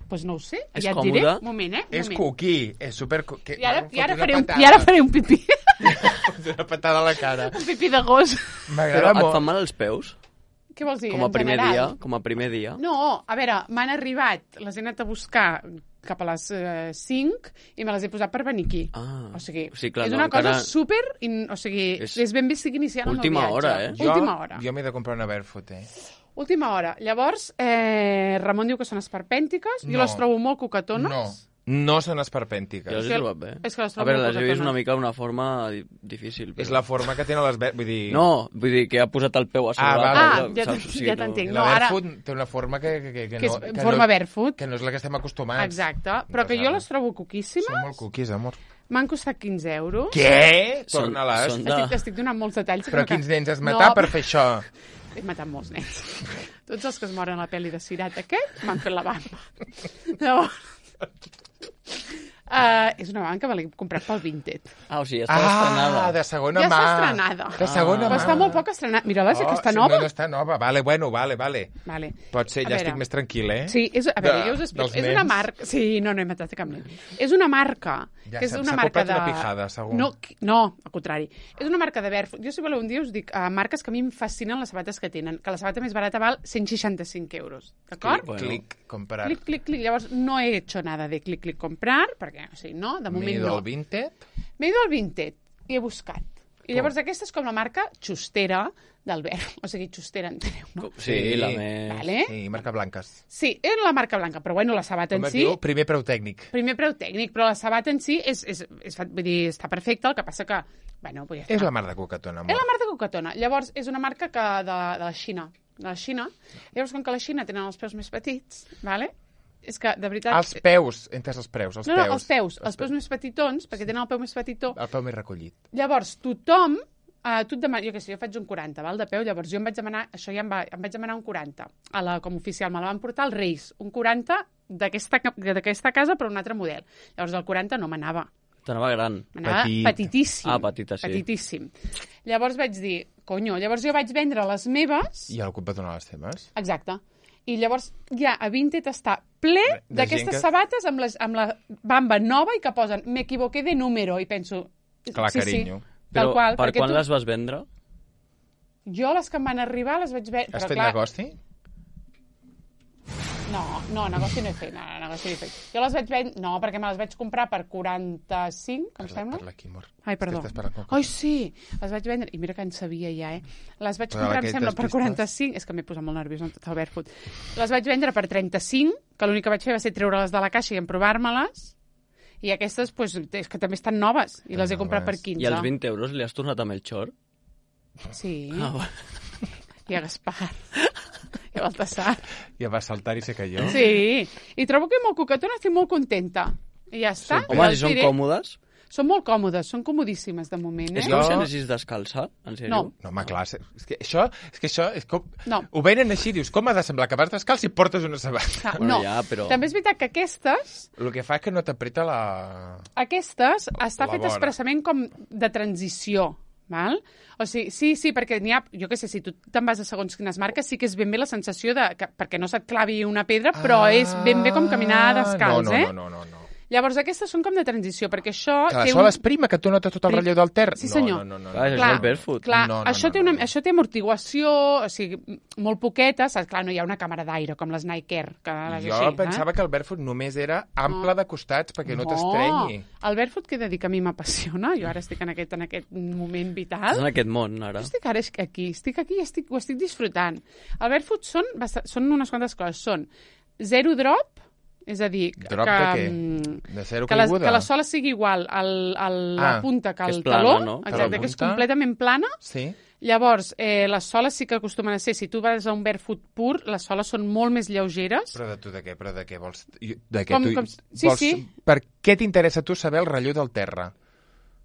S2: pues no ho sé,
S3: És
S2: ja et diré.
S3: còmode?
S2: Un moment, eh? Un
S1: És
S2: moment.
S1: cookie, és super... Que...
S2: I ara,
S1: Em
S2: i, ara
S1: fot una
S2: faré un,
S1: patada.
S2: I ara faré un pipí.
S1: Una patada a la cara.
S2: un pipí de gos.
S3: Però
S1: M'agrada
S3: et
S1: molt.
S3: fan mal els peus?
S2: Què vols dir?
S3: Com a
S2: en
S3: primer
S2: general?
S3: dia? Com a primer dia?
S2: No, a veure, m'han arribat, les he anat a buscar cap a les eh, cinc i me les he posat per venir aquí.
S3: Ah.
S2: O sigui,
S3: O sigui, clar,
S2: és
S3: no,
S2: una cosa
S3: encara-
S2: super... In, o sigui,
S3: És
S2: és, ben bé estic iniciant
S3: última
S2: el meu
S3: hora,
S2: viatge.
S3: eh?
S2: Última hora.
S1: Jo m'he de comprar una barefoot, eh?
S2: Última hora. Llavors, eh, Ramon diu que són esperpèntiques. Jo
S1: No.
S2: les trobo molt cocatones.
S1: No. No són
S3: Jo
S1: esperpèntiques.
S3: les he trobat bé.
S2: és que les
S3: A
S2: trobo
S3: veure,
S2: molt
S3: les he vist
S2: cocatones.
S3: una mica d'una forma di- difícil. Però...
S1: És la forma que tenen les... Ver... Vull dir...
S3: No, vull dir que ha posat el peu a sobre.
S1: Ah,
S3: la
S1: vale.
S3: taula,
S2: Ah, ja
S3: saps?
S2: t-
S3: O sigui,
S2: ja
S3: no-
S2: t'entenc.
S1: La
S2: No, ara-
S1: barefoot té una forma que, que, que, que,
S2: Que és
S1: no...
S2: en
S1: que
S2: forma
S1: no,
S2: barefoot.
S1: Que no és la que estem acostumats.
S2: Exacte. Però que jo les trobo coquíssimes.
S1: Són molt cookies, amor.
S2: M'han costat quinze euros.
S1: Què?
S3: Són-
S1: Torna-les.
S3: són de-
S2: Estic, estic donant molts detalls.
S1: Però
S2: que-
S1: quins nens has matat
S2: No,
S1: per fer això?
S2: He matat molts nens. Tots els que es moren a la pel·li de Sirat aquest m'han fet la bamba. Llavors... Uh, és una banca que me l'he comprat pel Vinted.
S3: Ah, o sigui, està estrenada.
S1: Ah, de segona
S2: Ja
S1: mà.
S2: està estrenada.
S1: De segona
S2: Però
S1: mà.
S2: està molt poc estrenada. Mira-la, oh, que està
S1: sí,
S2: nova.
S1: No, no està nova. Vale, bueno, vale, vale.
S2: Vale.
S1: Pot ser,
S2: A
S1: ja
S2: veure.
S1: estic més tranquil, eh?
S2: Sí, és, a veure,
S1: De-
S2: jo us explico.
S1: dels
S2: És una
S1: nens.
S2: marca... Sí, no, no he matat cap nen. És una marca...
S1: Ja
S2: que és
S1: s'ha-
S2: una
S1: s'ha
S2: marca
S1: comprat
S2: de...
S1: una pijada, segur.
S2: No, qui- no, al contrari. És una marca de barefoot. Jo, si voleu, un dia us dic uh, marques que a mi em fascinen les sabates que tenen, que la sabata més barata val cent seixanta-cinc euros. D'acord?
S3: Bueno.
S1: Clic, comprar.
S2: Clic, clic, clic. Llavors, no he hecho nada de clic, clic, comprar, perquè, o sigui, no, de moment
S1: M'he ido
S2: no.
S1: al Vinted.
S2: M'he ido al Vinted i he buscat. I llavors aquesta és com la marca xustera del verb. O sigui, xustera, enteneu, no?
S3: Sí, la més...
S2: Vale?
S1: Sí, marca blanques.
S2: Sí, és la marca blanca, però bueno, la sabata
S1: Com
S2: en
S1: es
S2: si...
S1: diu? Primer preu tècnic.
S2: Primer preu tècnic, però la sabata en si és, és, és, vull dir, està perfecta, el que passa que... Bueno, pues ja està.
S1: És la mar de cocatona, amor.
S2: És la marca Cocatona. Llavors, és una marca que de, de la Xina. De la Xina. Llavors, com que la Xina tenen els peus més petits, vale? És que, de veritat...
S1: Els peus, entes els preus, els
S2: no, no,
S1: peus.
S2: els peus. Els peus més petitons, perquè tenen el peu més petitó.
S1: El peu més recollit.
S2: Llavors, tothom... Uh, tu et demana, jo què sé, jo faig un quaranta, val, de peu, llavors jo em vaig demanar, això ja em, va, em vaig demanar un quaranta, a la, com a oficial, me la van portar als Reis, un quaranta d'aquesta d'aquesta casa, però un altre model. Llavors, el quaranta no m'anava.
S3: T'anava gran.
S2: M'anava
S1: Petit.
S2: petitíssim.
S3: Ah, petita, sí.
S2: Petitíssim. Llavors vaig dir, conyo, llavors jo vaig vendre les meves...
S1: I algú et va donar les teves?
S2: Exacte. I llavors ja a Vinted està ple
S1: De
S2: d'aquestes
S1: gent que-
S2: sabates amb, les, amb la bamba nova i que posen me equivoqué de número i penso...
S1: Clar,
S2: sí,
S1: carinyo.
S2: Sí,
S3: Però
S2: tal qual.
S3: per
S2: perquè
S3: quan
S2: tu...
S3: les vas vendre?
S2: Jo les que em van arribar les vaig veure...
S1: Has
S2: però
S1: fet
S2: clar,
S1: negoci?
S2: No, no, negoci no he fet, no, no, negoci no he fet. Jo les vaig vendre... No, perquè me les vaig comprar per quaranta-cinc, em
S1: Parla,
S2: sembla.
S1: parla aquí, amor.
S2: Ai,
S1: És que
S2: perdó.
S1: estàs parlant com-
S2: Ai, sí, les vaig vendre... I mira que en sabia ja, eh? Les vaig
S1: Però
S2: comprar, em
S1: aquestes
S2: sembla, per
S1: pistes-
S2: quaranta-cinc... És que m'he posat molt nerviós amb tot el Barefoot. Les vaig vendre per trenta-cinc, que l'únic que vaig fer va ser treure-les de la caixa i emprovar-me-les. I aquestes, pues, és que també estan noves. I les he comprat per
S1: Noves.
S2: quinze.
S3: I els vint euros li has tornat amb el xor?
S2: Sí.
S3: Ah, bueno.
S2: I a Gaspar. I a Baltasar.
S1: Ja va saltar i se cayó.
S2: Sí. I trobo que molt coquetona, estic molt contenta. I ja està.
S3: Home,
S2: Ja
S3: si
S2: us
S3: són
S2: diré.
S3: còmodes...
S2: Són molt còmodes, són comodíssimes de moment, eh?
S3: És
S1: Jo-
S3: com si anessis descalça, en sèrio?
S2: No.
S1: No, home, clar, és que això, és que això és com...
S2: No.
S1: Ho venen així, dius, com ha de semblar que vas descalç si portes una sabata?
S2: Ah,
S3: Bueno,
S2: no.
S3: ja, però-
S2: També és veritat que aquestes,
S1: El que fa és que no t'apreta la...
S2: aquestes està
S1: La
S2: fet
S1: vora.
S2: expressament com de transició, val? O sigui, sí, sí, perquè n'hi ha, jo què sé, si tu te'n vas a segons quines marques, sí que és ben bé la sensació de, que, perquè no se't clavi una pedra, però
S1: Ah,
S2: és ben bé com caminar descalç,
S1: no, no,
S2: eh?
S1: No, no, no, no.
S2: Llavors aquestes són com de transició, perquè això
S1: Que la
S2: té
S1: sol
S2: un...
S1: es prima, que tu notes tot el
S2: Pri-
S1: relleu del terra.
S2: Sí, senyor.
S1: No, no, no, no,
S3: Clar, és
S2: Clar,
S3: el barefoot.
S2: Clar,
S1: No, no,
S2: això,
S1: no,
S2: té una,
S1: no, no.
S2: això té amortiguació, o sigui, molt poqueta, saps? Clar, no hi ha una càmera d'aire com les Nike Air, que les
S1: Jo
S2: així,
S1: pensava
S2: eh?
S1: que el barefoot només era ample
S2: No.
S1: de costats perquè no, t'estrenyi.
S2: El barefoot, que he de dir que a mi m'apassiona, jo ara estic en aquest, en aquest moment vital.
S3: Estàs en aquest món, ara.
S2: Jo estic ara aquí, estic aquí i estic, ho estic disfrutant. El barefoot són, basta- són unes quantes coses. Són zero drop, és a dir...
S1: Drop
S2: que,
S1: de què?
S2: mm,
S1: De zero
S2: que, la,
S1: caiguda?
S2: que la sola sigui igual al, al,
S1: Ah,
S2: la punta que
S3: que
S2: el
S3: és plana,
S2: taló,
S3: no?
S1: Que la
S2: exacte, que és
S1: punta-
S2: completament plana.
S1: Sí?
S2: Llavors, eh, les soles sí que acostumen a ser, si tu vas a un barefoot pur, les soles són molt més lleugeres.
S1: Però de tu de què? Però de què vols? De què
S2: Com-
S1: tu...
S2: com- sí,
S1: vols...
S2: sí.
S1: Per què t'interessa a tu saber el relleu del terra?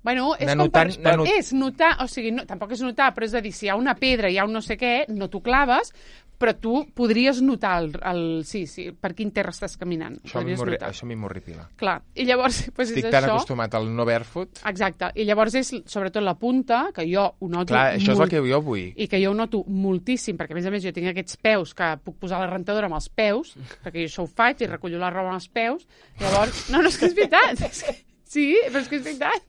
S2: Bueno, és
S1: Anar
S2: com per,
S1: notant-
S2: per,
S1: anar not-
S2: és notar, o sigui, no, tampoc és notar, però és a dir, si hi ha una pedra, hi ha un no sé què, no t'ho claves, però tu podries notar el, el, sí, sí, per quin terra estàs caminant.
S1: Això a mi
S2: Podries
S1: m'horri-
S2: notar.
S1: això a mi m'horripila.
S2: Clar, i llavors pues,
S1: Estic
S2: és
S1: tan
S2: això.
S1: acostumat al no barefoot.
S2: Exacte, i llavors és sobretot la punta, que jo ho noto
S1: Clar, això és
S2: molt,
S1: el que jo vull.
S2: i que jo ho noto moltíssim, perquè a més a més jo tinc aquests peus que puc posar la rentadora amb els peus, perquè jo això ho faig i recullo la roba amb els peus, llavors... No, no, és que és veritat, és que... Sí, però és que és veritat.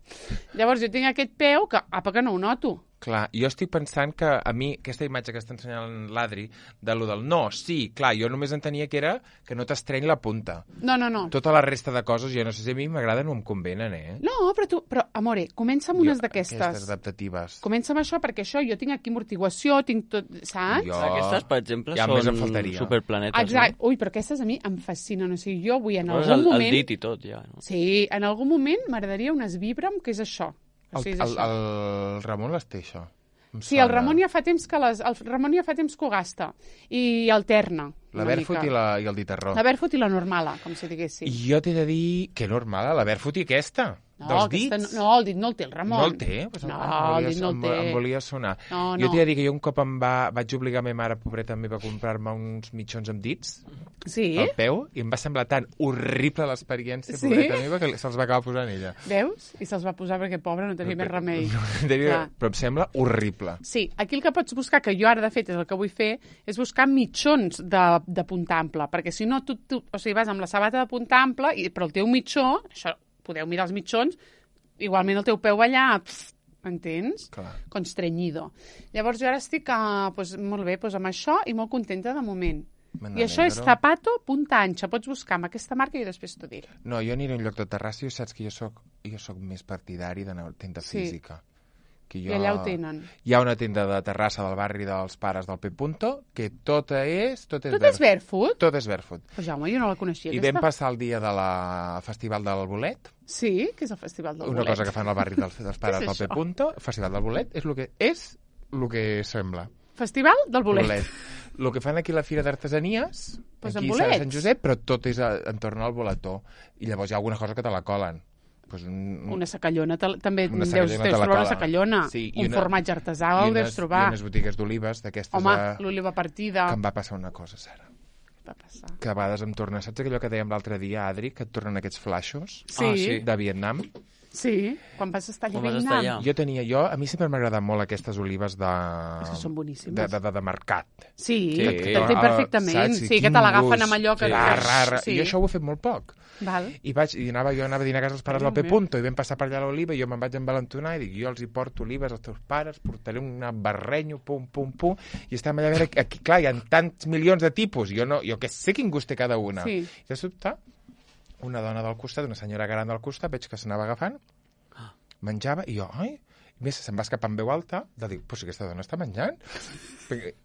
S2: Llavors jo tinc aquest peu que, apa, que no ho noto.
S1: Clar, jo estic pensant que a mi, aquesta imatge que està ensenyant l'Adri, de lo del no, sí, clar, jo només entenia que era que no t'estreny la punta.
S2: No, no, no.
S1: Tota la resta de coses, jo no sé si a mi m'agraden o em convenen, eh?
S2: No, però tu... Però, amore, comença amb unes
S1: Jo-
S2: d'aquestes.
S1: Aquestes adaptatives.
S2: Comença amb això, perquè això, jo tinc aquí amortiguació, tinc tot, saps?
S1: Jo-
S3: Aquestes, per exemple,
S1: Ja més em
S3: són
S1: faltaria.
S3: superplanetes,
S2: Exacte. Ui, però aquestes a mi em fascinen. O sigui, jo vull en
S3: no?
S2: algun
S3: el,
S2: moment...
S3: el dit i tot, ja. No?
S2: Sí, en algun moment m'agradaria unes Vibram, que és això. O
S1: El,
S2: sigui, és
S1: el,
S2: això.
S1: el Ramon les té, això. Em
S2: Sí, el
S1: sona.
S2: Ramon ja fa temps que les, el Ramon ja fa temps que ho gasta i alterna.
S1: La
S2: una
S1: barefoot
S2: mica.
S1: i, la, i el ditarró.
S2: La barefoot i la normala, com si diguéssim.
S1: I jo t'he de dir que normal, la barefoot i aquesta.
S2: No,
S1: dels
S2: aquesta,
S1: dits.
S2: no, el dit no el té el Ramon.
S1: No el té? Pues
S2: no,
S1: em
S2: el
S1: volia-
S2: dit no el
S1: em-
S2: té.
S1: Em volia sonar.
S2: No,
S1: Jo
S2: no.
S1: t'he de dir que jo un cop em va, vaig obligar a ma mare, pobreta meva, a comprar-me uns mitjons amb dits
S2: Sí?
S1: al peu i em va semblar tan horrible l'experiència,
S2: Sí?
S1: pobreta meva, que se'ls va acabar posant ella.
S2: Veus? I se'ls va posar perquè, pobre, no tenia més remei.
S1: Tenia-
S2: Clar.
S1: Però em sembla horrible.
S2: Sí, aquí el que pots buscar, que jo ara de fet és el que vull fer, és buscar mitjons de, de punta ampla, perquè si no, tu, tu o sigui, vas amb la sabata de punta ampla, i, però el teu mitjó, això, podeu mirar els mitjons, igualment el teu peu va allà, pff, entens?
S1: Clar.
S2: Constrenyido. Llavors jo ara estic, uh, pues, molt bé, pues, amb això i molt contenta de moment.
S1: Me
S2: I això és
S1: n'alegro.
S2: zapato punta ancha. Pots buscar amb aquesta marca i després t'ho diré.
S1: No, jo aniré a un lloc de Terrassa i saps que jo soc, jo soc més partidari d'anar a tenda
S2: Sí.
S1: física. Que jo...
S2: I allà ho tenen.
S1: Hi ha una tenda de Terrassa del barri dels pares del P. Punto que tot és... Tot és,
S2: Tot és barefoot?
S1: Tot és barefoot.
S2: Pues Jaume, jo no la coneixia.
S1: I
S2: aquesta.
S1: vam passar el dia de la Festival del Bolet,
S2: Sí, que és el Festival del
S1: una
S2: Bolet.
S1: cosa que fan al barri dels, dels pares
S2: Què
S1: del
S2: és
S1: P.
S2: això?
S1: Punto. Festival del Bolet és el que és el que sembla.
S2: Festival del Bolet.
S1: El que fan aquí a la Fira d'Artesanies,
S2: Pues
S1: aquí
S2: amb
S1: a
S2: bolets.
S1: Sant Josep, però tot és a, entorn al boletó. I llavors hi ha alguna cosa que te la colen. Pues un,
S2: Una sacallona, te- també
S1: Una
S2: deus,
S1: sacallona
S2: deus
S1: te la
S2: trobar una
S1: cola.
S2: sacallona.
S1: Sí, i
S2: un
S1: una-
S2: formatge artesà
S1: i
S2: el deus
S1: unes-
S2: trobar.
S1: I unes botigues d'olives d'aquestes
S2: Home,
S1: de...
S2: l'oliva partida.
S1: que em va passar una cosa, Sara.
S2: Va passar.
S1: que a vegades em torna... Saps allò que dèiem l'altre dia, Adri, que et tornen aquests flashes
S2: Sí,
S3: Ah,
S2: sí.
S3: sí.
S1: de Vietnam?
S2: sí. Quan vas estar allà a
S3: Quan vas estar
S2: Vietnam.
S3: allà.
S1: Jo tenia... Jo, a mi sempre m'ha agradat molt aquestes olives de...
S2: És que són boníssimes.
S1: De, de, de, de mercat.
S2: Sí,
S3: Sí.
S2: t'entenc perfectament.
S1: Saps?
S2: Sí, que
S1: Quin
S2: te l'agafen
S1: gust.
S2: amb allò que...
S1: Sí. Ra,
S2: Sí.
S1: I jo això ho he fet molt poc.
S2: Val.
S1: I, vaig, i anava, jo anava a dinar a casa dels pares
S2: Déu
S1: del P.
S2: meu.
S1: Punto, i vam passar per allà a l'oliva, i jo me'n vaig envalentonar i dic, jo els hi porto olives als teus pares, portaré un barrenyo, pum, pum, pum, i estàvem allà a veure, aquí, clar, hi ha tants milions de tipus, jo, no, jo que sé quin gust té cada una.
S2: Sí.
S1: I de sobte, una dona del costat, una senyora gran del costat, veig que s'anava agafant, menjava, i jo, ai, i més se'm va escapar amb veu alta, de dir, però si aquesta dona està menjant.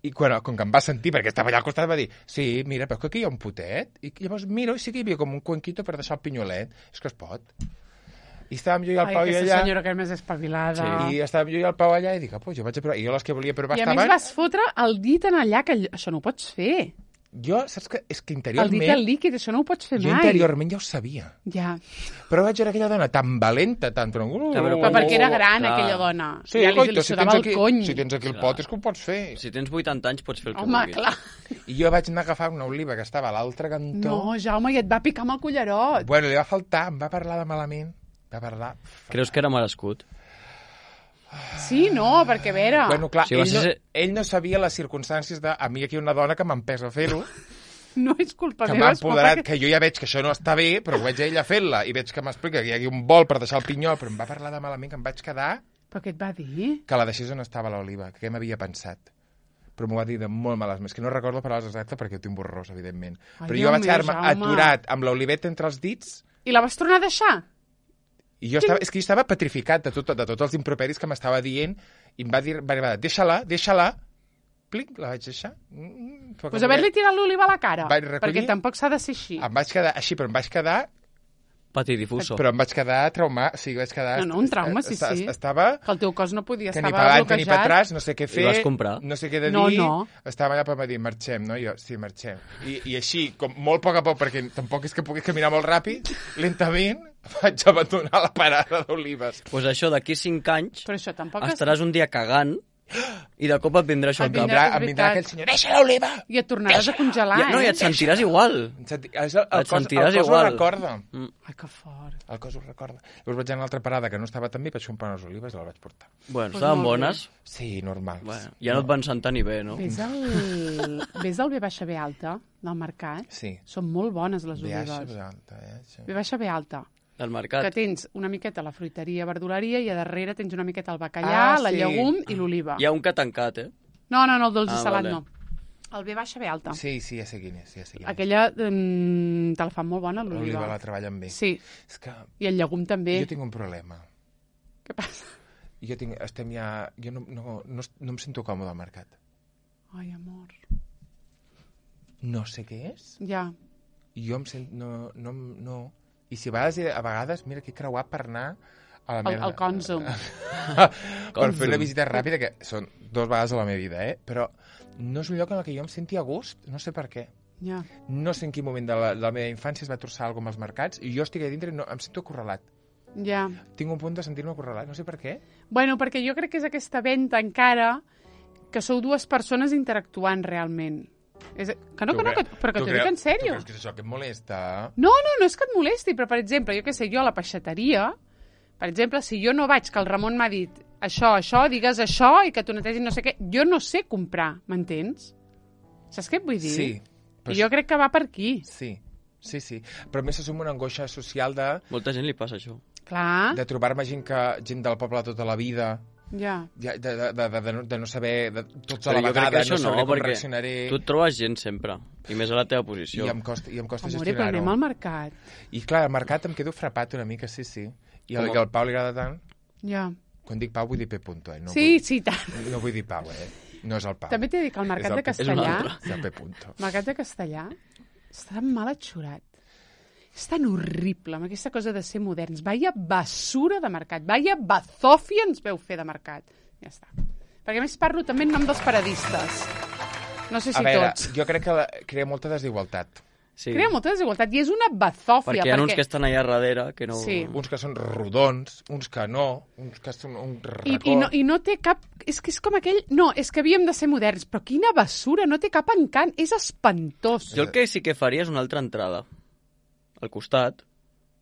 S1: I quan, com que em va sentir, perquè estava allà al costat, va dir, sí, mira, però que aquí hi ha un potet. I llavors miro, i sí que hi havia com un cuenquito per deixar el pinyolet. És que es pot. I estàvem jo i el
S2: Ai,
S1: Pau i
S2: aquesta
S1: allà,
S2: senyora que és més espavilada.
S1: i estàvem jo i el Pau allà, i dic, ah, pues jo vaig a provar. I jo les que volia provar
S2: I a més
S1: estaven...
S2: vas fotre el dit en allà, que allò- això no ho pots fer.
S1: Jo, saps que és que
S2: El dit
S1: interiorment...
S2: al líquid, això no ho pots fer
S1: jo
S2: mai.
S1: interiorment ja ho sabia.
S2: Ja.
S1: Però vaig veure aquella dona tan valenta, tan...
S3: però-
S2: Però perquè era gran,
S3: Clar.
S2: aquella dona.
S1: Sí,
S2: ja li,
S1: coito,
S2: li
S1: si
S2: sudava
S1: tens,
S2: el
S1: aquí,
S2: cony.
S1: si tens aquí el
S3: Clar.
S1: pot és que ho pots fer.
S3: Si tens vuitanta anys pots fer el que
S2: Home,
S3: vulguis.
S2: clar.
S1: I jo vaig anar a agafar una oliva que estava a l'altre cantó.
S2: No, Jaume, i et va picar amb el cullerot.
S1: Bueno, li va faltar, em va parlar de malament. Va parlar...
S3: Creus que era merescut?
S2: Sí, no, perquè a veure...
S1: Bueno, clar,
S3: Sí, va
S1: ell, no,
S3: ser-
S1: ell no sabia les circumstàncies de... A mi aquí hi ha una dona que m'empesa a fer-ho,
S2: no és culpa
S1: que
S2: meva,
S1: m'ha
S2: és culpa
S1: empoderat,
S2: que...
S1: que jo ja veig que això no està bé, però ho veig a ella fent-la, i veig que m'explica que hi ha un bol per deixar el pinyol, però em va parlar de malament, que em vaig quedar
S2: Però què et va dir?
S1: que la deixés on estava l'oliva, que què m'havia pensat. Però m'ho va dir de molt males més, que no recordo paraules exactes perquè ho tinc borrós, evidentment.
S2: Ai,
S1: Però
S2: Déu
S1: jo vaig
S2: meu,
S1: quedar-me
S2: Jaume.
S1: aturat amb l'oliveta entre els dits,
S2: I la vas tornar a deixar?
S1: i jo estava, és que jo estava petrificat de, tot, de tots els improperis que m'estava dient, i em va dir, va dir, deixa-la, deixa-la, plic, la vaig deixar. Mm,
S2: Doncs pues haver-li tirat l'oliva a la cara.
S1: Vaig recollir-
S2: Perquè tampoc s'ha de ser així.
S1: Em vaig quedar així, però em vaig quedar
S3: Patidifuso.
S1: però em vaig quedar traumat, o sigui, vaig quedar...
S2: No, no, un trauma, sí,
S1: esta-
S2: sí.
S1: Estava
S2: Que el teu cos no podia,
S1: que ni
S2: estava
S1: per avant ni per
S2: bloquejat.
S1: atràs, no sé què fer,
S3: vas comprar?
S1: no sé què de dir,
S2: No, no.
S1: estava allà per dir, marxem, no? I jo, sí, marxem. I, I així, com molt a poc a poc, perquè tampoc és que pugui caminar molt ràpid, lentament vaig abandonar la parada d'olives.
S3: Doncs pues això, d'aquí cinc anys,
S2: Però això tampoc... és-
S3: estaràs un dia cagant i de cop et vindrà això
S2: Et
S3: al cap.
S2: vindrà-
S1: Em vindrà,
S2: és
S1: em vindrà
S2: veritat.
S1: aquell senyor, deixa l'oliva!
S2: I et tornaràs a congelar,
S3: Ja, no, i
S2: eh?
S3: et sentiràs igual.
S1: Em senti- és El, el,
S3: Et
S1: cos, el
S3: sentiràs
S1: cos ho
S3: igual.
S1: recorda.
S3: Mm.
S2: Ai, que fort.
S1: El cos ho recorda. Llavors vaig anar a l'altra parada que no estava tan bé, vaig comprar unes olives i la vaig portar.
S3: Bueno,
S2: Pues
S3: estaven
S2: molt
S3: bones.
S1: Sí, normal.
S3: Bueno, ja no et van sentar ni bé, no?
S2: Ves al, ves al B baixa B alta del mercat?
S1: Sí.
S2: Són molt bones les
S1: Ve
S2: olives.
S1: així, alta, eh? Sí.
S2: B baixa B alta.
S3: Del
S2: Que
S3: mercat.
S2: tens una miqueta la fruiteria, verduleria, i a darrere tens una miqueta el bacallà,
S1: Ah,
S2: la
S1: sí.
S2: llegum i l'oliva.
S3: Hi ha un que ha tancat, eh?
S2: No, no, no, el dolç i
S3: Ah,
S2: salat
S3: vale.
S2: no. El B baixa B alta.
S1: Sí, sí, ja sé quin és, ja sé quin és.
S2: Aquella mm, te la fan molt bona,
S1: L'oliva
S2: l'oliva.
S1: la treballen bé.
S2: Sí,
S1: És que
S2: i el llegum també.
S1: jo tinc un problema.
S2: Què passa?
S1: Jo tinc, estem ja... Jo no, no, no, no em sento còmode al mercat.
S2: Ai, amor.
S1: No sé què és.
S2: Ja.
S1: Jo em sento... No, no, no. I si a vegades, a vegades mira que he creuat per anar a la
S2: El,
S1: meva...
S2: el Consum.
S1: per fer una
S3: Consum.
S1: visita ràpida, que són dues vegades a la meva vida, eh? Però no és un lloc en el que jo em senti a gust, no sé per què.
S2: Ja.
S1: No sé en quin moment de la, de la meva infància es va torçar alguna cosa als mercats i jo estic a dintre i no, em sento acorralat.
S2: Ja.
S1: Tinc un punt de sentir-me acorralat, no sé per què.
S2: Bueno, perquè jo crec que és aquesta venda encara que sou dues persones interactuant realment. És... Que no,
S1: Tu
S2: que no,
S1: cre-
S2: que... però que
S1: tu
S2: t'ho
S1: cre-
S2: dic en sèrio.
S1: Tu creus que és això que et molesta?
S2: No, no, no és que et molesti, però, per exemple, jo què sé, jo a la peixateria, per exemple, si jo no vaig, que el Ramon m'ha dit això, això, digues això i que t'ho netegis no sé què, jo no sé comprar, m'entens? Saps què et vull dir?
S1: Sí.
S2: I jo crec que va per aquí.
S1: Sí, sí, sí. Però a més s'assuma una angoixa social de,
S3: Molta gent li passa això.
S2: Clar,
S1: de trobar-me gent, que, gent del poble tota la vida,
S2: ja.
S1: ja, de, de, de, de, de, no, de no saber de, tots a
S3: Però
S1: la
S3: jo crec
S1: vegada,
S3: que això
S1: no sabré
S3: no,
S1: com
S3: perquè
S1: reaccionaré.
S3: tu et trobes gent sempre, i més a la teva posició.
S1: I em costa, i em costa
S2: Amore, però anem
S1: gestionar-ho.
S2: al mercat.
S1: I clar, al mercat em quedo frapat una mica, sí, sí. I al,
S3: Com a-
S1: que al Pau li agrada tant,
S2: Ja.
S1: quan dic Pau vull dir P. Punto, eh? No
S2: Sí,
S1: vull,
S2: sí, tant.
S1: no vull dir Pau, eh? No és el Pau.
S2: També t'he de dir que al mercat
S1: És el
S2: de
S1: P-
S3: és un
S2: Castellà,
S3: altre.
S1: És el P. Punto.
S2: el mercat de Castellà, està tan mal atxurat. És tan horrible, amb aquesta cosa de ser moderns. Vaya basura de mercat, vaya bazòfia ens veu fer de mercat. Ja està. Perquè a més parlo també en nom dels paradistes. No sé si
S1: A veure,
S2: tots.
S1: jo crec que la, crea molta desigualtat.
S3: Sí.
S2: Crea molta desigualtat i és una bazòfia.
S3: Perquè hi ha perquè... uns que estan allà darrere que no...
S2: Sí.
S1: Uns que són rodons, uns que no, uns que són un record.
S2: I, i, no, I no té cap... És que és com aquell... No, és que havíem de ser moderns, però quina basura, no té cap encant, és espantós.
S3: Jo el que sí que faria és una altra entrada. Al costat,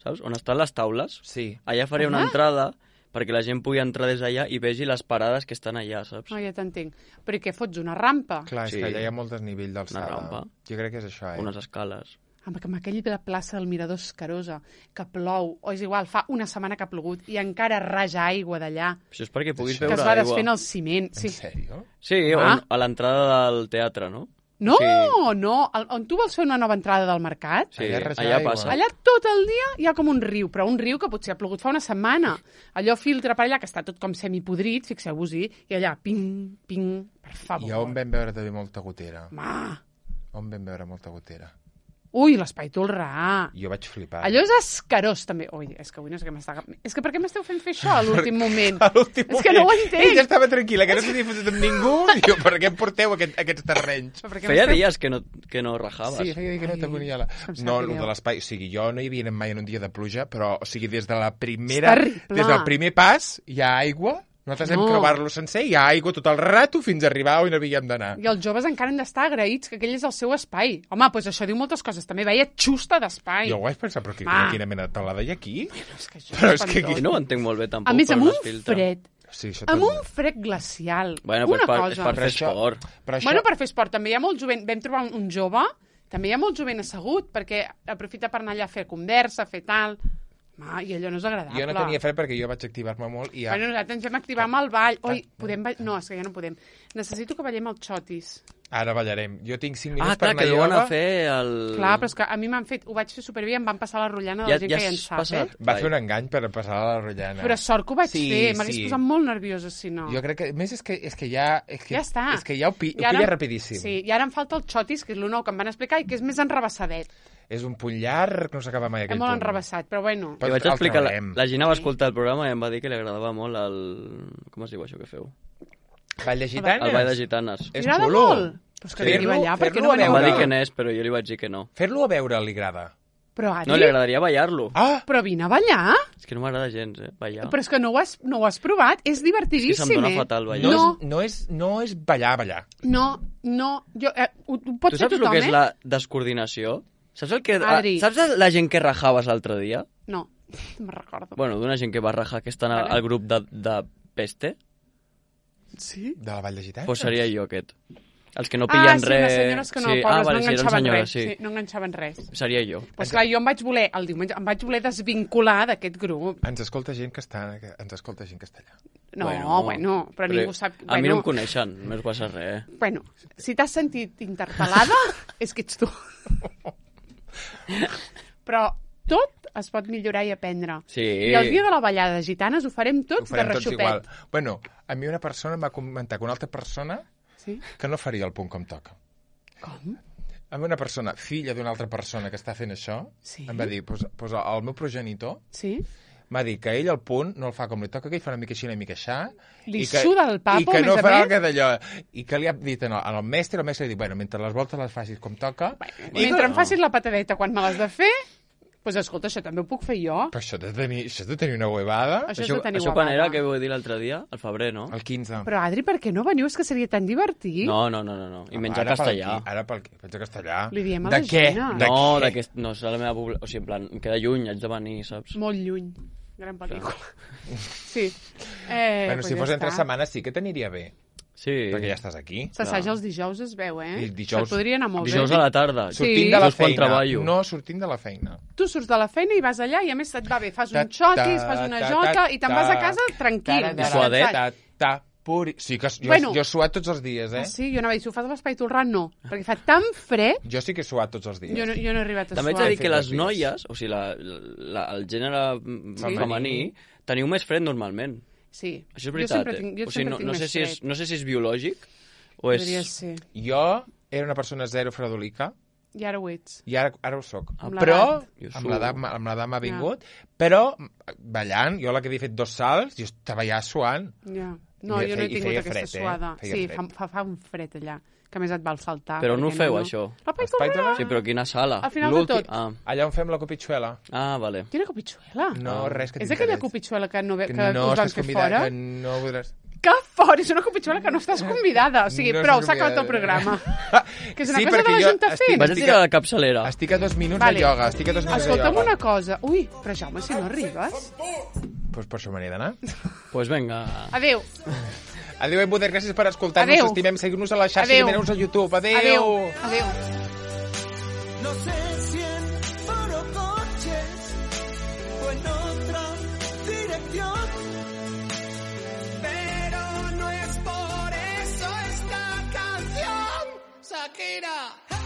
S3: saps? On estan les taules.
S1: Sí.
S3: Allà faria una
S2: Ah.
S3: entrada perquè la gent pugui entrar des d'allà i vegi les parades que estan allà, saps?
S2: Oh, ja t'entenc. Però i què fots, una rampa?
S1: Clar, és
S3: Sí.
S1: que allà hi ha molt desnivell d'alçada.
S3: Una rampa.
S1: Jo crec que és això, eh?
S3: Unes escales.
S2: Amb, amb aquell de la plaça del Mirador Escarosa, que plou, o és igual, fa una setmana que ha plogut i encara raja aigua d'allà,
S3: Això és perquè puguis
S1: Això.
S2: que
S3: veure
S2: es va
S3: aigua.
S2: desfent el ciment.
S1: En
S2: Sí.
S1: sèrio?
S3: Sí,
S2: Ah.
S3: on, a l'entrada del teatre, no?
S2: No,
S3: Sí.
S2: no, el- on tu vols fer una nova entrada del mercat?
S3: Sí,
S1: Allà raja
S3: allà
S1: aigua.
S3: passa.
S2: Allà tot el dia hi ha com un riu, però un riu que potser ha plogut fa una setmana. Allò filtra per allà, que està tot com semipodrit, fixeu-vos-hi, i allà, ping, ping, per favor.
S1: I on vam veure també molta gotera.
S2: Ma.
S1: On vam veure molta gotera.
S2: Ui, l'espai Tolrà.
S1: Jo vaig flipar.
S2: Allò és escarós, també. Ui, és que avui no sé què m'està... És que per què m'esteu fent fer això a l'últim moment?
S1: A l'últim
S2: És que no ho
S1: moment.
S2: entenc.
S1: Ella estava tranquil·la, que no s'havia fotut amb ningú. Diu, per què em porteu aquest, aquests terrenys?
S2: Però per què
S3: Feia
S2: m'esteu-
S3: dies que no, que no rajaves.
S1: Sí, feia dir que no
S2: Ai,
S1: t'aconia la...
S2: em sap
S1: No,
S2: greu.
S1: el de l'espai... O sigui, jo no hi havia anat mai en un dia de pluja, però, o sigui, des de la primera...
S2: És terrible.
S1: Des del primer pas hi ha aigua. Nosaltres
S2: No.
S1: vam creuar-lo sencer, hi ha aigua tot el rato fins a arribar on havíem d'anar.
S2: I els joves encara han d'estar agraïts que aquell és el seu espai. Home, doncs això diu moltes coses. També veia xusta d'espai.
S1: Jo ho vaig pensar, però quina,
S2: Va.
S1: quina mena de taulada hi ha aquí?
S2: És que això
S1: Però
S2: és
S1: és que
S2: espantós.
S3: I no ho entenc molt bé, tampoc.
S2: A més,
S3: per
S2: amb
S3: on
S2: un
S3: es filtra.
S2: fred,
S1: Sí, això
S2: amb
S1: també.
S2: un fred glacial.
S3: Bueno,
S2: una
S3: pues per,
S2: cosa.
S3: és per fer
S1: Però això-
S3: esport.
S1: Però això...
S2: Bueno, per fer esport. També hi ha molt jovent. Vam trobar un, un jove, també hi ha molt jovent assegut, perquè aprofita per anar allà a fer conversa, fer tal... Ah, i allò no és agradable.
S1: Jo no tenia fred perquè jo vaig activar-me molt i ja...
S2: Bueno, nosaltres ens vam activar amb el ball. Oi, podem ball... No, és que ja no podem. Necessito que ballem el xotis.
S1: Ara ballarem. Jo tinc cinc
S3: Ah,
S1: minuts
S3: clar,
S1: per
S3: que
S1: anar
S3: deuen
S1: a
S3: a fer el...
S2: Clar, però és que a mi m'han fet... Ho vaig fer superbé i em van passar la rotllana de
S3: Ja-
S2: la gent
S3: ja
S2: que ja en
S3: has
S2: sap,
S3: passat?
S2: eh?
S1: Va
S3: Vai.
S1: fer un engany per passar a la rotllana.
S2: Però sort que ho vaig
S1: Sí,
S2: fer. M'hagués
S1: sí.
S2: posat molt nerviosa, si no.
S1: Jo crec que... A més, és que, és que ja... És que,
S2: Ja està.
S1: És que ja ho, pi, ho
S2: I ara-
S1: pilla rapidíssim.
S2: Sí, i ara em falta el xotis, que és el nou que em van explicar, i que és més enrabassadet.
S1: És un punt llarg, no s'acaba mai
S2: És
S1: aquell
S2: molt
S1: punt.
S2: enrabassat, però bueno.
S1: Però
S3: Li vaig
S1: el
S3: explicar, la,
S1: traurem.
S3: la Gina va escoltar el programa i em va dir que li agradava molt el... Com es diu això que feu?
S1: Ball de gitanes?
S3: El ball de gitanes.
S1: És
S2: M'agrada
S1: xulo.
S2: molt. Però és que
S1: Fer-lo-
S2: veniu allà, perquè
S1: fer-lo
S2: no
S1: a
S3: Em
S2: veniu
S3: va
S1: veure.
S3: dir que n'és, però jo li vaig dir que no.
S1: Fer-lo a veure li agrada.
S2: Però, Adri,
S3: No, li agradaria ballar-lo.
S1: Ah!
S2: però vine a ballar.
S3: És que no m'agrada gens, eh, ballar.
S2: Però és que no ho has, no ho has provat. És
S3: És
S2: divertidíssim,
S3: que se'm dona
S2: eh?
S3: fatal ballar.
S1: No,
S2: No.
S1: És, no, és, no és ballar, ballar.
S2: No, no. Jo, eh, ho, ho pot
S3: Tu
S2: fer
S3: saps el
S2: tothom,
S3: que és
S2: eh?
S3: la descoordinació? Saps el que...
S2: Adri.
S3: Saps la gent que rajaves l'altre dia?
S2: No, no me'n recordo.
S3: Bueno, d'una gent que va rajar que estan al,
S2: Vale.
S3: al grup de, de peste,
S2: Sí?
S1: De la Vall de Gitanes?
S3: pues seria jo aquest. Els que no
S2: Ah,
S3: pillen
S2: sí,
S3: res...
S2: les senyores que no,
S3: sí.
S2: pobres,
S3: ah, vale,
S2: no
S3: sí, eren
S2: enganxaven
S3: senyores,
S2: res.
S3: sí.
S2: Sí, no enganxaven res.
S3: Seria jo.
S2: Pues clar, jo em vaig voler, el diumenge, em vaig voler desvincular d'aquest grup.
S1: Ens escolta gent que està... Ens escolta gent que està allà.
S2: No, bueno, bueno però, ningú sap...
S3: A
S2: bueno,
S3: mi no em coneixen, no es passa res.
S2: Bueno, si t'has sentit interpel·lada, és que ets tu. Però tot es pot millorar i aprendre.
S3: Sí.
S2: I el dia de la ballada de gitanes ho farem tots
S1: Ho farem
S2: de
S1: tots
S2: reixopet.
S1: igual. Bueno, a mi una persona em va comentar que una altra persona
S2: Sí?
S1: que no faria el punt com toca.
S2: Com?
S1: A mi una persona, filla d'una altra persona que està fent això,
S2: Sí?
S1: em va dir, pues, pues el meu progenitor
S2: Sí?
S1: m'ha dit que ell el punt no el fa com li toca, que ell fa una mica així, una mica aixà.
S2: Li
S1: i que,
S2: suda el papo,
S1: I que
S2: a
S1: no
S2: més a
S1: farà
S2: més.
S1: el que d'allò. I que li ha dit al, al mestre, el mestre li ha dit, bueno, mentre les voltes les facis com toca... I
S2: Mentre
S1: que-
S2: em facis la patadeta quan me l'has de fer, doncs pues, escolta, això també ho puc fer jo.
S1: Però això ha de tenir, això ha de tenir una huevada.
S2: Això és
S3: Això,
S2: de tenir
S3: això quan
S2: guapapa.
S3: era, que vau dir l'altre dia? Al febrer, no?
S1: El quinze.
S2: Però, Adri, per què no veniu? És que seria tan divertit.
S3: No, no, no, no. no. I menjar
S1: Ara pel
S3: castellà.
S1: qui- Ara pel qui- menjar castellà.
S2: Li diem a
S1: de
S2: la
S1: què?
S2: Gina.
S1: De
S3: No,
S1: què?
S3: d'aquest... No, és la meva població. O sigui, en plan, em queda lluny, haig de venir, saps?
S2: Molt lluny. Gran pel·lícula. Sí. Eh,
S1: Bueno,
S2: pues
S1: si
S2: ja
S1: fos entre
S2: està.
S1: setmanes sí que t'aniria bé,
S3: Sí.
S1: perquè ja estàs aquí.
S2: S'assaja els dijous, es veu, eh?
S1: I dijous-
S2: Això et podria anar molt
S3: Dijous
S2: bé.
S3: a la tarda.
S2: Sí.
S1: Sortint de la
S3: Dijous quan
S1: feina.
S3: treballo.
S1: No, sortint de la feina.
S2: Tu surts de la feina i vas allà i a més et va bé. Fas
S1: Ta-
S2: un xotis,
S1: ta-
S2: fas una
S1: ta-
S2: jota
S1: ta-
S2: i te'n
S1: ta-
S2: vas a casa tranquil.
S1: ta- ta-
S3: I suadet.
S1: ta- ta- puri. Sí, que jo,
S2: Bueno.
S1: jo he suat tots els dies, eh?
S2: Ah, sí? Jo no vaig, si ho fas a l'Espai Tolran, no. Perquè fa tan fred,
S1: Jo sí que he suat tots els dies.
S2: jo no, jo no he arribat a
S3: També haig
S2: suar.
S3: de dir
S1: fet
S3: que les
S1: dos dies.
S3: noies, o sigui, la, la, el gènere mm,
S1: Sí.
S3: femení, teniu més fred normalment.
S2: Sí.
S3: Això és
S2: Jo
S3: veritat,
S2: sempre
S3: eh?
S2: tinc, jo
S3: o sigui,
S2: sempre
S3: no,
S2: tinc
S3: no,
S2: més
S3: sé si és,
S2: fred.
S3: no sé si és biològic o és...
S2: Podria ser.
S1: Jo era una persona zero fredolica
S2: I ara ho ets.
S1: i ara, ara ho soc.
S2: Amb
S1: Però,
S2: l'edat.
S3: Jo
S1: amb
S3: suo.
S1: l'edat m'ha- amb l'edat m'ha vingut, però ballant, jo la que havia fet dos salts, jo estava ja suant.
S2: Ja. No,
S1: I
S2: jo no he
S1: feia- i
S2: tingut
S1: feia
S2: aquesta
S1: fred, eh?
S2: suada.
S1: Feia
S2: Sí,
S1: fred.
S2: fa, fa, fa un fred allà, que a més et val saltar.
S3: Però no ho
S2: perquè
S3: feu,
S2: no.
S3: això.
S2: La Paitorrera?
S1: Paitorrera?
S3: Sí, però quina sala?
S2: Al final de
S1: L'últim-
S2: tot.
S3: Ah,
S1: Allà on fem la copitxuela.
S3: ah vale.
S2: Quina copitxuela?
S1: No, res que
S2: És aquella
S1: t'interessa.
S2: copitxuela que, no ve,
S1: Que
S2: que
S1: no
S2: us van
S1: estàs
S2: fer
S1: convidat,
S2: fora?
S1: que no podràs...
S2: Que fora! És una copitxuela que no estàs convidada. O sigui,
S1: No
S2: prou,
S1: estàs
S2: s'ha acabat el
S1: convidada.
S2: programa. Que és una
S1: Sí,
S2: cosa de
S1: perquè
S2: la
S1: jo
S2: Junta
S1: estic-
S2: fent.
S3: Vaig a
S1: Estic
S3: tirar
S1: a-
S3: la capçalera.
S1: Estic a dos minuts
S2: Vale.
S1: de ioga, estic a dos minuts
S2: Escolta'm
S1: de ioga.
S2: una cosa. Ui, però Jaume, si no arribes...
S1: Pues per això me n'he d'anar.
S3: Pues vinga.
S2: Adéu.
S1: Adéu, Embuder, gràcies per escoltar-nos.
S2: Adéu.
S1: Estimem, seguir-nos a la xarxa
S2: Adéu.
S1: i mireu-nos a YouTube. Adéu.
S2: Adéu. Adéu.
S5: No sé si en foro coches o en otra dirección, pero no es por eso esta canción, Shakira.